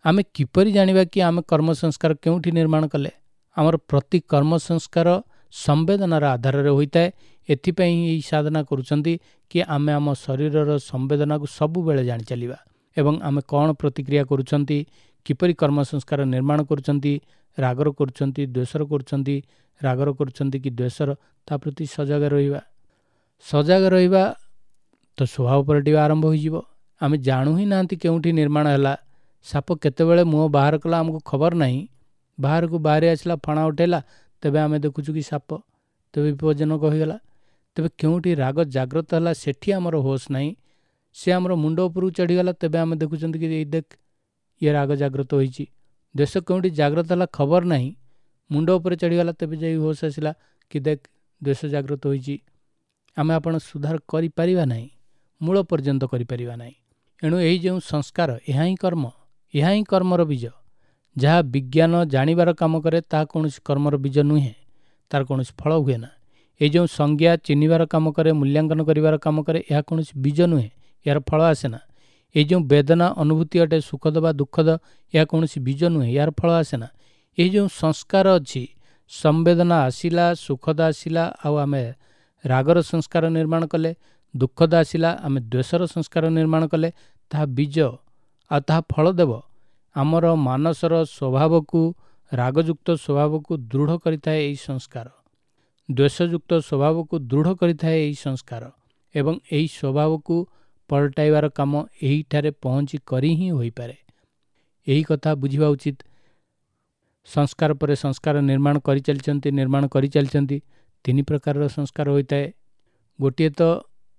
ଆମେ କିପରି ଜାଣିବା କି ଆମେ କର୍ମ ସଂସ୍କାର କେଉଁଠି ନିର୍ମାଣ କଲେ? ଆମର ପ୍ରତି କର୍ମ ସଂସ୍କାର ସମ୍ବେଦନାର ଆଧାରରେ ହୋଇଥାଏ। ଏଥିପାଇଁ ଏହି ସାଧନା କରୁଛନ୍ତି କି ଆମେ ଆମ ଶରୀରର ସମ୍ବେଦନାକୁ ସବୁବେଳେ ଜାଣି ଚାଲିବା, ଏବଂ ଆମେ କ'ଣ ପ୍ରତିକ୍ରିୟା କରୁଛନ୍ତି, କିପରି କର୍ମ ସଂସ୍କାର ନିର୍ମାଣ କରୁଛନ୍ତି, ରାଗର କରୁଛନ୍ତି, ଦ୍ୱେଷର କରୁଛନ୍ତି, ରାଗର କରୁଛନ୍ତି କି ଦ୍ୱେଷର, ତା ପ୍ରତି ସଜାଗ ରହିବା। ସଜାଗ ରହିବା ତ ସ୍ୱଭାବ ପଲଟିବା ଆରମ୍ଭ ହୋଇଯିବ। ଆମେ ଜାଣୁ ହିଁ ନାହାନ୍ତି କେଉଁଠି ନିର୍ମାଣ ହେଲା, ସାପ କେତେବେଳେ ମୁହଁ ବାହାର କଲା ଆମକୁ ଖବର ନାହିଁ, ବାହାରକୁ ବାହାରି ଆସିଲା, ଫଣା ଉଠେଇଲା, ତେବେ ଆମେ ଦେଖୁଛୁ କି ସାପ, ତେବେ ବିପଜ୍ଜନକ ହୋଇଗଲା। ତେବେ କେଉଁଠି ରାଗ ଜାଗ୍ରତ ହେଲା ସେଠି ଆମର ହୋସ୍ ନାହିଁ, ସେ ଆମର ମୁଣ୍ଡ ଉପରକୁ ଚଢ଼ିଗଲା, ତେବେ ଆମେ ଦେଖୁଛନ୍ତି କି ଏଇ ଦେଖ ଇଏ ରାଗ ଜାଗ୍ରତ ହୋଇଛି। ଦ୍ୱେଷ କେଉଁଠି ଜାଗ୍ରତ ହେଲା ଖବର ନାହିଁ, ମୁଣ୍ଡ ଉପରେ ଚଢ଼ିଗଲା, ତେବେ ଯାଇ ହୋସ୍ ଆସିଲା କି ଦେଖ ଦ୍ୱେଷ ଜାଗ୍ରତ ହୋଇଛି। ଆମେ ଆପଣ ସୁଧାର କରିପାରିବା ନାହିଁ, ମୂଳ ପର୍ଯ୍ୟନ୍ତ କରିପାରିବା ନାହିଁ। ଏଣୁ ଏହି ଯେଉଁ ସଂସ୍କାର, ଏହା ହିଁ କର୍ମ, ଏହା ହିଁ କର୍ମର ବୀଜ। ଯାହା ବିଜ୍ଞାନ ଜାଣିବାର କାମ କରେ ତାହା କୌଣସି କର୍ମର ବୀଜ ନୁହେଁ, ତାର କୌଣସି ଫଳ ହୁଏ ନା। ଏଇ ଯେଉଁ ସଂଜ୍ଞା ଚିହ୍ନିବାର କାମ କରେ, ମୂଲ୍ୟାଙ୍କନ କରିବାର କାମ କରେ, ଏହା କୌଣସି ବୀଜ ନୁହେଁ, ଏହାର ଫଳ ଆସେ ନା। ଏଇ ଯେଉଁ ବେଦନା ଅନୁଭୂତି ଅଟେ, ସୁଖଦ ବା ଦୁଃଖଦ, ଏହା କୌଣସି ବୀଜ ନୁହେଁ, ଏହାର ଫଳ ଆସେ ନା। ଏହି ଯେଉଁ ସଂସ୍କାର ଅଛି, ସମ୍ବେଦନା ଆସିଲା, ସୁଖଦ ଆସିଲା, ଆଉ ଆମେ ରାଗର ସଂସ୍କାର ନିର୍ମାଣ କଲେ, ଦୁଃଖଦ ଆସିଲା, ଆମେ ଦ୍ୱେଷର ସଂସ୍କାର ନିର୍ମାଣ କଲେ, ତାହା ବୀଜ ଆଉ ତାହା ଫଳ ଦେବ। ଆମର ମାନସର ସ୍ୱଭାବକୁ, ରାଗଯୁକ୍ତ ସ୍ୱଭାବକୁ ଦୃଢ଼ କରିଥାଏ ଏହି ସଂସ୍କାର, ଦ୍ୱେଷଯୁକ୍ତ ସ୍ୱଭାବକୁ ଦୃଢ଼ କରିଥାଏ ଏହି ସଂସ୍କାର, ଏବଂ ଏହି ସ୍ୱଭାବକୁ ପଲଟାଇବାର କାମ ଏହିଠାରେ ପହଞ୍ଚି କରି ହିଁ ହୋଇପାରେ। ଏହି କଥା ବୁଝିବା ଉଚିତ। ସଂସ୍କାର ପରେ ସଂସ୍କାର ନିର୍ମାଣ କରିଚାଲିଛନ୍ତି, ନିର୍ମାଣ କରିଚାଲିଛନ୍ତି। ତିନି ପ୍ରକାରର ସଂସ୍କାର ହୋଇଥାଏ। ଗୋଟିଏ ତ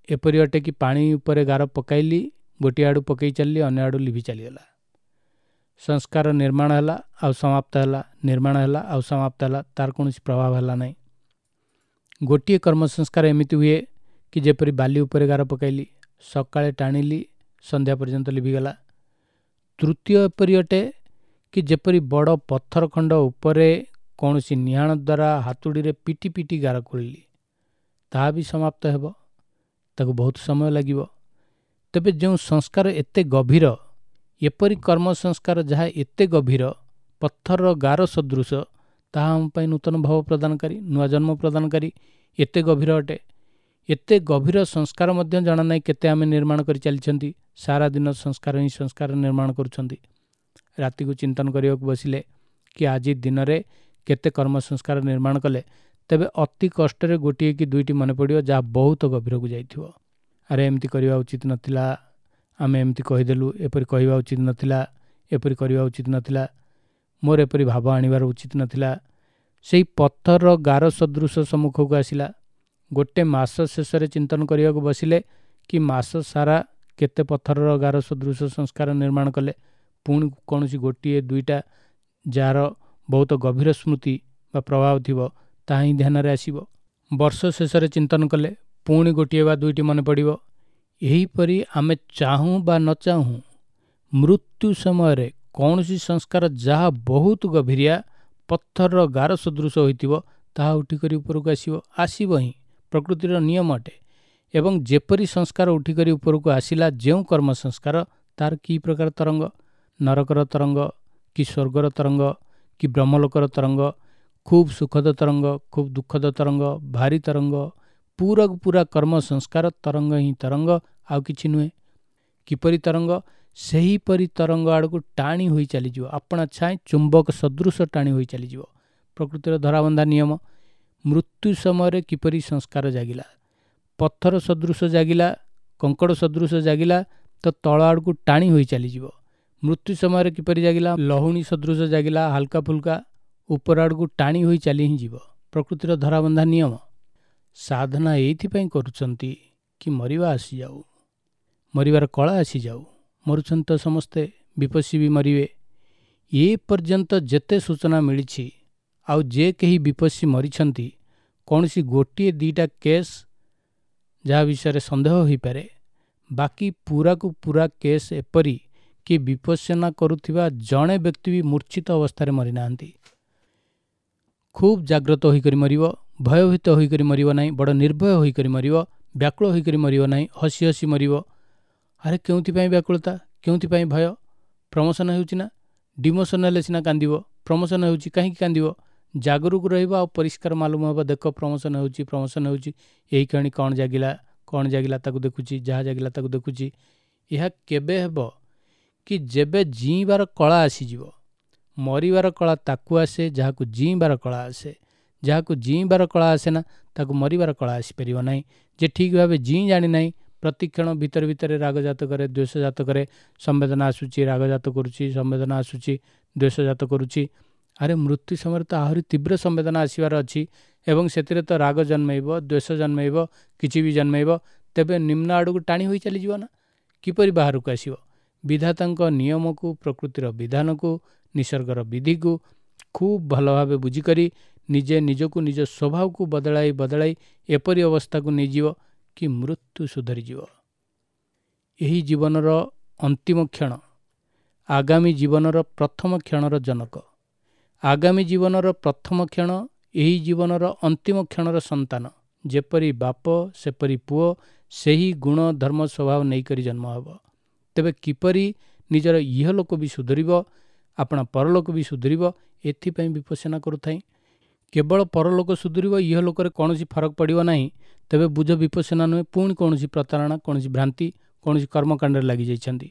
ଏପରି ଅଟେ କି ପାଣି ଉପରେ ଗାର ପକାଇଲି, ଗୋଟିଏ ଆଡ଼ୁ ପକାଇ ଚାଲିଲି, ଅନ୍ୟ ଆଡ଼ୁ ଲିଭି ଚାଲିଗଲା। ସଂସ୍କାର ନିର୍ମାଣ ହେଲା ଆଉ ସମାପ୍ତ ହେଲା, ନିର୍ମାଣ ହେଲା ଆଉ ସମାପ୍ତ ହେଲା, ତାର କୌଣସି ପ୍ରଭାବ ହେଲା ନାହିଁ। ଗୋଟିଏ କର୍ମ ସଂସ୍କାର ଏମିତି ହୁଏ କି ଯେପରି ବାଲି ଉପରେ ଗାର ପକାଇଲି, ସକାଳେ ଟାଣିଲି, ସନ୍ଧ୍ୟା ପର୍ଯ୍ୟନ୍ତ ଲିଭିଗଲା। ତୃତୀୟ ଏପରି ଅଟେ କି ଯେପରି ବଡ଼ ପଥର ଖଣ୍ଡ ଉପରେ କୌଣସି ନିହାଣ ଦ୍ୱାରା ହାତୁଡ଼ିରେ ପିଟି ପିଟି ଗାର ଖୋଳିଲି, ତାହା ବି ସମାପ୍ତ ହେବ, ତାକୁ ବହୁତ ସମୟ ଲାଗିବ। ତେବେ ଯେଉଁ ସଂସ୍କାର ଏତେ ଗଭୀର, ଏପରି କର୍ମ ସଂସ୍କାର ଯାହା ଏତେ ଗଭୀର, ପଥରର ଗାର ସଦୃଶ, ତାହା ଆମ ପାଇଁ ନୂତନ ଭାବ ପ୍ରଦାନକାରୀ, ନୂଆ ଜନ୍ମ ପ୍ରଦାନକାରୀ, ଏତେ ଗଭୀର ଅଟେ। ଏତେ ଗଭୀର ସଂସ୍କାର ମଧ୍ୟ ଜଣା ନାହିଁ କେତେ ଆମେ ନିର୍ମାଣ କରି ଚାଲିଛନ୍ତି। ସାରା ଦିନ ସଂସ୍କାର ହିଁ ସଂସ୍କାର ନିର୍ମାଣ କରୁଛନ୍ତି। ରାତିକୁ ଚିନ୍ତନ କରିବାକୁ ବସିଲେ କି ଆଜି ଦିନରେ କେତେ କର୍ମ ସଂସ୍କାର ନିର୍ମାଣ କଲେ, ତେବେ ଅତି କଷ୍ଟରେ ଗୋଟିଏ କି ଦୁଇଟି ମନେ ପଡ଼ିବ ଯାହା ବହୁତ ଗଭୀରକୁ ଯାଇଥିବ। ଆରେ ଏମିତି କରିବା ଉଚିତ ନଥିଲା, ଆମେ ଏମିତି କହିଦେଲୁ, ଏପରି କହିବା ଉଚିତ ନଥିଲା, ଏପରି କରିବା ଉଚିତ ନଥିଲା, ମୋର ଏପରି ଭାବ ଆଣିବାର ଉଚିତ ନଥିଲା। ସେଇ ପଥରର ଗାର ସଦୃଶ ସମ୍ମୁଖକୁ ଆସିଲା। ଗୋଟେ ମାସ ଶେଷରେ ଚିନ୍ତନ କରିବାକୁ ବସିଲେ କି ମାସ ସାରା କେତେ ପଥରର ଗାର ସଦୃଶ ସଂସ୍କାର ନିର୍ମାଣ କଲେ, ପୁଣି କୌଣସି ଗୋଟିଏ ଦୁଇଟା ଯାହାର ବହୁତ ଗଭୀର ସ୍ମୃତି ବା ପ୍ରଭାବ ଥିବ ତାହା ହିଁ ଧ୍ୟାନରେ ଆସିବ। ବର୍ଷ ଶେଷରେ ଚିନ୍ତନ କଲେ ପୁଣି ଗୋଟିଏ ବା ଦୁଇଟି ମନେ ପଡ଼ିବ। ଏହିପରି ଆମେ ଚାହୁଁ ବା ନ ଚାହୁଁ ମୃତ୍ୟୁ ସମୟରେ କୌଣସି ସଂସ୍କାର ଯାହା ବହୁତ ଗଭୀରିଆ ପଥରର ଗାର ସଦୃଶ ହୋଇଥିବ ତାହା ଉଠିକରି ଉପରକୁ ଆସିବ, ଆସିବ ହିଁ, ପ୍ରକୃତିର ନିୟମ ଅଟେ। ଏବଂ ଯେପରି ସଂସ୍କାର ଉଠିକରି ଉପରକୁ ଆସିଲା, ଯେଉଁ କର୍ମ ସଂସ୍କାର, ତାର କି ପ୍ରକାର ତରଙ୍ଗ, ନରକର ତରଙ୍ଗ କି ସ୍ୱର୍ଗର ତରଙ୍ଗ କି ବ୍ରହ୍ମଲୋକର ତରଙ୍ଗ, ଖୁବ୍ ସୁଖଦ ତରଙ୍ଗ, ଖୁବ୍ ଦୁଃଖଦ ତରଙ୍ଗ, ଭାରି ତରଙ୍ଗ, ପୁରାକୁ ପୁରା କର୍ମ ସଂସ୍କାର ତରଙ୍ଗ ହିଁ ତରଙ୍ଗ, ଆଉ କିଛି ନୁହେଁ। କିପରି ତରଙ୍ଗ? ସେହିପରି ତରଙ୍ଗ ଆଡ଼କୁ ଟାଣି ହୋଇ ଚାଲିଯିବ, ଆପଣା ଛାଏଁ ଚୁମ୍ବକ ସଦୃଶ ଟାଣି ହୋଇ ଚାଲିଯିବ। ପ୍ରକୃତିର ଧରାବନ୍ଧା ନିୟମ। ମୃତ୍ୟୁ ସମୟରେ କିପରି ସଂସ୍କାର ଜାଗିଲା, ପଥର ସଦୃଶ ଜାଗିଲା, କଙ୍କଡ଼ ସଦୃଶ ଜାଗିଲା, ତ ତଳ ଆଡ଼କୁ ଟାଣି ହୋଇ ଚାଲିଯିବ। ମୃତ୍ୟୁ ସମୟରେ କିପରି ଜାଗିଲା, ଲହୁଣୀ ସଦୃଶ ଜାଗିଲା, ହାଲକା ଫୁଲକା, ଉପର ଆଡ଼କୁ ଟାଣି ହୋଇ ଚାଲି ହିଁ ଯିବ। ପ୍ରକୃତିର ଧରାବନ୍ଧା ନିୟମ। ସାଧନା ଏଇଥିପାଇଁ କରୁଛନ୍ତି କି ମରିବା ଆସିଯାଉ, ମରିବାର କଳା ଆସିଯାଉ। ମରୁଛନ୍ତି ତ ସମସ୍ତେ, ବିପස්සୀ ବି ମରିବେ। ଏ ପର୍ଯ୍ୟନ୍ତ ଯେତେ ସୂଚନା ମିଳିଛି, ଆଉ ଯେ କେହି ବିପස්සୀ ମରିଛନ୍ତି, କୌଣସି ଗୋଟିଏ ଦୁଇଟା କେସ୍ ଯାହା ବିଷୟରେ ସନ୍ଦେହ ହୋଇପାରେ, ବାକି ପୁରାକୁ ପୁରା କେସ୍ ଏପରି କି ବିପස්සନା କରୁଥିବା ଜଣେ ବ୍ୟକ୍ତି ବି ମୂର୍ଚ୍ଛିତ ଅବସ୍ଥାରେ ମରିନାହାନ୍ତି। ଖୁବ୍ ଜାଗ୍ରତ ହୋଇକରି ମରିବ, ଭୟଭୀତ ହୋଇକରି ମରିବ ନାହିଁ, ବଡ଼ ନିର୍ଭୟ ହୋଇକରି ମରିବ, ବ୍ୟାକୁଳ ହୋଇକରି ମରିବ ନାହିଁ, ହସି ହସି ମରିବ। ଆରେ କେଉଁଥିପାଇଁ ବ୍ୟାକୁଳତା, କେଉଁଥିପାଇଁ ଭୟ? ପ୍ରମୋସନ୍ ହେଉଛି ନା, ଡିମୋସନ୍ ହେଲେ ସିନା କାନ୍ଦିବ, ପ୍ରମୋସନ୍ ହେଉଛି କାହିଁକି କାନ୍ଦିବ? ଜାଗରୁକ ରହିବ ଆଉ ପରିଷ୍କାର ମାଲୁମ ହେବ, ଦେଖ ପ୍ରମୋସନ୍ ହେଉଛି, ପ୍ରମୋସନ୍ ହେଉଛି, ଏଇ କ୍ଷଣି କ'ଣ ଜାଗିଲା, କ'ଣ ଜାଗିଲା ତାକୁ ଦେଖୁଛି, ଯାହା ଜାଗିଲା ତାକୁ ଦେଖୁଛି। ଏହା କେବେ ହେବ କି ଯେବେ ଜିଇଁବାର କଳା ଆସିଯିବ। ମରିବାର କଳା ତାକୁ ଆସେ ଯାହାକୁ ଜିଇଁବାର କଳା ଆସେ। ଯାହାକୁ ଜିଇଁବାର କଳା ଆସେ ନା, ତାକୁ ମରିବାର କଳା ଆସିପାରିବ ନାହିଁ। ଯେ ଠିକ୍ ଭାବେ ଜିଇଁ ଜାଣିନାହିଁ, ପ୍ରତିକ୍ଷଣ ଭିତରେ ଭିତରେ ରାଗଜାତ କରେ, ଦ୍ୱେଷଜାତ କରେ, ସମ୍ବେଦନା ଆସୁଛି ରାଗଜାତ କରୁଛି, ସମ୍ବେଦନା ଆସୁଛି ଦ୍ୱେଷଜାତ କରୁଛି। ଆରେ ମୃତ୍ୟୁ ସମୟରେ ତ ଆହୁରି ତୀବ୍ର ସମ୍ବେଦନା ଆସିବାର ଅଛି, ଏବଂ ସେଥିରେ ତ ରାଗ ଜନ୍ମେଇବ, ଦ୍ୱେଷ ଜନ୍ମେଇବ, କିଛି ବି ଜନ୍ମେଇବ, ତେବେ ନିମ୍ନ ଆଡ଼କୁ ଟାଣି ହୋଇ ଚାଲିଯିବ ନା, କିପରି ବାହାରକୁ ଆସିବ? ବିଧାତାଙ୍କ ନିୟମକୁ, ପ୍ରକୃତିର ବିଧାନକୁ, ନିସର୍ଗର ବିଧିକୁ ଖୁବ୍ ଭଲ ଭାବେ ବୁଝିକରି ନିଜେ ନିଜକୁ ନିଜ ସ୍ୱଭାବକୁ ବଦଳାଇ ବଦଳାଇ ଏପରି ଅବସ୍ଥାକୁ ନେଇଯିବ କି ମୃତ୍ୟୁ ସୁଧରିଯିବ। ଏହି ଜୀବନର ଅନ୍ତିମ କ୍ଷଣ ଆଗାମୀ ଜୀବନର ପ୍ରଥମ କ୍ଷଣର ଜନକ। ଆଗାମୀ ଜୀବନର ପ୍ରଥମ କ୍ଷଣ ଏହି ଜୀବନର ଅନ୍ତିମ କ୍ଷଣର ସନ୍ତାନ। ଯେପରି ବାପ ସେପରି ପୁଅ, ସେହି ଗୁଣ ଧର୍ମ ସ୍ୱଭାବ ନେଇକରି ଜନ୍ମ ହେବ। ତେବେ କିପରି ନିଜର ଇହଲୋକ ବି ସୁଧରିବ, ଆପଣା ପରଲୋକ ବି ସୁଧରିବ, ଏଥିପାଇଁ ବିପස්සନା କରୁଥାଏ। କେବଳ ପରଲୋକ ସୁଧରିବ, ଇହଲୋକରେ କୌଣସି ଫରକ ପଡ଼ିବ ନାହିଁ, ତେବେ ବୁଝ ବିପස්සନା ନୁହେଁ, ପୁଣି କୌଣସି ପ୍ରତାରଣା, କୌଣସି ଭ୍ରାନ୍ତି, କୌଣସି କର୍ମକାଣ୍ଡରେ ଲାଗିଯାଇଛନ୍ତି।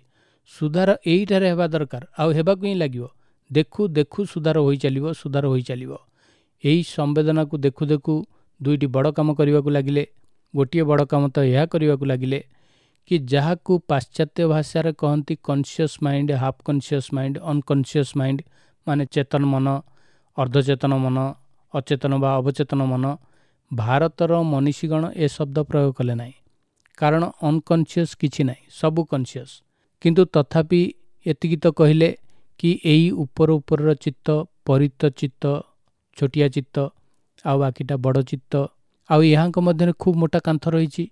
ସୁଧାର ଏଇଠାରେ ହେବା ଦରକାର, ଆଉ ହେବାକୁ ହିଁ ଲାଗିବ। ଦେଖୁ ଦେଖୁ ସୁଧାର ହୋଇ ଚାଲିବ, ସୁଧାର ହୋଇ ଚାଲିବ। ଏହି ସମ୍ବେଦନାକୁ ଦେଖୁ ଦେଖୁ ଦୁଇଟି ବଡ଼ କାମ କରିବାକୁ ଲାଗିଲେ। ଗୋଟିଏ ବଡ଼ କାମ ତ ଏହା କରିବାକୁ ଲାଗିଲେ କି ଯାହାକୁ ପାଶ୍ଚାତ୍ୟ ଭାଷାରେ କହନ୍ତି conscious mind, half conscious mind, unconscious mind, ମାନେ ଚେତନ ମନ, ଅର୍ଦ୍ଧଚେତନ ମନ, ଅଚେତନ ବା ଅବଚେତନ ମନ। ଭାରତର ମନୀଷୀଗଣ ଏ ଶବ୍ଦ ପ୍ରୟୋଗ କଲେ ନାହିଁ, କାରଣ ଅନକନସିୟସ୍ କିଛି ନାହିଁ, ସବୁ କନସିୟସ୍। କିନ୍ତୁ ତଥାପି ଏତିକି ତ କହିଲେ କି ଏଇ ଉପର ଉପରର ଚିତ୍ତ, ପରିତ ଚିତ୍ତ, ଛୋଟିଆ ଚିତ୍ତ, ଆଉ ବାକିଟା ବଡ଼ ଚିତ୍ତ, ଆଉ ଏହାଙ୍କ ମଧ୍ୟରେ ଖୁବ୍ ମୋଟା କାନ୍ଥ ରହିଛି।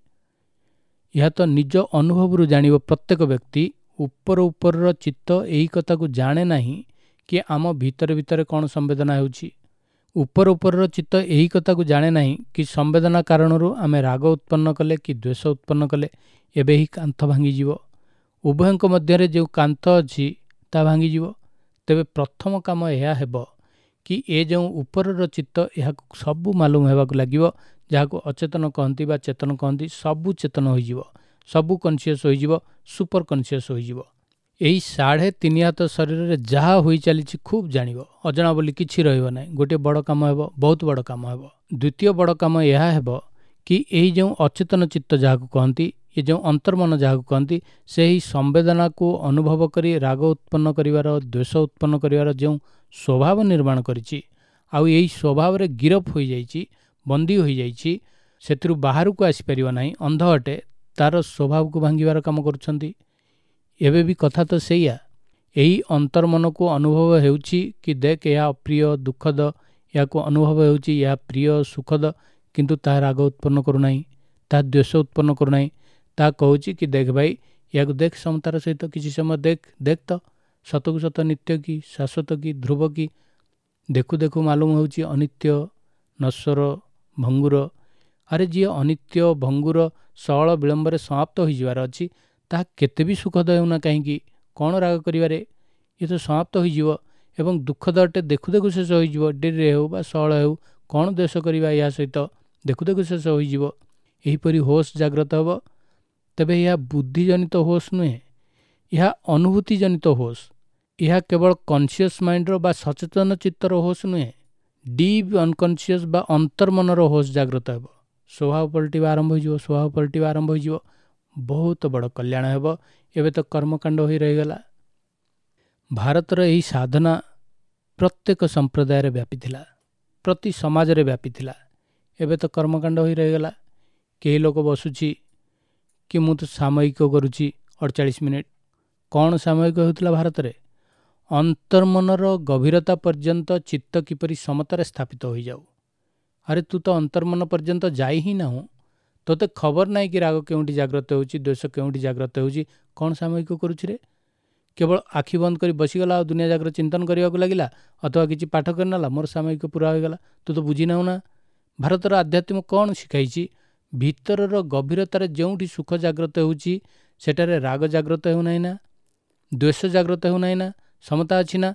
ଏହା ତ ନିଜ ଅନୁଭବରୁ ଜାଣିବ ପ୍ରତ୍ୟେକ ବ୍ୟକ୍ତି। ଉପର ଉପରର ଚିତ୍ତ ଏହି କଥାକୁ ଜାଣେ ନାହିଁ କି ଆମ ଭିତରେ ଭିତରେ କ'ଣ ସମ୍ବେଦନା ହେଉଛି। ଉପର ଉପରର ଚିତ୍ତ ଏହି କଥାକୁ ଜାଣେ ନାହିଁ କି ସମ୍ବେଦନା କାରଣରୁ ଆମେ ରାଗ ଉତ୍ପନ୍ନ କଲେ କି ଦ୍ୱେଷ ଉତ୍ପନ୍ନ କଲେ, ଏବେ ଏହି କାନ୍ଥ ଭାଙ୍ଗିଯିବ। ଉଭୟଙ୍କ ମଧ୍ୟରେ ଯେଉଁ କାନ୍ଥ ଅଛି ତାହା ଭାଙ୍ଗିଯିବ। ତେବେ ପ୍ରଥମ କାମ ଏହା ହେବ କି ଏ ଯେଉଁ ଉପରର ଚିତ୍ତ, ଏହାକୁ ସବୁ ମାଲୁମ ହେବାକୁ ଲାଗିବ, ଯାହାକୁ ଅଚେତନ କହନ୍ତି ବା ଚେତନ କହନ୍ତି, ସବୁ ଚେତନ ହୋଇଯିବ, ସବୁ କନସିୟସ୍ ହୋଇଯିବ, ସୁପର କନସିୟସ୍ ହୋଇଯିବ। ଏହି ସାଢ଼େ ତିନି ହାତ ଶରୀରରେ ଯାହା ହୋଇ ଚାଲିଛି ଖୁବ୍ ଜାଣିବ, ଅଜଣା ବୋଲି କିଛି ରହିବ ନାହିଁ। ଗୋଟିଏ ବଡ଼ କାମ ହେବ, ବହୁତ ବଡ଼ କାମ ହେବ। ଦ୍ୱିତୀୟ ବଡ଼ କାମ ଏହା ହେବ କି ଏହି ଯେଉଁ ଅଚେତନ ଚିତ୍ତ ଯାହାକୁ କହନ୍ତି, ଏ ଯେଉଁ ଅନ୍ତର୍ମନ ଯାହାକୁ କହନ୍ତି, ସେହି ସମ୍ବେଦନାକୁ ଅନୁଭବ କରି ରାଗ ଉତ୍ପନ୍ନ କରିବାର, ଦ୍ୱେଷ ଉତ୍ପନ୍ନ କରିବାର ଯେଉଁ ସ୍ୱଭାବ ନିର୍ମାଣ କରିଛି, ଆଉ ଏହି ସ୍ୱଭାବରେ ଗିରଫ ହୋଇଯାଇଛି, ବନ୍ଦୀ ହୋଇଯାଇଛି, ସେଥିରୁ ବାହାରକୁ ଆସିପାରିବ ନାହିଁ, ଅନ୍ଧ ଅଟେ, ତାର ସ୍ୱଭାବକୁ ଭାଙ୍ଗିବାର କାମ କରୁଛନ୍ତି। ଏବେ ବି କଥା ତ ସେଇଆ। ଏହି ଅନ୍ତର୍ମନକୁ ଅନୁଭବ ହେଉଛି କି ଦେଖ ଏହା ଅପ୍ରିୟ, ଦୁଃଖଦ, ଏହାକୁ ଅନୁଭବ ହେଉଛି ଏହା ପ୍ରିୟ, ସୁଖଦ, କିନ୍ତୁ ତାହା ରାଗ ଉତ୍ପନ୍ନ କରୁନାହିଁ, ତାହା ଦ୍ୱେଷ ଉତ୍ପନ୍ନ କରୁନାହିଁ। ତାହା କହୁଛି କି ଦେଖ ଭାଇ, ଏହାକୁ ଦେଖ ସମତାର ସହିତ କିଛି ସମୟ ଦେଖ, ଦେଖ ତ ସତକୁ ସତ ନିତ୍ୟ କି ଶାଶ୍ୱତ କି ଧ୍ରୁବ କି। ଦେଖୁ ଦେଖୁ ମାଲୁମ ହେଉଛି ଅନିତ୍ୟ, ନଶ୍ୱର, ଭଙ୍ଗୁର। ଆରେ ଯିଏ ଅନିତ୍ୟ, ଭଙ୍ଗୁର, ସଅଳ ବିଳମ୍ବରେ ସମାପ୍ତ ହୋଇଯିବାର ଅଛି, ତାହା କେତେ ବି ସୁଖଦ ହେଉନା କାହିଁକି, କ'ଣ ରାଗ କରିବାରେ, ଇଏ ତ ସମାପ୍ତ ହୋଇଯିବ। ଏବଂ ଦୁଃଖଦ ଅଟେ, ଦେଖୁ ଦେଖୁ ଶେଷ ହୋଇଯିବ, ଡେରିରେ ହେଉ ବା ସଅଳ ହେଉ, କ'ଣ ଦ୍ୱେଷ କରିବା ଏହା ସହିତ, ଦେଖୁ ଦେଖୁ ଶେଷ ହୋଇଯିବ। ଏହିପରି ହୋସ୍ ଜାଗ୍ରତ ହେବ। ତେବେ ଏହା ବୁଦ୍ଧିଜନିତ ହୋସ୍ ନୁହେଁ, ଏହା ଅନୁଭୂତିଜନିତ ହୋସ୍। ଏହା କେବଳ କନସିୟସ୍ ମାଇଣ୍ଡର ବା ସଚେତନ ଚିତ୍ତର ହୋସ୍ ନୁହେଁ, ଡିପ୍ ଅନକନସିୟସ୍ ବା ଅନ୍ତର୍ମନର ହୋସ୍ ଜାଗ୍ରତ ହେବ। ସ୍ୱଭାବ ପଲଟିବା ଆରମ୍ଭ ହୋଇଯିବ, ସ୍ୱଭାବ ପଲଟିବା ଆରମ୍ଭ ହୋଇଯିବ, ବହୁତ ବଡ଼ କଲ୍ୟାଣ ହେବ। ଏବେ ତ କର୍ମକାଣ୍ଡ ହୋଇ ରହିଗଲା। ଭାରତର ଏହି ସାଧନା ପ୍ରତ୍ୟେକ ସମ୍ପ୍ରଦାୟରେ ବ୍ୟାପିଥିଲା, ପ୍ରତି ସମାଜରେ ବ୍ୟାପିଥିଲା। ଏବେ ତ କର୍ମକାଣ୍ଡ ହୋଇ ରହିଗଲା। କେହି ଲୋକ ବସୁଛି କି ମୁଁ ତ ସାମୟିକ କରୁଛି ଅଡ଼ଚାଳିଶ ମିନିଟ୍। କ'ଣ ସାମୟିକ ହେଉଥିଲା ଭାରତରେ? ଅନ୍ତର୍ମନର ଗଭୀରତା ପର୍ଯ୍ୟନ୍ତ ଚିତ୍ତ କିପରି ସମତାରେ ସ୍ଥାପିତ ହୋଇଯାଉ। ଆରେ ତୁ ତ ଅନ୍ତର୍ମନ ପର୍ଯ୍ୟନ୍ତ ଯାଇ ହିଁ ନାହୁଁ, ତୋତେ ଖବର ନାହିଁ କି ରାଗ କେଉଁଠି ଜାଗ୍ରତ ହେଉଛି, ଦ୍ୱେଷ କେଉଁଠି ଜାଗ୍ରତ ହେଉଛି, କ'ଣ ସାମୟିକ କରୁଛି ରେ? କେବଳ ଆଖି ବନ୍ଦ କରି ବସିଗଲା ଆଉ ଦୁନିଆ ଜାଗ୍ରତ ଚିନ୍ତନ କରିବାକୁ ଲାଗିଲା, ଅଥବା କିଛି ପାଠ କରିନେଲା, ମୋର ସାମୟିକ ପୁରା ହୋଇଗଲା। ତୁ ତ ବୁଝିନାହୁଁ ନା ଭାରତର ଆଧ୍ୟାତ୍ମ କ'ଣ ଶିଖାଇଛି। ଭିତରର ଗଭୀରତାରେ ଯେଉଁଠି ସୁଖ ଜାଗ୍ରତ ହେଉଛି, ସେଠାରେ ରାଗ ଜାଗ୍ରତ ହେଉନାହିଁ ନା, ଦ୍ୱେଷ ଜାଗ୍ରତ ହେଉନାହିଁ ନା, ସମତା ଅଛି ନା।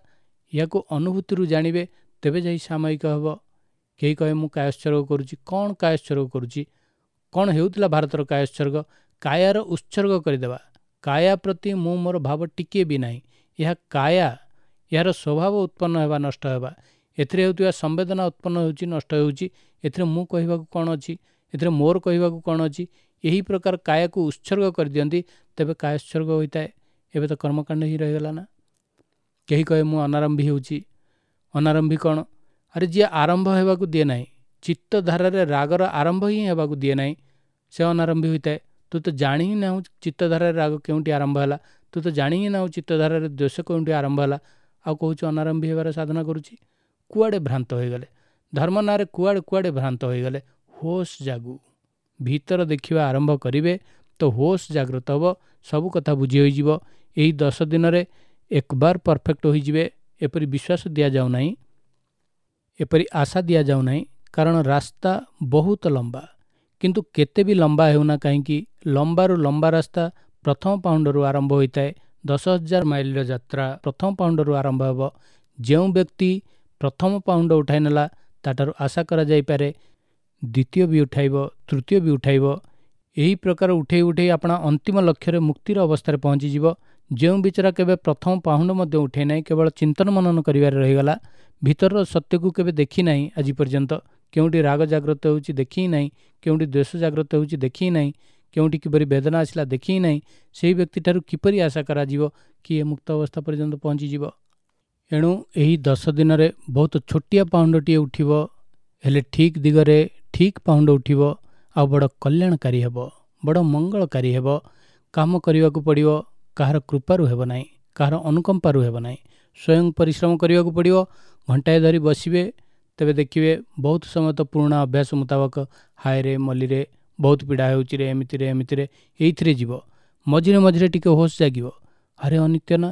ଏହାକୁ ଅନୁଭୂତିରୁ ଜାଣିବେ, ତେବେ ଯାଇ ସାମୟିକ ହେବ। କେହି କହେ ମୁଁ କାୟୋତ୍ସର୍ଗ କରୁଛି। କ'ଣ କାୟୋତ୍ସର୍ଗ କରୁଛି? କ'ଣ ହେଉଥିଲା ଭାରତର କାୟୋତ୍ସର୍ଗ? କାୟାର ଉତ୍ସର୍ଗ କରିଦେବା। କାୟା ପ୍ରତି ମୁଁ ମୋର ଭାବ ଟିକିଏ ବି ନାହିଁ। ଏହା କାୟା, ଏହାର ସ୍ୱଭାବ ଉତ୍ପନ୍ନ ହେବା, ନଷ୍ଟ ହେବା, ଏଥିରେ ହେଉଥିବା ସମ୍ବେଦନା ଉତ୍ପନ୍ନ ହେଉଛି, ନଷ୍ଟ ହେଉଛି, ଏଥିରେ ମୁଁ କହିବାକୁ କ'ଣ ଅଛି, ଏଥିରେ ମୋର କହିବାକୁ କ'ଣ ଅଛି। ଏହି ପ୍ରକାର କାୟାକୁ ଉତ୍ସର୍ଗ କରିଦିଅନ୍ତି, ତେବେ କାୟୋତ୍ସର୍ଗ ହୋଇଥାଏ। ଏବେ ତ କର୍ମକାଣ୍ଡ ହିଁ ରହିଗଲା ନା। କେହି କହେ ମୁଁ ଅନାରମ୍ଭୀ ହେଉଛି। ଅନାରମ୍ଭୀ କ'ଣ? ଆରେ ଯିଏ ଆରମ୍ଭ ହେବାକୁ ଦିଏ ନାହିଁ, ଚିତ୍ତଧାରାରେ ରାଗର ଆରମ୍ଭ ହିଁ ହେବାକୁ ଦିଏ ନାହିଁ, ସେ ଅନାରମ୍ଭୀ ହୋଇଥାଏ। ତୁ ତ ଜାଣି ହିଁ ନାହୁଁ ଚିତ୍ତଧାରାରେ ରାଗ କେଉଁଠି ଆରମ୍ଭ ହେଲା, ତୁ ତ ଜାଣି ହିଁ ନାହୁଁ ଚିତ୍ତଧାରାରେ ଦ୍ୱେଷ କେଉଁଠି ଆରମ୍ଭ ହେଲା, ଆଉ କହୁଛୁ ଅନାରମ୍ଭୀ ହେବାର ସାଧନା କରୁଛି। କୁଆଡ଼େ ଭ୍ରାନ୍ତ ହୋଇଗଲେ ଧର୍ମ ନାଁରେ, କୁଆଡ଼େ କୁଆଡ଼େ ଭ୍ରାନ୍ତ ହୋଇଗଲେ। ହୋସ୍ ଜାଗୁ, ଭିତର ଦେଖିବା ଆରମ୍ଭ କରିବେ ତ ହୋସ୍ ଜାଗ୍ରତ ହେବ, ସବୁ କଥା ବୁଝି ହୋଇଯିବ। ଏହି ଦଶ ଦିନରେ ଏକବାର ପରଫେକ୍ଟ ହୋଇଯିବେ ଏପରି ବିଶ୍ୱାସ ଦିଆଯାଉନାହିଁ, ଏପରି ଆଶା ଦିଆଯାଉନାହିଁ, କାରଣ ରାସ୍ତା ବହୁତ ଲମ୍ବା। କିନ୍ତୁ କେତେ ବି ଲମ୍ବା ହେଉନା କାହିଁକି, ଲମ୍ବାରୁ ଲମ୍ବା ରାସ୍ତା ପ୍ରଥମ ପାଉଣ୍ଡରୁ ଆରମ୍ଭ ହୋଇଥାଏ। ଦଶ ହଜାର ମାଇଲର ଯାତ୍ରା ପ୍ରଥମ ପାଉଣ୍ଡରୁ ଆରମ୍ଭ ହେବ। ଯେଉଁ ବ୍ୟକ୍ତି ପ୍ରଥମ ପାଉଣ୍ଡ ଉଠାଇ ନେଲା, ତାଠାରୁ ଆଶା କରାଯାଇପାରେ ଦ୍ୱିତୀୟ ବି ଉଠାଇବ, ତୃତୀୟ ବି ଉଠାଇବ। ଏହି ପ୍ରକାର ଉଠେଇ ଉଠେଇ ଆପଣା ଅନ୍ତିମ ଲକ୍ଷ୍ୟରେ ମୁକ୍ତିର ଅବସ୍ଥାରେ ପହଞ୍ଚିଯିବ। ଯେଉଁ ବିଚରା କେବେ ପ୍ରଥମ ପାହୁଣ୍ଡ ମଧ୍ୟ ଉଠେଇ ନାହିଁ, କେବଳ ଚିନ୍ତନ ମନନ କରିବାରେ ରହିଗଲା, ଭିତରର ସତ୍ୟକୁ କେବେ ଦେଖି ନାହିଁ ଆଜି ପର୍ଯ୍ୟନ୍ତ, କେଉଁଠି ରାଗ ଜାଗ୍ରତ ହେଉଛି ଦେଖି ହିଁ ନାହିଁ, କେଉଁଠି ଦ୍ୱେଷ ଜାଗ୍ରତ ହେଉଛି ଦେଖି ହିଁ ନାହିଁ, କେଉଁଠି କିପରି ବେଦନା ଆସିଲା ଦେଖି ହିଁ ନାହିଁ, ସେହି ବ୍ୟକ୍ତିଠାରୁ କିପରି ଆଶା କରାଯିବ କି ଏ ମୁକ୍ତ ଅବସ୍ଥା ପର୍ଯ୍ୟନ୍ତ ପହଞ୍ଚିଯିବ? ଏଣୁ ଏହି ଦଶ ଦିନରେ ବହୁତ ଛୋଟିଆ ପାହୁଣ୍ଡଟିଏ ଉଠିବ, ହେଲେ ଠିକ୍ ଦିଗରେ ଠିକ୍ ପାହୁଣ୍ଡ ଉଠିବ ଆଉ ବଡ଼ କଲ୍ୟାଣକାରୀ ହେବ, ବଡ଼ ମଙ୍ଗଳକାରୀ ହେବ। କାମ କରିବାକୁ ପଡ଼ିବ, କାହାର କୃପାରୁ ହେବ ନାହିଁ, କାହାର ଅନୁକମ୍ପାରୁ ହେବ ନାହିଁ, ସ୍ୱୟଂ ପରିଶ୍ରମ କରିବାକୁ ପଡ଼ିବ। ଘଣ୍ଟାଏ ଧରି ବସିବେ ତେବେ ଦେଖିବେ ବହୁତ ସମୟ ତ ପୁରୁଣା ଅଭ୍ୟାସ ମୁତାବକ ହାୟରେ ମଲିରେ ବହୁତ ପୀଡ଼ା ହେଉଛି ରେ, ଏମିତିରେ ଏମିତିରେ ଏଇଥିରେ ଯିବ। ମଝିରେ ମଝିରେ ଟିକେ ହୋସ୍ ଜାଗିବ, ଆରେ ଅନିତ୍ୟ ନା,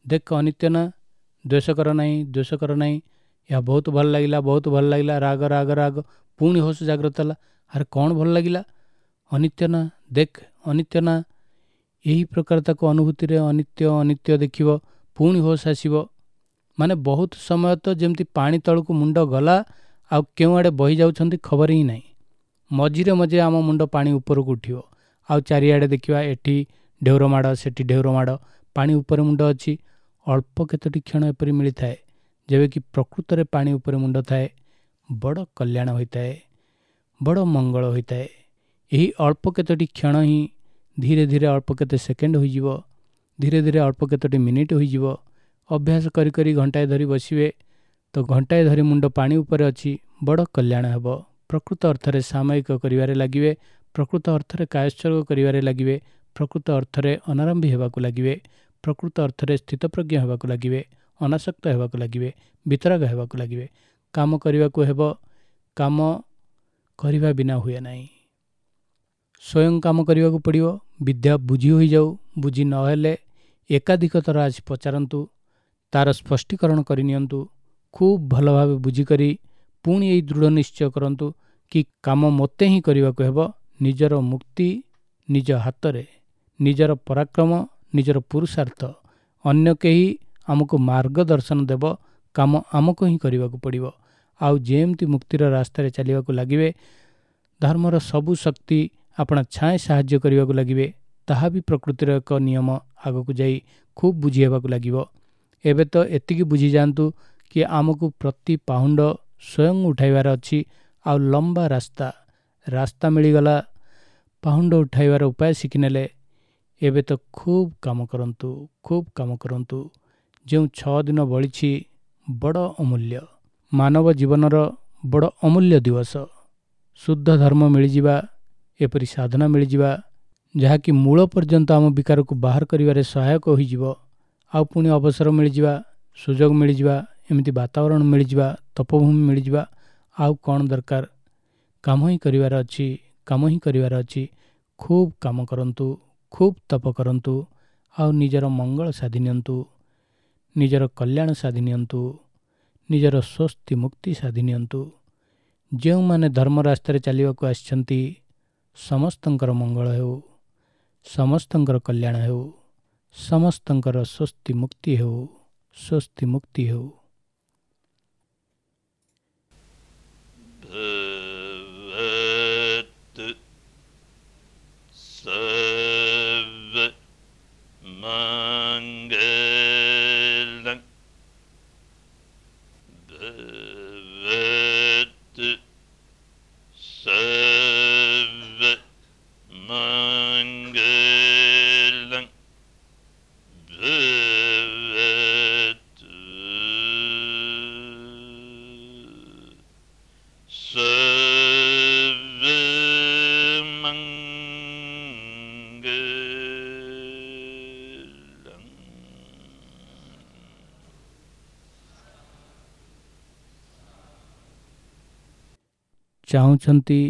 ଦେଖ ଅନିତ୍ୟ ନା, ଦ୍ୱେଷ କର ନାହିଁ, ଦ୍ୱେଷ କର ନାହିଁ, ଏହା ବହୁତ ଭଲ ଲାଗିଲା, ବହୁତ ଭଲ ଲାଗିଲା, ରାଗ ରାଗ ରାଗ, ପୁଣି ହୋସ୍ ଜାଗ୍ରତ ହେଲା, ଆରେ କ'ଣ ଭଲ ଲାଗିଲା, ଅନିତ୍ୟ ନା, ଦେଖ ଅନିତ୍ୟ ନା। ଏହି ପ୍ରକାର ତାକୁ ଅନୁଭୂତିରେ ଅନିତ୍ୟ ଅନିତ୍ୟ ଦେଖିବ, ପୁଣି ହୋସ୍ ଆସିବ। ମାନେ ବହୁତ ସମୟ ତ ଯେମିତି ପାଣି ତଳକୁ ମୁଣ୍ଡ ଗଲା ଆଉ କେଉଁଆଡ଼େ ବହି ଯାଉଛନ୍ତି ଖବର ହିଁ ନାହିଁ। ମଝିରେ ମଝିରେ ଆମ ମୁଣ୍ଡ ପାଣି ଉପରକୁ ଉଠିବ ଆଉ ଚାରିଆଡ଼େ ଦେଖିବା ଏଠି ଢେଉର ମାଡ଼, ସେଠି ଢେଉର ମାଡ଼, ପାଣି ଉପରେ ମୁଣ୍ଡ ଅଛି। ଅଳ୍ପ କେତୋଟି କ୍ଷଣ ଏପରି ମିଳିଥାଏ ଯେବେ କି ପ୍ରକୃତରେ ପାଣି ଉପରେ ମୁଣ୍ଡ ଥାଏ, ବଡ଼ କଲ୍ୟାଣ ହୋଇଥାଏ, ବଡ଼ ମଙ୍ଗଳ ହୋଇଥାଏ। ଏହି ଅଳ୍ପ କେତୋଟି କ୍ଷଣ ହିଁ ଧୀରେ ଧୀରେ ଅଳ୍ପ କେତେ ସେକେଣ୍ଡ ହୋଇଯିବ, ଧୀରେ ଧୀରେ ଅଳ୍ପ କେତୋଟି ମିନିଟ୍ ହୋଇଯିବ। ଅଭ୍ୟାସ କରି କରି ଘଣ୍ଟାଏ ଧରି ବସିବେ ତ ଘଣ୍ଟାଏ ଧରି ମୁଣ୍ଡ ପାଣି ଉପରେ ଅଛି, ବଡ଼ କଲ୍ୟାଣ ହେବ। ପ୍ରକୃତ ଅର୍ଥରେ ସାମୟିକ କରିବାରେ ଲାଗିବେ, ପ୍ରକୃତ ଅର୍ଥରେ କାୟୋତ୍ସର୍ଗ କରିବାରେ ଲାଗିବେ, ପ୍ରକୃତ ଅର୍ଥରେ ଅନାରମ୍ଭୀ ହେବାକୁ ଲାଗିବେ, ପ୍ରକୃତ ଅର୍ଥରେ ସ୍ଥିତପ୍ରଜ୍ଞ ହେବାକୁ ଲାଗିବେ, ଅନାସକ୍ତ ହେବାକୁ ଲାଗିବେ, ବିତରାଗ ହେବାକୁ ଲାଗିବେ। କାମ କରିବାକୁ ହେବ, କାମ କରିବା ବିନା ହୁଏ ନାହିଁ। ସ୍ୱୟଂ କାମ କରିବାକୁ ପଡ଼ିବ। ବିଦ୍ୟା ବୁଝି ହୋଇଯାଉ, ବୁଝି ନହେଲେ ଏକାଧିକ ଥର ଆସି ପଚାରନ୍ତୁ, ତାର ସ୍ପଷ୍ଟୀକରଣ କରିନିଅନ୍ତୁ। ଖୁବ୍ ଭଲ ଭାବେ ବୁଝିକରି ପୁଣି ଏଇ ଦୃଢ଼ ନିଶ୍ଚୟ କରନ୍ତୁ କି କାମ ମୋତେ ହିଁ କରିବାକୁ ହେବ। ନିଜର ମୁକ୍ତି ନିଜ ହାତରେ, ନିଜର ପରାକ୍ରମ, ନିଜର ପୁରୁଷାର୍ଥ। ଅନ୍ୟ କେହି ଆମକୁ ମାର୍ଗଦର୍ଶନ ଦେବ, କାମ ଆମକୁ ହିଁ କରିବାକୁ ପଡ଼ିବ। ଆଉ ଯେମିତି ମୁକ୍ତିର ରାସ୍ତାରେ ଚାଲିବାକୁ ଲାଗିବେ, ଧର୍ମର ସବୁ ଶକ୍ତି ଆପଣା ଛାଏଁ ସାହାଯ୍ୟ କରିବାକୁ ଲାଗିବେ। ତାହା ବି ପ୍ରକୃତିର ଏକ ନିୟମ, ଆଗକୁ ଯାଇ ଖୁବ୍ ବୁଝି ହେବାକୁ ଲାଗିବ। ଏବେ ତ ଏତିକି ବୁଝିଯାଆନ୍ତୁ କି ଆମକୁ ପ୍ରତି ପାହୁଣ୍ଡ ସ୍ୱୟଂ ଉଠାଇବାର ଅଛି। ଆଉ ଲମ୍ବା ରାସ୍ତା, ରାସ୍ତା ମିଳିଗଲା, ପାହୁଣ୍ଡ ଉଠାଇବାର ଉପାୟ ଶିଖିନେଲେ। ଏବେ ତ ଖୁବ୍ କାମ କରନ୍ତୁ, ଖୁବ୍ କାମ କରନ୍ତୁ। ଯେଉଁ ଛଅ ଦିନ ବଳିଛି ବଡ଼ ଅମୂଲ୍ୟ, ମାନବ ଜୀବନର ବଡ଼ ଅମୂଲ୍ୟ ଦିବସ। ଶୁଦ୍ଧ ଧର୍ମ ମିଳିଯିବା, ଏପରି ସାଧନା ମିଳିଯିବା, ଯାହାକି ମୂଳ ପର୍ଯ୍ୟନ୍ତ ଆମ ବିକାରକୁ ବାହାର କରିବାରେ ସହାୟକ ହୋଇଯିବ। ଆଉ ପୁଣି ଅବସର ମିଳିଯିବା, ସୁଯୋଗ ମିଳିଯିବା, ଏମିତି ବାତାବରଣ ମିଳିଯିବା, ତପଭୂମି ମିଳିଯିବା, ଆଉ କ'ଣ ଦରକାର? କାମ ହିଁ କରିବାର ଅଛି, କାମ ହିଁ କରିବାର ଅଛି। ଖୁବ୍ କାମ କରନ୍ତୁ, ଖୁବ୍ ତପ କରନ୍ତୁ, ଆଉ ନିଜର ମଙ୍ଗଳ ସାଧି ନିଅନ୍ତୁ, ନିଜର କଲ୍ୟାଣ ସାଧି ନିଅନ୍ତୁ, ନିଜର ସ୍ୱସ୍ତି ମୁକ୍ତି ସାଧି ନିଅନ୍ତୁ। ଯେଉଁମାନେ ଧର୍ମ ରାସ୍ତାରେ ଚାଲିବାକୁ ଆସିଛନ୍ତି ସମସ୍ତଙ୍କର ମଙ୍ଗଳ ହେଉ, ସମସ୍ତଙ୍କର କଲ୍ୟାଣ ହେଉ, ସମସ୍ତଙ୍କର ସ୍ୱସ୍ତି ମୁକ୍ତି ହେଉ, ସ୍ୱସ୍ତି ମୁକ୍ତି ହେଉ। Bhavatu sabba mangalam. Bhavatu sabba mangalam. Bhavatu sabba mangalam. ଚାହୁଁଛନ୍ତି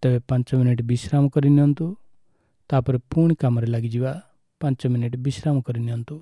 ତେବେ ପାଞ୍ଚ ମିନିଟ୍ ବିଶ୍ରାମ କରିନିଅନ୍ତୁ, ତାପରେ ପୁଣି କାମରେ ଲାଗିଯିବା। ପାଞ୍ଚ ମିନିଟ୍ ବିଶ୍ରାମ କରିନିଅନ୍ତୁ।